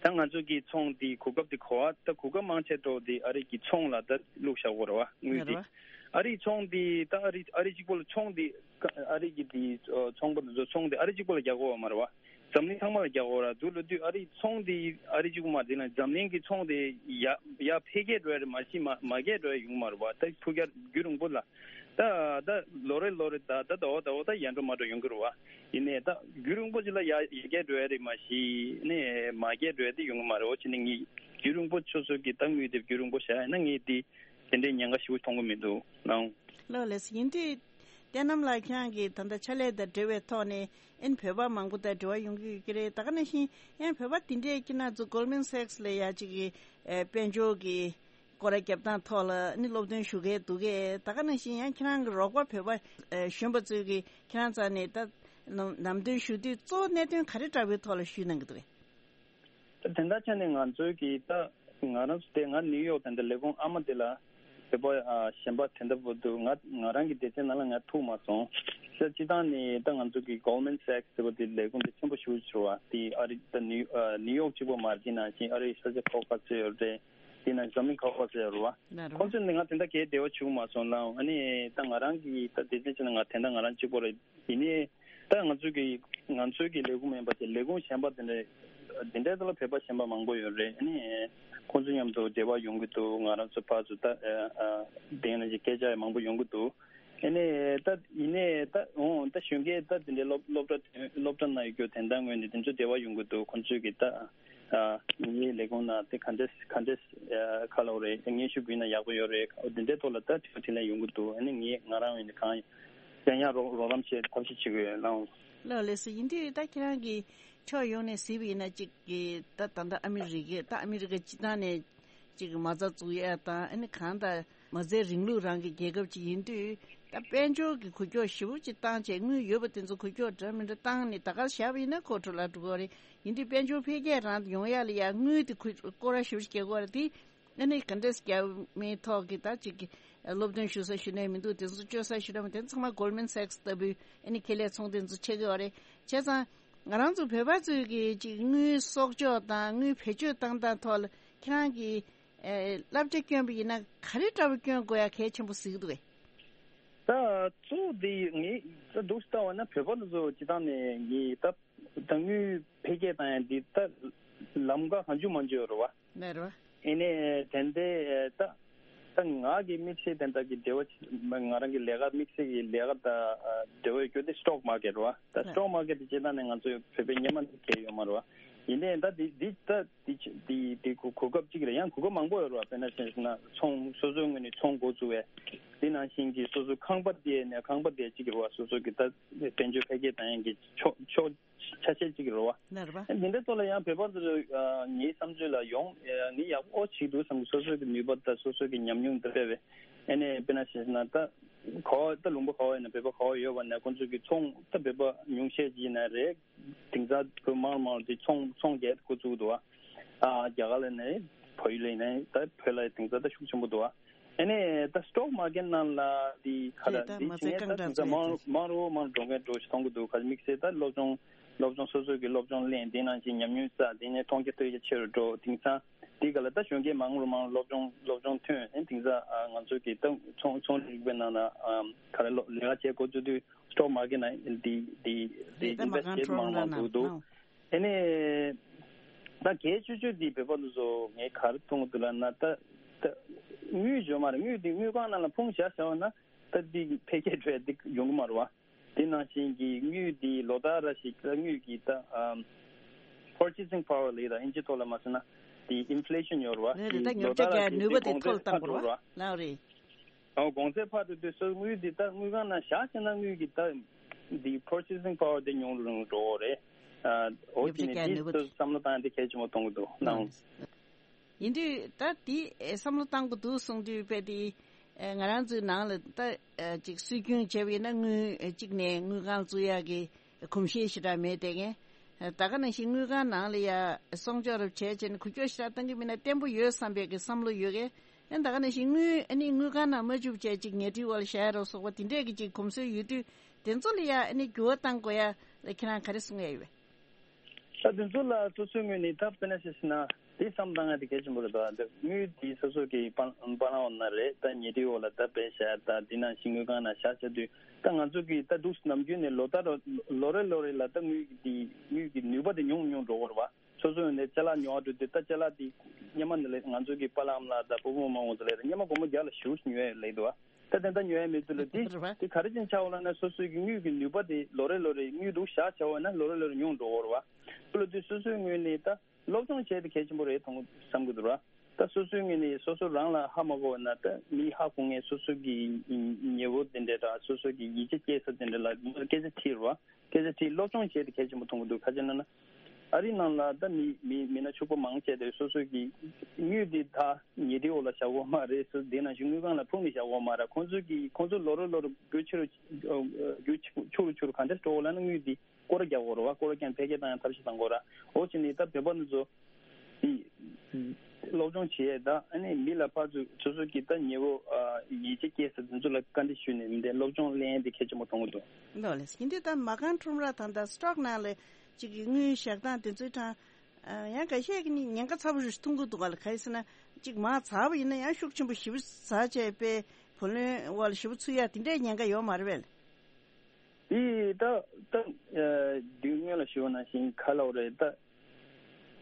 ད་ང་ཚོ་གི་ཚོང་འདི་གོ་སྐབས་དེ་གོ་བ། ད་གོ་སྐབས་མང་ཆེ་འགྲོ་དེ་ཨ་རི་གི་ཚོང་ལ་ད་བླུགས་བཞག་གོ་རེད་བ། དངུལ་དེ་རེད་བ། ཨ་རི་ཚོང་འདི་ད་ཨ་རི་ཨ་རི་གཅིག་པོ་ལ་ཚོང་འདི་ཨ་རི་གི་དེ་ཚོང་པ་དེ་ཚོ་ཚོང་དེ་ཨ་རི་གཅིག་པོ་ལ་རྒྱག་གོ་བ་མ་རེད་བ། འཛམ་གླིང་ཚང་མ་ལ་རྒྱག་གོ་ར་འདུག་ལབ་དུས། ཨ་རི་ཚོང་འདི་ཨ་རི་གཅིག་པོ་མ་རེད། དེ་ལ་འཛམ་གླིང་གི་ཚོང་དེ་ཡར་ཡར་འཕེལ་རྒྱས་འགྲོ་ཡ་རེད་མ་གཞི་མར་མར་རྒྱས་འགྲོ་ཡ་ཡོང་གི་མ་རེད་བ། ད་ཕུགས་རྒྱང་རྒྱུན་རིང་པོ་ལ། ད་ད་ལོ་རེ་ལོ་རེ་ད་ད་ཟླ་བ་ཟླ་བ་ད་ཡར་འགྲོ་མར་འགྲོ་ཡོང་གི་རེད་བ། ཡིན་ནའི་ད་རྒྱུན་རིང་པོ་ཅིག་ལ་ཡར་ཡར་རྒྱས་འགྲོ་ཡ་རེད་མ་གཞི་ནས་མར་རྒྱས་འགྲོ་ཡ་དེ་ཡོང་གི་མ་རེད། འོ་བྱས་ནས་ངས་རྒྱུན་རིང་པོ་སོ་སོ་གི་ད་དངུལ་དེ་རྒྱུན་རིང་པོ་བཞག་ཡིན་ན་ངས་དེ་དེ་འདྲའི་ཉེན་ཁ་ཞེ་པོ་མཐོང་གི་མི་འདུག་ལགས། ལགས་ལགས། ཡིན་དུས་བསྟན་རྣམ་ལགས་ཁྱེད་རང་གིས་ད་ལྟ་ཕྱག་ལས་དང་འབྲེལ་བའི་ཐོག་ནས་ཨ་ནི་བོད་པ་མང་པོ་དང་འབྲེལ་བ་ཡོང་གི་ཡོད་ཀྱི་རེད། ད་ག་ནང་བཞིན་ཡང་བོད་པ་དེ་འདྲས་ཁྱེད་རང་ཚོ་Goldman Sachs་ལ་ཡ་ཅིག་གི་ཨེ་དཔལ་འབྱོར་གྱི་སྐོར་ར་རྒྱབ་སྟངས་ཐོག་ལ་ནི་སློབ་སྟོན་ཞུ་མཁན་འདུག་གས། ད་ག་ནང་བཞིན་ཡང་ཁྱེད་རང་གི་རོགས་པ་བོད་པ་ཨེ་གཞོན་པ་ཚོས་ཀྱི་ཁྱེད་རང་རྩ་ནས་ད་ལམ་ལམ་སྟོན་ཞུ་དུས་གཙོ་བོ་གནད་དོན་ག་རེ་འདྲ་བོའི་ཐོག་ལ་ཞུས་གནང་གི་འདུག་གས། ད་དེ་འདྲ་བྱས་ནས་ང་ཚོའི་གི་ད་ང་རང་ཚོ་དེ་ང་ནིའུ་ཡོག་དེ་འདྲ་ལས་ཁུངས་ཨ་མ་དེ་ལ་བོད་པ་ཨ་གཞན་པ་དེ་འདྲ་པོ་འདུག་ང་ང་རང་གི་སྡེ་ཚན་ནང་ལ་ང་ཐུག་མ་སོང་། ཤ་སྤྱི་བཏང་ནས་ད་ང་ཚོ་གི་Goldman Sachs་ཟེར་བ་དེ་ལས་ཁུངས་དེ་ཆེན་པོ་ཞེ་པོ་ཅིག་རེད་བ། དེ་ཨ་རི་ད་ནིའུ་ཨ་ནིའུ་ཡོག་གཅིག་པོ་མ་རེད། དེ་ནང་བཞིན་ཨ་རིའི་ས་ཆ་ཁག་ཁག་ཚོད་ཡོད་རེད། དེ་ནང་འཛམ་གླིང་ཁག་ཁག་ཚོད་ཡོད་རེད་བ། ན་རོ། ཁོང་ཚོ་ནི་ང་དེ་འདྲ་གའི་འབྲེལ་བ་བྱུང་མ་སོང་ལ། ཨ་ནི་ད་ང་རང་གི་ད་སྡེ་ཚན་ཆེ་ན་ང་དེ་འདྲ་ང་རང་གཅིག་པོ་རེད། ཡིན་ནའི་ད་ང་ཚོའི་གི་ང་ཚོའི་གི་ལས་ཁུངས་མིན་པ་དེ་ལས་ཁུངས་གཞན་པ་དེ་འདྲ་དེ་འདྲའི་ཐོག་ལ་བོད་པ་གཞན་པ་མང་པོ་ཡོད་རེད། ཨ་ནི་ཁོང་ཚོ་མཉམ་དུ་འབྲེལ་བ་ཡོང་གི་འདུག་ང་རང་ཚོ་ཕར་ཚུར་ད་ཨ་ཨ་དེ་ནང་བཞིན་སྐད་ཆ་ཡང་མང་པོ་ཡོང་གི་འདུག་ཨ་ནི་ད་ཡིན་ནའི་ད་འོང་ད་གཞོན་སྐྱེས་ད་དེ་འདྲའི་སློབ་སློབ་གྲྭ་སློབ་གྲྭ་ནང་ཡོད་རྒྱུ་དེ་འདྲ་ངོས་ནས་དེ་ཚོ་འབྲེལ་བ་ཡོང་གི་འདུག་ཁོང་ཚོའི་གི་ད་ཨ་ངའི་ལས་ཁུངས་ནང་དེ་ག་འདྲས་ག་འདྲས་ཨ་ག་ལབ་རེད། སྙན་ཞུ་ཕུལ་ན་ཡག་པོ་ཡོད་རེད། འོ་དེ་འདྲའི་ཐོག་ལ་ད་དྲི་བ་དྲིས་ལན་ཡོང་གི་འདུག་ཨ་ནི་ངས་ང་རང་ངོས་ནས་གང་གང་ཡང་རོགས་རོགས་རམ་བྱེད་ཐབས་ཤེས་བྱེད་ཀྱི་ཡོད་ལགས། ལགས་ལགས་སོ། ཡིན་དུས་ད་ཁྱེད་རང་གིས་ཕྱོགས་ཡོངས་ནས་གཟིགས་པ་ཡིན་ན་གཅིག་གི་ད་ད་ལྟ་ཨ་མི་རི་ཀས་ད་ཨ་མི་རི་ཀ་སྤྱི་བཏང་ནས་གཅིག་གི་མ་རྩ་བཙུགས་ཡ་དང་ཨ་ནི་གང་ལྟར་མ་རྩའི་རིང་ལུགས་རང་གི་རྒྱལ་ཁབ་ཅིག་ཡིན་དུས་ད་དཔལ་འབྱོར་གྱི་འགུལ་སྐྱོད་ཞེ་པོ་ཅིག་བཏང་བྱས་དངུལ་ཡོད་པ་དེ་ཚོ་འགུལ་སྐྱོད་འདྲ་མི་འདྲ་བཏང་ནས་ད་གར་བཞག་པ་ཡིན་ན་ཁོ་འགྲོ་ལ་འགྲོ་གི་རེད། ཡིན་དུས་དཔལ་འབྱོར་འཕེལ་རྒྱས་རང་ཡོང་ཡ་ལ་ཡ་དངུལ་དེ་འགུལ་སྐོར་ར་ཞེ་པོ་ཅིག་རྒྱག་གི་རེད་དེ། ཨ་ནི་ག་འདྲས་རྒྱ་མིའི་ཐོག་གི་ད་ཅིག་གི་སློབ་སྟོན་ཞུ་ས་ཞུ་ནས་མི་འདུག་དེ་ཚོ་བཅོལ་ས་ཞུ་ནས་མི་དེ་ཚང་མ་Goldman Sachs་ལྟ་བུའི་ཨ་ནི་ཁེ་ལས་ཚོང་དེ་ཚོ་ཆགས་ཀྱི་ཡོད་རེད། བྱས་ཙང་ང་རང་ཚོ་བོད་པ་ཚོས་ཀྱི་ཅིག་དངུལ་གསོག་འཇོག་དང་དངུལ་བེད་སྤྱོད་བཏང་སྟངས་ཐོག་ལ་ཁྱེད་རང་གིས་ཨེ་བསླབ་བྱ་བསྐྱོན་པ་ཡིན་ན་ག་རེ་འདྲ་བོ་བསྐྱོན་དགོས་ཡ་གལ་ཆེན་པོ་གཟིགས་འདུག་གས། ད་གཙོ་བོ་དེ་ངས་ད་འདུག་ལྟ་བ་ན་བོད་པ་ཚོ་སྤྱི་བཏང་ནས་ངས་ད་ད་དངུལ་འཕེལ་རྒྱས་བཏང་ཡ་འདི་ད་ལམ་ཁ་གང་བྱུང་མང་བྱུང་ཡོད་རེད་བ། ལགས་རེད་བ། ཨ་ནི་དེ་འདྲའི་ད་ད་ང་གི་དམིགས་བསལ་དེ་འདྲ་གི་འབྲེལ་བ་ང་རང་གི་ལས་ཀ་དམིགས་བསལ་གྱི་ལས་ཀ་དང་འབྲེལ་བ་ཡོད་རྒྱུ་དེ་stock market་རེད་བ། ད་stock market་དེ་བྱེད་སྟངས་ནི་ང་ཚོའི་བོད་པའི་སྔོན་མ་ནས་གལ་ཡོད་མ་རེད་བ། ཡིན་ནའི་ད་འདི་འདི་ད་འདི་འདི་འདི་གོ་གོ་སྐབས་གཅིག་རེད། ཡང་གོ་སྐབས་མང་པོ་ཡོད་རེད་བ། དཔེར་ན་བྱས་ན་ཚོང་སོ་སོའི་ངོས་ནས་ཚོང་འགོ་བཙུགས་པའི་དེ་ནང་བཞིན་གྱི་སོ་སོའི་ཁང་པ་དེ་ནས་ཁང་པ་དེ་གཅིག་རེད་བ། སོ་སོ་གི་ད་དཔལ་འབྱོར་འཕེལ་རྒྱས་བཏང་ཡག་གི་ཕྱོགས་ཕྱོགས་ཆ་ཤས་གཅིག་རེད་བ། ལགས་རེད་བ། འདི་འདྲའི་ཐོག་ལ་ཡང་བོད་པ་ཚོས་ཨ་ངའི་བསམ་ཚུལ་ལ་ཡོང་ཨ་ངས་ཡག་པོ་བྱེད་འདུག་བསམ་གི། སོ་སོ་གི་ནུས་པ་དང་སོ་སོ་གི་ཉམས་མྱོང་དེ་སྤེལ་བས། ཨ་ནི་དཔེར་ན་བྱས་ན་ད་ག་བ་ད་ལུང་པ་ག་བ་ཡིན་ན་བོད་པ་ག་བ་ཡོད་པ་ན་ཁོང་ཚོ་གི་ཚོང་ད་བོད་པ་ཉུང་ཤས་ཅིག་ཡིན་ན་རེད། དེང་སང་བོད་མང་མང་དེ་ཚོང་ཚོང་རྒྱག་འགོ་བཙུགས་འདུག་བ། ཨ་རྒྱ་གར་ལ་ནས་བལ་ཡུལ་ལ་ཡིན་ན་ད་བོད་ལ་དེང་སང་ད་ཤུགས་ཆེན་པོ་འདུག་བ། ཨ་ནི་ད་stock market་ནང་ལ་དེ་ག་ལ་རེད། ད་དེ་མ་བྱས་ཚད་ན་རྐང་ད་གྲངས་དེང་སང་ཚོད་མང་རུ་མང་རུ་མང་རུ་འགྲོ་མཁན་འགྲོ་ཞིག་མཐོང་གི་འདུག་ག་དམིགས་བསལ་ད་སློབ་སྦྱོང་སློབ་སྦྱོང་སོ་སོ་གི་སློབ་སྦྱོང་ལེན། དེ་ནང་བཞིན་ཉམས་མྱོང་བསགས། དེ་ནས་མཐོང་རྒྱ་ཐོས་རྒྱ་ཆེ་རུ་འགྲོ། དེང་སང་ དེ་ག་ལ་ད་གཞོན་སྐྱེས་མང་རུ་མང་རུ་སློབ་སྦྱོང་སློབ་སྦྱོང་ཐོན། ཨེ་དེང་སང་ང་ཚོ་གི་ད་ཚོང་ཚོང་རིག་པའི་ནང་ན་ག་རེ་ལོ་ལས་ཀ་བྱེད་འགོ་བཙུགས་དུས་སི་ཊོག་མར་ཀེཊ་ན་དེ་དེ་དེ་རེད། ད་ཨིན་ཝེ་སི་ཊི་མང་མང་འདུག་འདུག་ཨེ་ནས་ད་གལ་ཆེ་ཤོས་དེ་བོད་པ་ཚོ་ངས་ག་རེ་མཐོང་གི་འདུག་ལབ་ན། ད་ད་དངུལ་ཡོད་མ་རེད། དངུལ་དེ་དངུལ་ཁང་ནང་ལ་ཕུང་བཞག་བཞག་ན་ད་དེ་འཕེལ་རྒྱས་འགྲོ་ཡ་དེ་ཡོང་གི་མ་རེད་བ། དེ་ནང་བཞིན་གྱི་དངུལ་དེ་ལོ་ལྟར་ར་ཞིག་ད་དངུལ་གྱི་ད་ཨམ་purchasing power ལབ་ད་ཨིན་ཇི་ཐོག་ལ་མ་ཟེར་ན་དེ་ཨིན་ཕི་ལེ་ཤན་ཡོད་རེད་བ། ལས་རེད། ད་དེ་ཉོ་ལོ་ཆ་ལྟར་ར་ག་ཞིག་ནུས་པ་དེ་གོང་དེ་ཚད་མཐོ་ལ་བཏང་དགོས་རེད་བ། ལགས་རེད། ཨོ་གོང་ཚད་འཕར་དུས་དུས་སོ་དངུལ་འདི་ད་དངུལ་ཁང་ནང་བཞག་བྱས་ན་དངུལ་གྱི་ད་འདི་purchasing power དེ་ཉུང་རུ་འགྲོ་གི་རེད། ཨ་འོ་ཉོ་ཆ་དེ་ནས་ག་འདི་ནུས་པ་ཚོ་དེ་བསམ་བློ་བཏང་ཡ་དེ་གལ་ཆེན་པོ་མཐོང་གི་འདུག་ནང་། ཡིན་དུས་ད་འདི་བསམ་བློ་བཏང་དགོས་འདུག་གསུངས་དུས་དཔེ་དེ་ང་རང་ཚོའི་ནང་ལ་ད་ཅིག་སྲོལ་རྒྱུན་བྱས་པ་ཡིན་ན་དངུལ་གཅིག་ནས་དངུལ་ཁང་བཙུགས་ཡག་གི་གོམས་གཤིས་ཞེ་དྲག་མེད་དེ། ངས་ད་ག་ནང་བཞིན་དངུལ་ཁང་ནང་ལ་ཡ་སྲུང་སྐྱོབ་རབ་བྱས་བྱས་ནས་འགུལ་སྐྱོད་ཞེ་དྲག་གཏང་གི་མིན་ན་བརྟན་པོ་ཡོད་བསམ་པའི་གི་བསམ་བློ་ཡོད་གི། ཨ་ནི་ད་ག་ནང་བཞིན་དངུལ་ཨ་ནི་དངུལ་ཁང་ནང་མ་བཅུག་བྱས་ཅིག་ཉལ་ཁྲིའི་འོག་ལ་བཞག་ཡ་རོགས་སོགས་པ་དེ་འདྲས་ཀྱི་ཅིག་གོམས་སྲོལ་ཡོད་དུས་དེ་ཚོ་ལ་ཡ་ཨ་ནི་འགྱུར་བ་གཏང་དགོས་ཡ་ལ་ཁྱེད་རང་ག་རེ་གསུང་ཡ་ཡོད་པས། ད་དེ་ཚོ་ལ་སོ་སོའི་ངོས་ནས་ད་དཔེར་ན་ཆ་བཞག་ན་དེ་བསམ་བཏང་ཡ་དེ་གལ་ཆེན་པོ་རེད། ད་དངུལ་དེ་སོ་སོ་གི་པ་པ་ལང་འོ་ན་རེད། ད་ཉལ་ཁྲིའི་འོག་ལ་ད་སྦས་བཞག་ཡ་ད་དེ་ནང་བཞིན་དངུལ་ཁང་ནང་བཞག་བྱ་དུས་ད་ང་ཚོ་གི་ད་འདུག་ནམ་རྒྱུན་ནས་ལོ་ལྟར་ལོ་རེ་ལོ་རེ་ལ་ད་དངུལ་གྱི་དངུལ་གྱི་ནུས་པ་དེ་ཉུང་ཉུང་འགྲོ་གི་རེད་བ། སོ་སོ་ཡོང་ནས་ཅ་ལག་ཉོ་བ་འགྲོ་དུས་ད་ཅ་ལག་དེ་སྔོན་མ་ནས་ལས་ང་ཚོ་གི་པ་ལགས་ཨ་མ་ལགས་དང་བུ་བུ་མོ་མོ་ཚོ་ལས་སྔོན་མ་སྒོར་མོ་བརྒྱ་ལ་བཞི་བཅུ་ཉོ་ཡ་ལས་འདུག་བ། ད་དེ་འདྲ་ཉོ་ཡ་མེད་དུས་ལ་དེ་རེད་བ། དེ་ག་རེ་བྱས་ནས་ཆགས་འོང་ལབ་ན་སོ་སོའི་གི་དངུལ་གྱི་ནུས་པ་དེ་ལོ་རེ་ལོ་རེ་དངུལ་འདུག་བཞག་བྱས་འོང་ན་ལོ་རེ་ལོ་རེ་ཉུང་འགྲོ་གི་རེད་བ། དེ་ལ་དུས་སོ་སོའི་ངོས་ནས་ད་སློབ་སྦྱོང་བྱས་ཏེ་གལ་ཆེན་པོ་རེད་མཐོང་བསམ་གྱི་འདུག་ར། ད་སོ་སོའི་ངོས་ནས་སོ་སོ་རང་ལ་ཧ་མ་གོ་བ་ན་ད་མི་ཧ་གོ་མཁན་སོ་སོ་གི་ཉེ་བོ་དེ་འདྲ་དང་སོ་སོ་གི་ཡིད་ཆེས་སྐྱེ་ས་དེ་འདྲ་ལ་སྐད་ཆ་དྲིས་ར། སྐད་ཆ་དྲིས་སློབ་སྦྱོང་བྱས་ཏེ་གལ་ཆེན་པོ་མཐོང་གི་འདུག་ག་ཅི་ལབ་ན། ཨ་རིའི་ནང་ལ་ད་མི་མི་མི་སྣ་ཕྱུག་པོ་མང་ཆེ་དེ་སོ་སོ་གི་དངུལ་དེ་ད་ཉལ་ཁྲིའི་འོག་ལ་བཞག་གོ་མ་རེད། སོ་དེ་ནང་བཞིན་དངུལ་ཁང་ལ་ཕུང་ནས་བཞག་གོ་མ་རེད། ཁོང་ཚོ་གི་ཁོང་ཚོ་ལོ་རེ་ལོ་རེ་རྒྱུ་ཆེ་རུ་རྒྱུ་ཆེ་རུ་ཆེ་རུ་ག་འདྲ་འགྲོ་གོ་ལབ་ན་དངུལ་དེ་སྐོར་ར་རྒྱག་གོ་རེད་བ། སྐོར་ར་རྒྱག་འཕེལ་རྒྱས་བཏང་ཡ་ཐབས་ཤེས་བཏང་གོ་ར། འོ་བྱས་ནས་ད་བོད་པ་འདི་ཚོ་དེ་སློབ་སྦྱོང་བྱེད་ཡས་ད་ཨ་ནི་མི་ལ་ཕར་ཚུར་སོ་སོ་གི་ད་ཉེ་བོ་ཡིད་ཆེས་སྐྱེ་ས་དེ་ཚོ་ལ་བཀའ་འདྲི་ཞུས་ནས་མི་འདྲ་སློབ་སྦྱོང་ལེན་ཡས་དེ་གལ་ཆེན་པོ་མཐོང་གི་འདུག་ལགས་ལགས། ཡིན་དུས་ད་མ་རྐང་ཁྲོམ་ར་དང་ད་སི་ཊོག་ནང་ལ་ཅིག་གི་དངུལ་བཞག་སྟངས་དེ་ཚོའི་གྲས་ཡང་འགའ་ཤས་ཀྱིས་ནི་ཉེན་ཁ་ཚ་པོ་ཞིག་མཐོང་གི་འདུག་ག་ལ། ག་རེ་ཟེར་ན་ཅིག་མར་ཛར་བ་ཡིན་ན་ཡང་ཤུགས་ཆེན་པོ་ཞེ་པོ་ཛར་བྱས་པའི་བུ་ལོན་འོག་ལ་ཞེ་པོ་ཚུད་ཡ་དེ་འདྲའི་ཉེན་ཁ་ཡོད་མ་རེད་པས། དེ་ད་ད་དུས་སྔོན་ལ་ཞུས་པ་ནང་བཞིན་ག་ལབ་རེད། ད་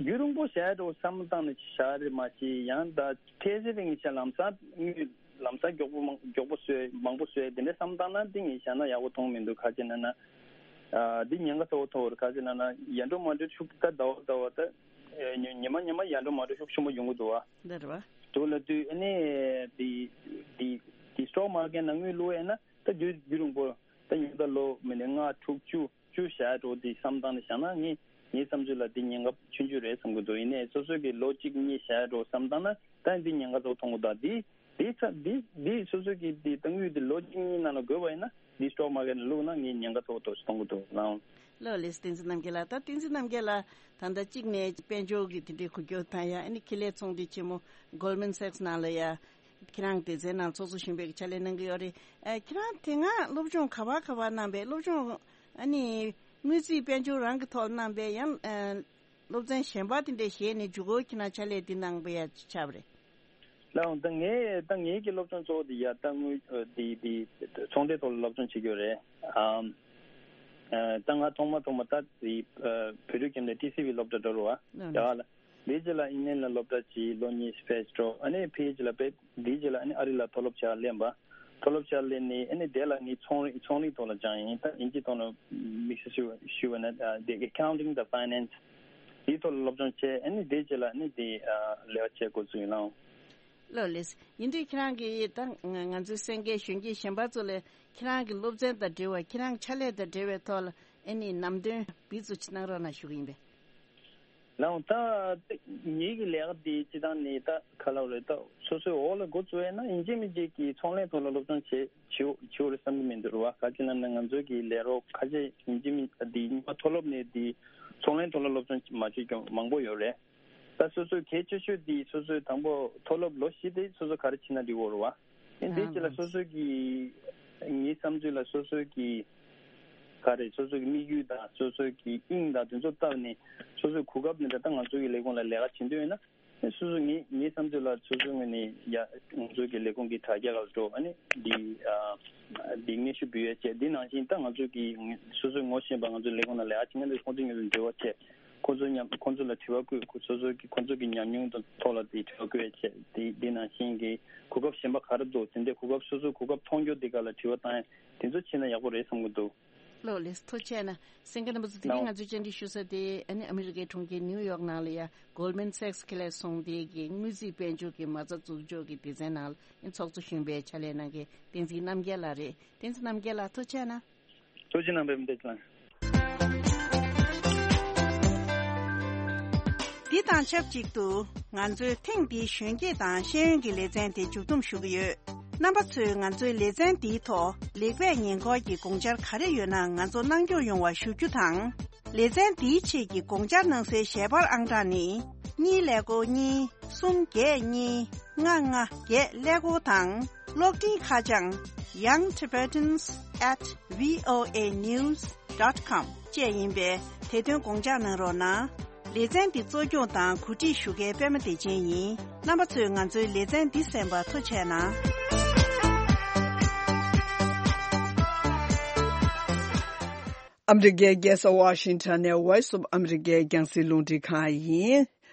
རྒྱུན་རིང་པོ་བཞག་འགྲོ་བསམ་བཏང་ནས་བཞག་རེད་མ་གཞི་ཡང་ད་འཕྲལ་སེལ་རིང་བཞག་ལམ་སང་དངུལ་ལམ་སང་མགྱོགས་པོ་མང་མགྱོགས་པོ་བཟོས་མང་པོ་བཟོས་དེ་འདྲ་བསམ་བཏང་ན་དེ་ངས་བཞག་ན་ཡག་པོ་མཐོང་མི་འདུག་ག་ཅི་ལབ་ན། ཨ་འདི་ཉེན་ཁ་ཚ་པོ་ཐོག་རེད། ག་ཅི་ལབ་ན་ཡར་འགྲོ་མར་འགྲོ་ཤུགས་ད་ཟླ་བ་ཟླ་བ་ད་ཨེ་ཉི་ཉི་མ་ཉི་མ་ཡར་འགྲོ་མར་འགྲོ་ཤུགས་ཆེན་པོ་ཡོང་གི་འདུག་བ། འདི་རེད་བ། དུ་ལ་དུས་ཨ་ནི་དེ་དེ་དེ་སི་ཊོག་མར་ཀེཊ་ནང་དངུལ་བླུགས་ཡས་ན་ད་རྒྱུན་རྒྱུན་རིང་པོ་ད་ཉུང་མཐའ་ལོ་མི་ནི་ལྔ་དྲུག་བཅུ་བཅུ་བཞག་འགྲོ་དེ་བསམ་བཏང་ནས་བཞག་ན་ངས་ངའི་བསམ་ཚུལ་ལ་དེ་ཉེན་ཁ་ཆུང་ཆུང་རེད་བསམ་གྱི་འདུག་ཡིན་ནའི་སོ་སོ་གི་ལོ་གཅིག་གཉིས་བཞག་འགྲོ་བསམ་བཏང་ན་ད་འདི་ཉེན་ཁ་ཚ་པོ་མཐོང་གི་འདུག་དེ་དེ་ཚ་དེ་དེ་སོ་སོ་གི་དེ་ད་དངུལ་དེ་ལོ་གཅིག་གཉིས་ནང་ལ་བགོས་པ་ཡིན་ན་དེ་སི་ཊོག་མར་ཀེཊ་ལ་བླུགས་ན་ངས་ཉེན་ཁ་ཚ་པོ་མཐོང་གི་འདུག་ལགས། ལགས་ལགས། བསྟན་འཛིན་རྣམ་རྒྱལ་ལགས། ད་བསྟན་འཛིན་རྣམ་རྒྱལ་ལགས་ད་ལྟ་གཅིག་ནས་དཔལ་འབྱོར་གྱི་དེ་འདྲའི་འགུལ་སྐྱོད་དང་ཡང་ཨ་ནི་ཁེ་ལས་ཚོང་འབྲེལ་ཆེན་མོ་Goldman Sachs ནང་ལ་ཡ་ཁྱེད་རང་སྡེ་ཚན་ནང་ཚོགས་གཙོ་གཞོན་པའི་ཕྱག་ལས་གནང་གི་ཡོད་རེད། ཨ་ཁྱེད་རང་དེ་སྔ་སློབ་སྦྱོང་ག་པར་ག་པར་གནང་པས། སློབ་སྦྱོང་ཨ་ནི་དངུལ་རྩིས་དཔལ་འབྱོར་རང་གི་ཐོག་གནང་པས། ཡང་ཨ་སློབ་ཚན་གཞན་པ་དེ་འདྲ་བཞེས་ནས་མཇུག་གུ་ཁྱེད་རང་ཕྱག་ལས་འདི་གནང་པ་ཡ་ཆགས་པ་རེད། ལགས་འོང་། ད་ངས་ད་ངེད་ཀྱི་སློབ་སྦྱོང་གཙོ་བོ་དེ་ཡ་ད་དངུལ་དེ་དེ་ཚོང་འབྲེལ་ཐོག་ལ་སློབ་སྦྱོང་བྱེད་ཀྱི་ཡོད་རེད། ཨམ། ཨ་ད་ང་ཐོག་མ་ཐོག་མ་ད་དེ་བོད་ཕྲུག་ཁྱིམ་ནས་ཊི་སི་ཝི་སློབ་གྲྭ་འགྲོ་རུ་བ་ཡ་ལ། དེའི་རྗེས་ལ་ཨིན་ལན་ལ་སློབ་གྲྭ་གཅིག་ལོ་གཉིས་ཕེབས་འགྲོ། ཨ་ནི་ཕི་ཨེཆ་ལ་ཕེབས། དེའི་རྗེས་ལ་ཨ་ནི་ཨ་རི་ལ་མཐོ་སློབ་བྱ་ལེན་པ། མཐོ་སློབ་བྱ་ལེན་ནས་ཨ་ནི་དེ་ལ་ངས་ཚོང་རིག་ཚོང་རིག་ཐོག་ལ་སྦྱངས་ཡིན། ད་ཨིན་ཇི་ཐོག་ནས་དམིགས་བསལ་ཞུ་ཞུ་བ་ན་དེ་ཨེ་ཁའུན་ཊིང་དང་ཕའི་ནན་སི་དེའི་ཐོག་ལ་སློབ་སྦྱོང་བྱས། ཨ་ནི་དེའི་རྗེས་ལ་ཨ་ནི་དེ་ལས་ཀ་བྱེད་འགོ་ཚུགས་ཡིན་ལགས། ལགས་ལགས། ཡིན་དུས་ཁྱེད་རང་གིས་ད་ང་ཚོའི་གསན་མཁན་གཞོན་སྐྱེས་གཞན་པ་ཚོ་ལ་ཁྱེད་རང་གི་སློབ་ཚན་དང་འབྲེལ་བ་ཁྱེད་རང་ཕྱག་ལས་དང་འབྲེལ་བའི་ཐོག་ལ་ཨ་ནི་ནམ་དོན་འབུལ་ཚུལ་ཅིག་གནང་རོགས་གནང་ཞུ་གི་ཡིན་པས། ལགས་འོང་། ད་ངེད་ཀྱི་ལས་ཀ་འདི་སྤྱི་བཏང་ནི་ད་ག་ལབ་རེད། ད་སོ་སོའི་འོག་ལ་འགོ་བཙུགས་ཡས་ན་ཡིན་གཅིག་མིན་གཅིག་གི་ཚོང་ལས་ཐོག་ལ་སློབ་སྦྱོང་བྱེད་བྱེད་བྱེད་འོ་རེད་བསམ་གྱི་མི་འདུག་རེད་བ། ག་ཅི་ལབ་ན་ང་ཚོའི་གི་ལས་རོགས་ཁ་ཤས་ཡིན་གཅིག་མིན་འདི་སྔོན་མ་མཐོ་སློབ་ནས་འདི་ཚོང་ལས་ཐོག་ལ་སློབ་སྦྱོང་མ་བྱེད་ཀྱང་མང་པོ་ཡོད་རེད། ད་སོ་སོའི་གལ་ཆེ་ཤོས་འདི་སོ་སོའི་དང་པོ་མཐོ་སློབ་ལོ་བཞི་དེ་སོ་སོ་ག་རེ་བྱེད་ན་འགྲིག་གོ་རེད་བ། ཨེ་འདི་རྗེས་ལ་སོ་སོ་གི་ངའི་བསམ་ཚུལ་ལ་སོ་སོ་གི་ག་རེ་སོ་སོ་གི་དམིགས་ཡུལ་དང་སོ་སོ་གི་དབྱིངས་དང་དེ་ཚོ་བལྟས་ནས་སོ་སོའི་གོ་སྐབས་འདི་འདྲ་ད་ང་ཚོ་གི་ལས་ཁུངས་ལ་ལས་ཀ་བྱེད་འདོད་ཡོད་ན་ སོ་སོ་ངའི་ངའི་བསམ་ཚུལ་ལ་སོ་སོའི་ངོས་ནས་ཡ་ང་ཚོའི་གི་ལས་ཁུངས་ཀྱི་དྲ་རྒྱ་ལ་འགྲོ། ཨ་ནི་འདི་ཨ་འདི་སྙན་ཞུ་འབུལ་ཡས་བྱས། འདི་ནང་བཞིན་ད་ང་ཚོའི་གི་སོ་སོའི་ངོ་ཤེས་པ་ང་ཚོའི་ལས་ཁུངས་ནང་ལ་ཡ་ཅིག་ང་ཚོས་ཁོང་ཚོའི་མཉམ་དུ་འབྲེལ་བ་བྱས། ཁོང་ཚོ་མཉམ་ཁོང་ཚོ་ལ་དྲི་བ་བཀོད། ཁོ་སོ་སོའི་གི་ཁོང་ཚོ་གི་ཉམས་མྱོང་དང་ཐོག་ལ་དེ་དྲི་བ་བཀོད་ཡས་བྱས། དེ་འདི་ནང་བཞིན་གི་གོ་སྐབས་གཞན་པ་ག་རེ་འདུག་དེ་འདྲའི་གོ་སྐབས་སོ་སོའི་གོ་སྐབས་མཐོང་རྒྱུ་དེ་ག་ལ་དྲི་བ་བཏང་ཡས་དེ་ཚོ་བྱས་ན་ཡག་པོ་རེད་བསམ་གི་འདུག་ལགས་ལགས་སོ། ཐུགས་རྗེ་ཆེ་གནང་། གསན་མཁན་རྣམ་པ་ཚོ། དེ་རིང་ང་ཚོའི་བཅར་འདྲི་ཞུ་ས་དེ་ཨ་ནི་ཨ་མི་རི་ཀའི་གྲོང་ཁྱེར་ནིའུ་ཡོག་ནང་ལ་ཡ་Goldman Sachs གི་ལས་ཚོང་སྡེ་གི་དངུལ་རྩིས་དཔལ་འབྱོར་གྱི་མ་རྩ་འཛུགས་འཇོག་གི་སྡེ་ཚན་ནང་ལ་ཨ་ནི་ཚོགས་གཙོ་གཞོན་པའི་ཕྱག་ལས་གནང་མཁན་བསྟན་འཛིན་རྣམ་རྒྱལ་ལགས་རེད། བསྟན་འཛིན་རྣམ་རྒྱལ་ལགས་ཐུགས་རྗེ་ཆེ་གནང་། ཐུགས་རྗེ་གནང་། བདེ་མོ་བདེ་ལགས། འདི་དང་ཆབས་ཅིག་ཏུ་ང་ཚོའི་ཐེངས་འདིའི་གཞོན་སྐྱེས་དང་ཤེས་ཡོན་གྱི་ལེ་ཚན་དེ་མཇུག་བསྡོམས་ཞུ་གི་ཡོད། རྣམ་པ་ཚོས་ང་ཚོའི་ལེ་ཚན་འདིའི་ཐོག་ལེགས་སྤེལ་ཉེ་འཁོར་གྱི་དགོངས་འཆར་ག་རེ་ཡོད་ན་ང་ཚོ་གནང་སྐྱོང་ཡོང་བ་ཞུ་རྒྱུ་དང་། ལེ་ཚན་འདིའི་ཆེད་ཀྱི་དགོངས་འཆར་གནང་སའི་ཞལ་པར་ཨང་གྲངས་ནི། གཉིས་ཀླད་ཀོར་གཉིས། གསུམ་བརྒྱད་གཉིས། ལྔ་ལྔ་བརྒྱད་ཀླད་ཀོར་དང་། གློག་འཕྲིན་ཁ་བྱང་young tibetans at voa news dot com བཅས་ཡིན་པས་དེ་དོན་དགོངས་འཇགས་གནང་རོགས་གནང་། ལེ་ཚན་འདི་གཙོ་སྐྱོང་དང་གོ་སྒྲིག་ཞུ་མཁན་པད་མ་བདེ་ཆེན་ཡིན། རྣམ་པ་ཚོས་ང་ཚོའི་ལེ་ཚན་འདི་གསན་པར་ཐུགས་རྗེ་གནང་། ཨ་མི་རི་ཀའི་རྒྱལ་ས་ཝ་ཤིང་ཊོན་ནས་Voice of America རྒྱང་སྲིང་རླུང་འཕྲིན་ཁང་ཡིན།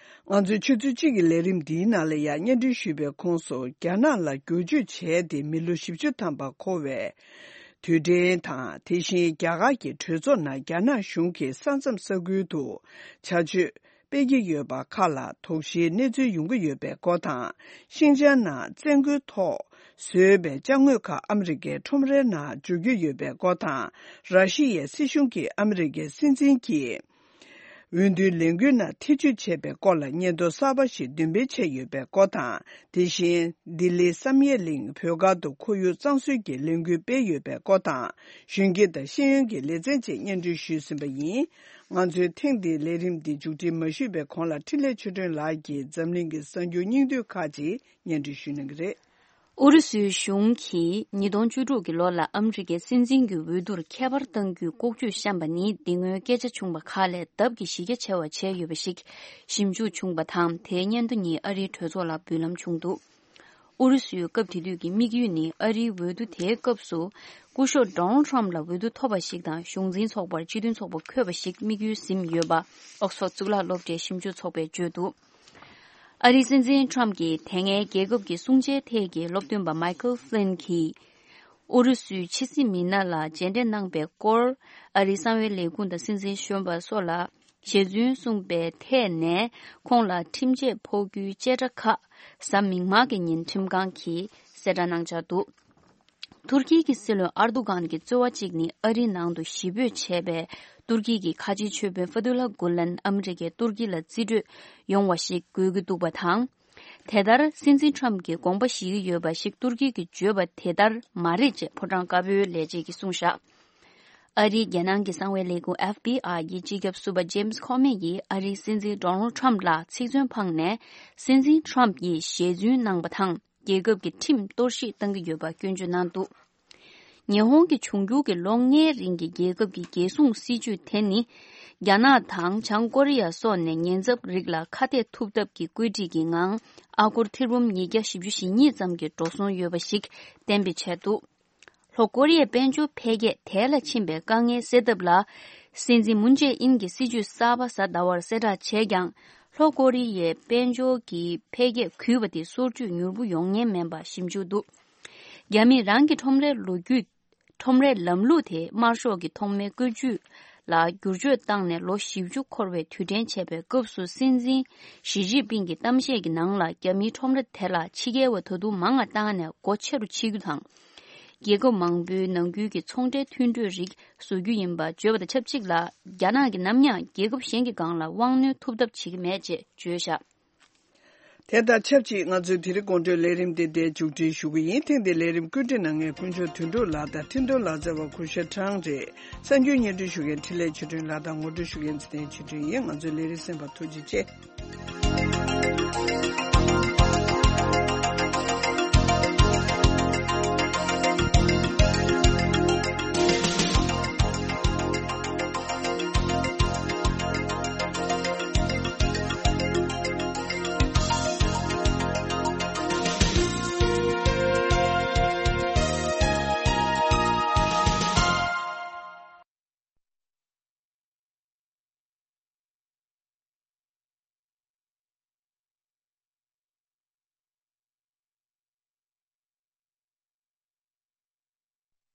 ང་ཚོས་ཆུ་ཚོད་གཅིག་གི་ལས་རིམ་འདིའི་ནང་ལ་ཡང་སྙན་སྒྲོན་ཞུས་པའི་ཁོངས་སུ་རྒྱ་ནག་ལ་བསྒྱུར་བཅོས་བྱས་ཏེ་མི་ལོ་བཞི་བཅུ་ཐམ་པ་འཁོར་བའི་དུས་དྲན་དང་། དེ་བཞིན་རྒྱ་གར་གྱི་གྲོས་ཚོགས་ནང་རྒྱ་ནག་གཞུང་གིས་ས་མཚམས་ས་ཁུལ་དུ་བྱ་སྤྱོད་སྤེལ་གྱི་ཡོད་པ་ཁག་ལ་དོགས་གཞིའི་གནས་ཚུལ་ཡོང་གི་ཡོད་པའི་སྐོར་དང་། ཤིན་ཅང་ནང་བཙན་རྒོལ་ཐོག་བཟོས་པའི་ཅ་དངོས་ཁག་ཨ་མི་རི་ཀའི་ཁྲོམ་རའི་ནང་འཇུག་རྒྱུ་ཡོད་པའི་སྐོར་དང་། ར་ཤི་ཡའི་སྲིད་གཞུང་གིས་ཨ་མི་རི་ཀའི་སྲིད་འཛིན་གྱི་འོས་བསྡུའི་ལས་འགུལ་ནང་ཐེ་བྱུས་བྱས་པའི་སྐོར་ལ་སྙན་ཐོ་གསར་པ་ཞིག་འདོན་སྤེལ་བྱས་ཡོད་པའི་སྐོར་དང་། དེ་བཞིན་ལྡི་ལི་བསམ་ཡས་གླིང་བོད་སྒར་དུ་ཁོར་ཡུག་གཙང་བཟོའི་གི་ལས་འགུལ་སྤེལ་ཡོད་པའི་སྐོར་དང་། གཞོན་སྐྱེས་དང་ཤེས་ཡོན་གྱི་ལེ་ཚན་བཅས་སྙན་སྒྲོན་ཞུས་ཟིན་པ་ཡིན། ང་ཚོའི་ཐེངས་འདིའི་ལས་རིམ་འདི་མཇུག་སྒྲིལ་མ་ཞུས་པའི་གོང་ལ་འཕྲིན་ལས་ཆོས་སྒྲོན་ལགས་ཀྱིས་འཛམ་གླིང་གི་གསར་འགྱུར་སྙིང་བསྡུས་ཁག་ཅིག་སྙན་སྒྲོན་ཞུ་གནང་གི་རེད། ཨུ་རུ་སུའི་གཞུང་གིས་ཉིས་སྟོང་བཅུ་དྲུག་གི་ལོ་ལ་ཨ་མི་རི་ཀའི་སྲིད་འཛིན་གྱི་འོས་བསྡུར་ཁྱད་པར་གཏང་རྒྱུའི་ལྐོག་ཇུས་བཤམས་པ་ནི་འདི་སྔོན་སྐད་ཆ་བྱུང་བ་ཁག་ལས་ལྡབ་ཀྱིས་གཞི་རྒྱ་ཆེ་བ་བྱས་ཡོད་པ་ཞིག་ཞིབ་འཇུག་བྱུང་བ་དང་། དེའི་སྙན་ཐོ་གཉིས་ཨ་རིའི་གྲོས་ཚོགས་ལ་འབུལ་ལམ་བྱུང་འདུག་ཨུ་རུ་སུའི་སྐབས་དེ་དུས་ཀྱི་དམིགས་ཡུལ་ནི་ཨ་རིའི་འོས་བསྡུ་དེའི་སྐབས་སུ་སྐུ་ཞབས་Donald Trump ལ་འོས་བསྡུ་ཐོབ་པ་ཞིག་དང་གཞུང་འཛིན་ཚོགས་པར་སྤྱི་མཐུན་ཚོགས་པ་འཁོད་པ་ཞིག་དམིགས་ཡུལ་ཟིན་ཡོད་པ་ཨོག་སི་ཕོར་གཙུག་ལག་སློབ་གྲྭའི་ཞིབ་འཇུག་ཚོགས་པས་བརྗོད་འདུག་ཨ་རིའི་སྲིད་འཛིན་Trump གྱིས་དེ་སྔའི་རྒྱལ་ཁབ་ཀྱི་སྲུང་བྱའི་ཐད་ཀྱི་སློབ་སྟོན་པ་Michael Flynn གྱིས་ཨུ་རུ་སུའི་ཕྱི་སྲིད་མི་སྣ་ལ་མཇལ་འཕྲད་གནང་པའི་སྐོར། ཨ་རིའི་གསང་བའི་ལས་ཁུངས་དང་སྲིད་འཛིན་གཞོན་པ་སོགས་ལ་ཞེ་བཙུན་གསུངས་པའི་ཐད་ནས་ཁོང་ལ་ཁྲིམས་ཆད་ཕོག་རྒྱུའི་བཅད་ཁྲ་ཁག་གཟའ་མིག་དམར་གྱི་ཉིན་ཁྲིམས་ཁང་གིས་གསལ་བསྒྲགས་གནང་འཆར་འདུག་ཐུར་ཁེ་གི་སྲིད་བློན་ཨར་དུ་གྷན་གྱི་རྩོལ་བ་གཅིག་ནི་ཨ་རིའི་ནང་དུ་གཞིས་སྤོས་བྱས་པའི་ཏུར་ཀི་གི་ཁ་ཆེའི་ཆོས་དཔོན་ཧྥ་ཐུ་ལ་གུ་ལན་ཨ་མི་རི་ཀས་ཏུར་ཀི་ལ་རྩིས་སྤྲོད་ཡོང་བ་ཞིག་དགོས་ཀྱི་འདུག་པ་དང་། དེ་ལྟར་སྲིད་འཛིན་ཁྲམ་གྱིས་དགོངས་པ་བཞེས་ཀྱི་ཡོད་པ་ཞིག་ཏུར་ཀི་གིས་བརྗོད་པ་དེ་ལྟར་མ་རེད་ཅེས་ཕོ་བྲང་དཀར་པོའི་ལས་བྱེད་ཀྱིས་གསུངས་བཞག་ཨ་རིའི་རྒྱལ་ནང་གི་གསང་བའི་ལས་ཁུངས་ཨེཕ་བི་ཨའི་ཡི་སྤྱི་ཁྱབ་ཟུར་པ་ཇེམ་སི་ཁོ་མེ་ཡིས་ཨ་རིའི་སྲིད་འཛིན་ཌོ་ནལ་ཁྲམ་ལ་ཚིག་མཚོན་འཕངས་ནས། སྲིད་འཛིན་ཁྲམ་ཡིས་ཞལ་རྫུན་གནང་པ་དང་། རྒྱལ་ཁབ་ཀྱི་ཁྲིམས་གཏོར་བཤིག་བཏང་གི་ཡོད་པ་སྐྱོན་བརྗོད་གནང་འདུག་ཉི་ཧོང་གི་འབྱུང་འགྱུར་གྱི་ལོ་ལྔའི་རིང་གི་རྒྱལ་ཁབ་ཀྱི་རྒྱལ་སྲུང་སྲིད་ཇུས་དེ་ནི། རྒྱ་ནག་དང་བྱང་ཀོ་རི་ཡ་སོགས་ནས་ཉེན་ཚབས་རིགས་ལ་ཁ་གཏད་ཐུབ་ཐབས་ཀྱི་བཀོད་སྒྲིག་གི་ངང་། ཨ་སྒོར་ཐེར་འབུམ་ཉིས་བརྒྱ་བཞི་བཅུ་ཞེ་གཉིས་ཙམ་གྱི་འགྲོ་སོང་ཡོད་པ་ཞིག་གཏན་འབེབས་བྱས་འདུག་ལྷོ་ཀོ་རི་ཡའི་དཔལ་འབྱོར་འཕེལ་རྒྱས་དལ་ལ་ཕྱིན་པའི་དཀའ་ངལ་སེལ་ཐབས་ལ། སྲིད་འཛིན་མུན་ཇེ་ཨིན་གྱི་སྲིད་ཇུས་གསར་པ་གཟའ་ཟླ་བར་གསལ་བསྒྲགས་བྱས་ཀྱང་། ལྷོ་ཀོ་རི་ཡའི་དཔལ་འབྱོར་གྱི་འཕེལ་རྒྱས་གུད་པ་དེ་སོར་ཆུད་མྱུར་པོ་ཡོང་ཉེན་མིན་པ་ཞིབ་འཇུག་འདུག་རྒྱ་མིས་རང་གི་ཁྲོམ་རའི་ལོ་རྒྱུས། ཁྲོམ་རའི་ལམ་ལུགས་དེ་དམར་ཤོག་གི་ཐོག་མའི་བཀོད་ཇུས་ལ་བསྒྱུར་བཅོས་བཏང་ནས་ལོ་བཞི་བཅུ་འཁོར་བའི་དུས་དྲན་བྱས་པའི་སྐབས་སུ། སྲིད་འཛིན་ཞི་ཅིན་ཕིང་གི་གཏམ་བཤད་ཀྱི་ནང་ལ། རྒྱ་མིའི་ཁྲོམ་ར་དེ་ལ་ཕྱི་རྒྱལ་བ་ད་དུང་མང་བ་བཏང་ནས་སྒོ་ཕྱེ་རུ་ཕྱེ་རྒྱུ་དང་། རྒྱལ་ཁབ་མང་པོའི་ནང་ཁུལ་གྱི་ཚོང་འབྲེལ་མཐུན་གྲོས་རིགས་བཟོ་རྒྱུ་ཡིན་པ་བརྗོད་པ་དང་ཆབས་ཅིག་ལ། རྒྱ་ནག་གིས་ནམ་ཡང་རྒྱལ་ཁབ་གཞན་གྱི་སྒང་ལ་དབང་གནོད་ཐུབ་ཐབས་བྱེད་ཀྱི་མེད་ཅེས་བརྗོད་བཞག་དེ་དང་ཆབས་ཅིག་ང་ཚོའི་དེ་རིང་དགོང་དྲོའི་ལས་རིམ་དེ་འདིར་མཇུག་སྒྲིལ་ཞུ་གི་ཡིན། ཐེངས་འདིའི་ལས་རིམ་བཀོད་སྒྲིག་གནང་མཁན་དཀོན་མཆོག་དོན་གྲུབ་ལགས་དང་འཕྲིན་གཏོང་ལག་རྩལ་བ་གུ་ཤ་ཁྲང་རེད། གསར་འགྱུར་སྙན་སྒྲོན་ཞུ་མཁན་འཕྲིན་ལས་ཆོས་སྒྲོན་ལགས་དང་ངོ་སྤྲོད་ཞུ་མཁན་ཚེ་བརྟན་ཆོས་སྒྲོན་ཡིན། ང་ཚོའི་ལས་རིམ་གསན་པར་ཐུགས་རྗེ་ཆེ།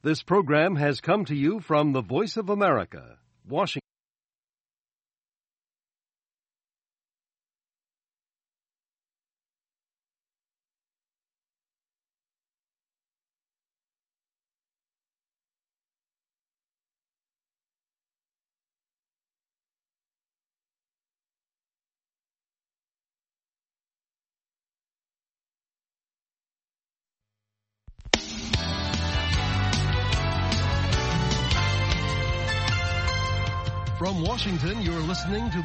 This program has come to you from the Voice of America, Washington. From Washington, you're listening to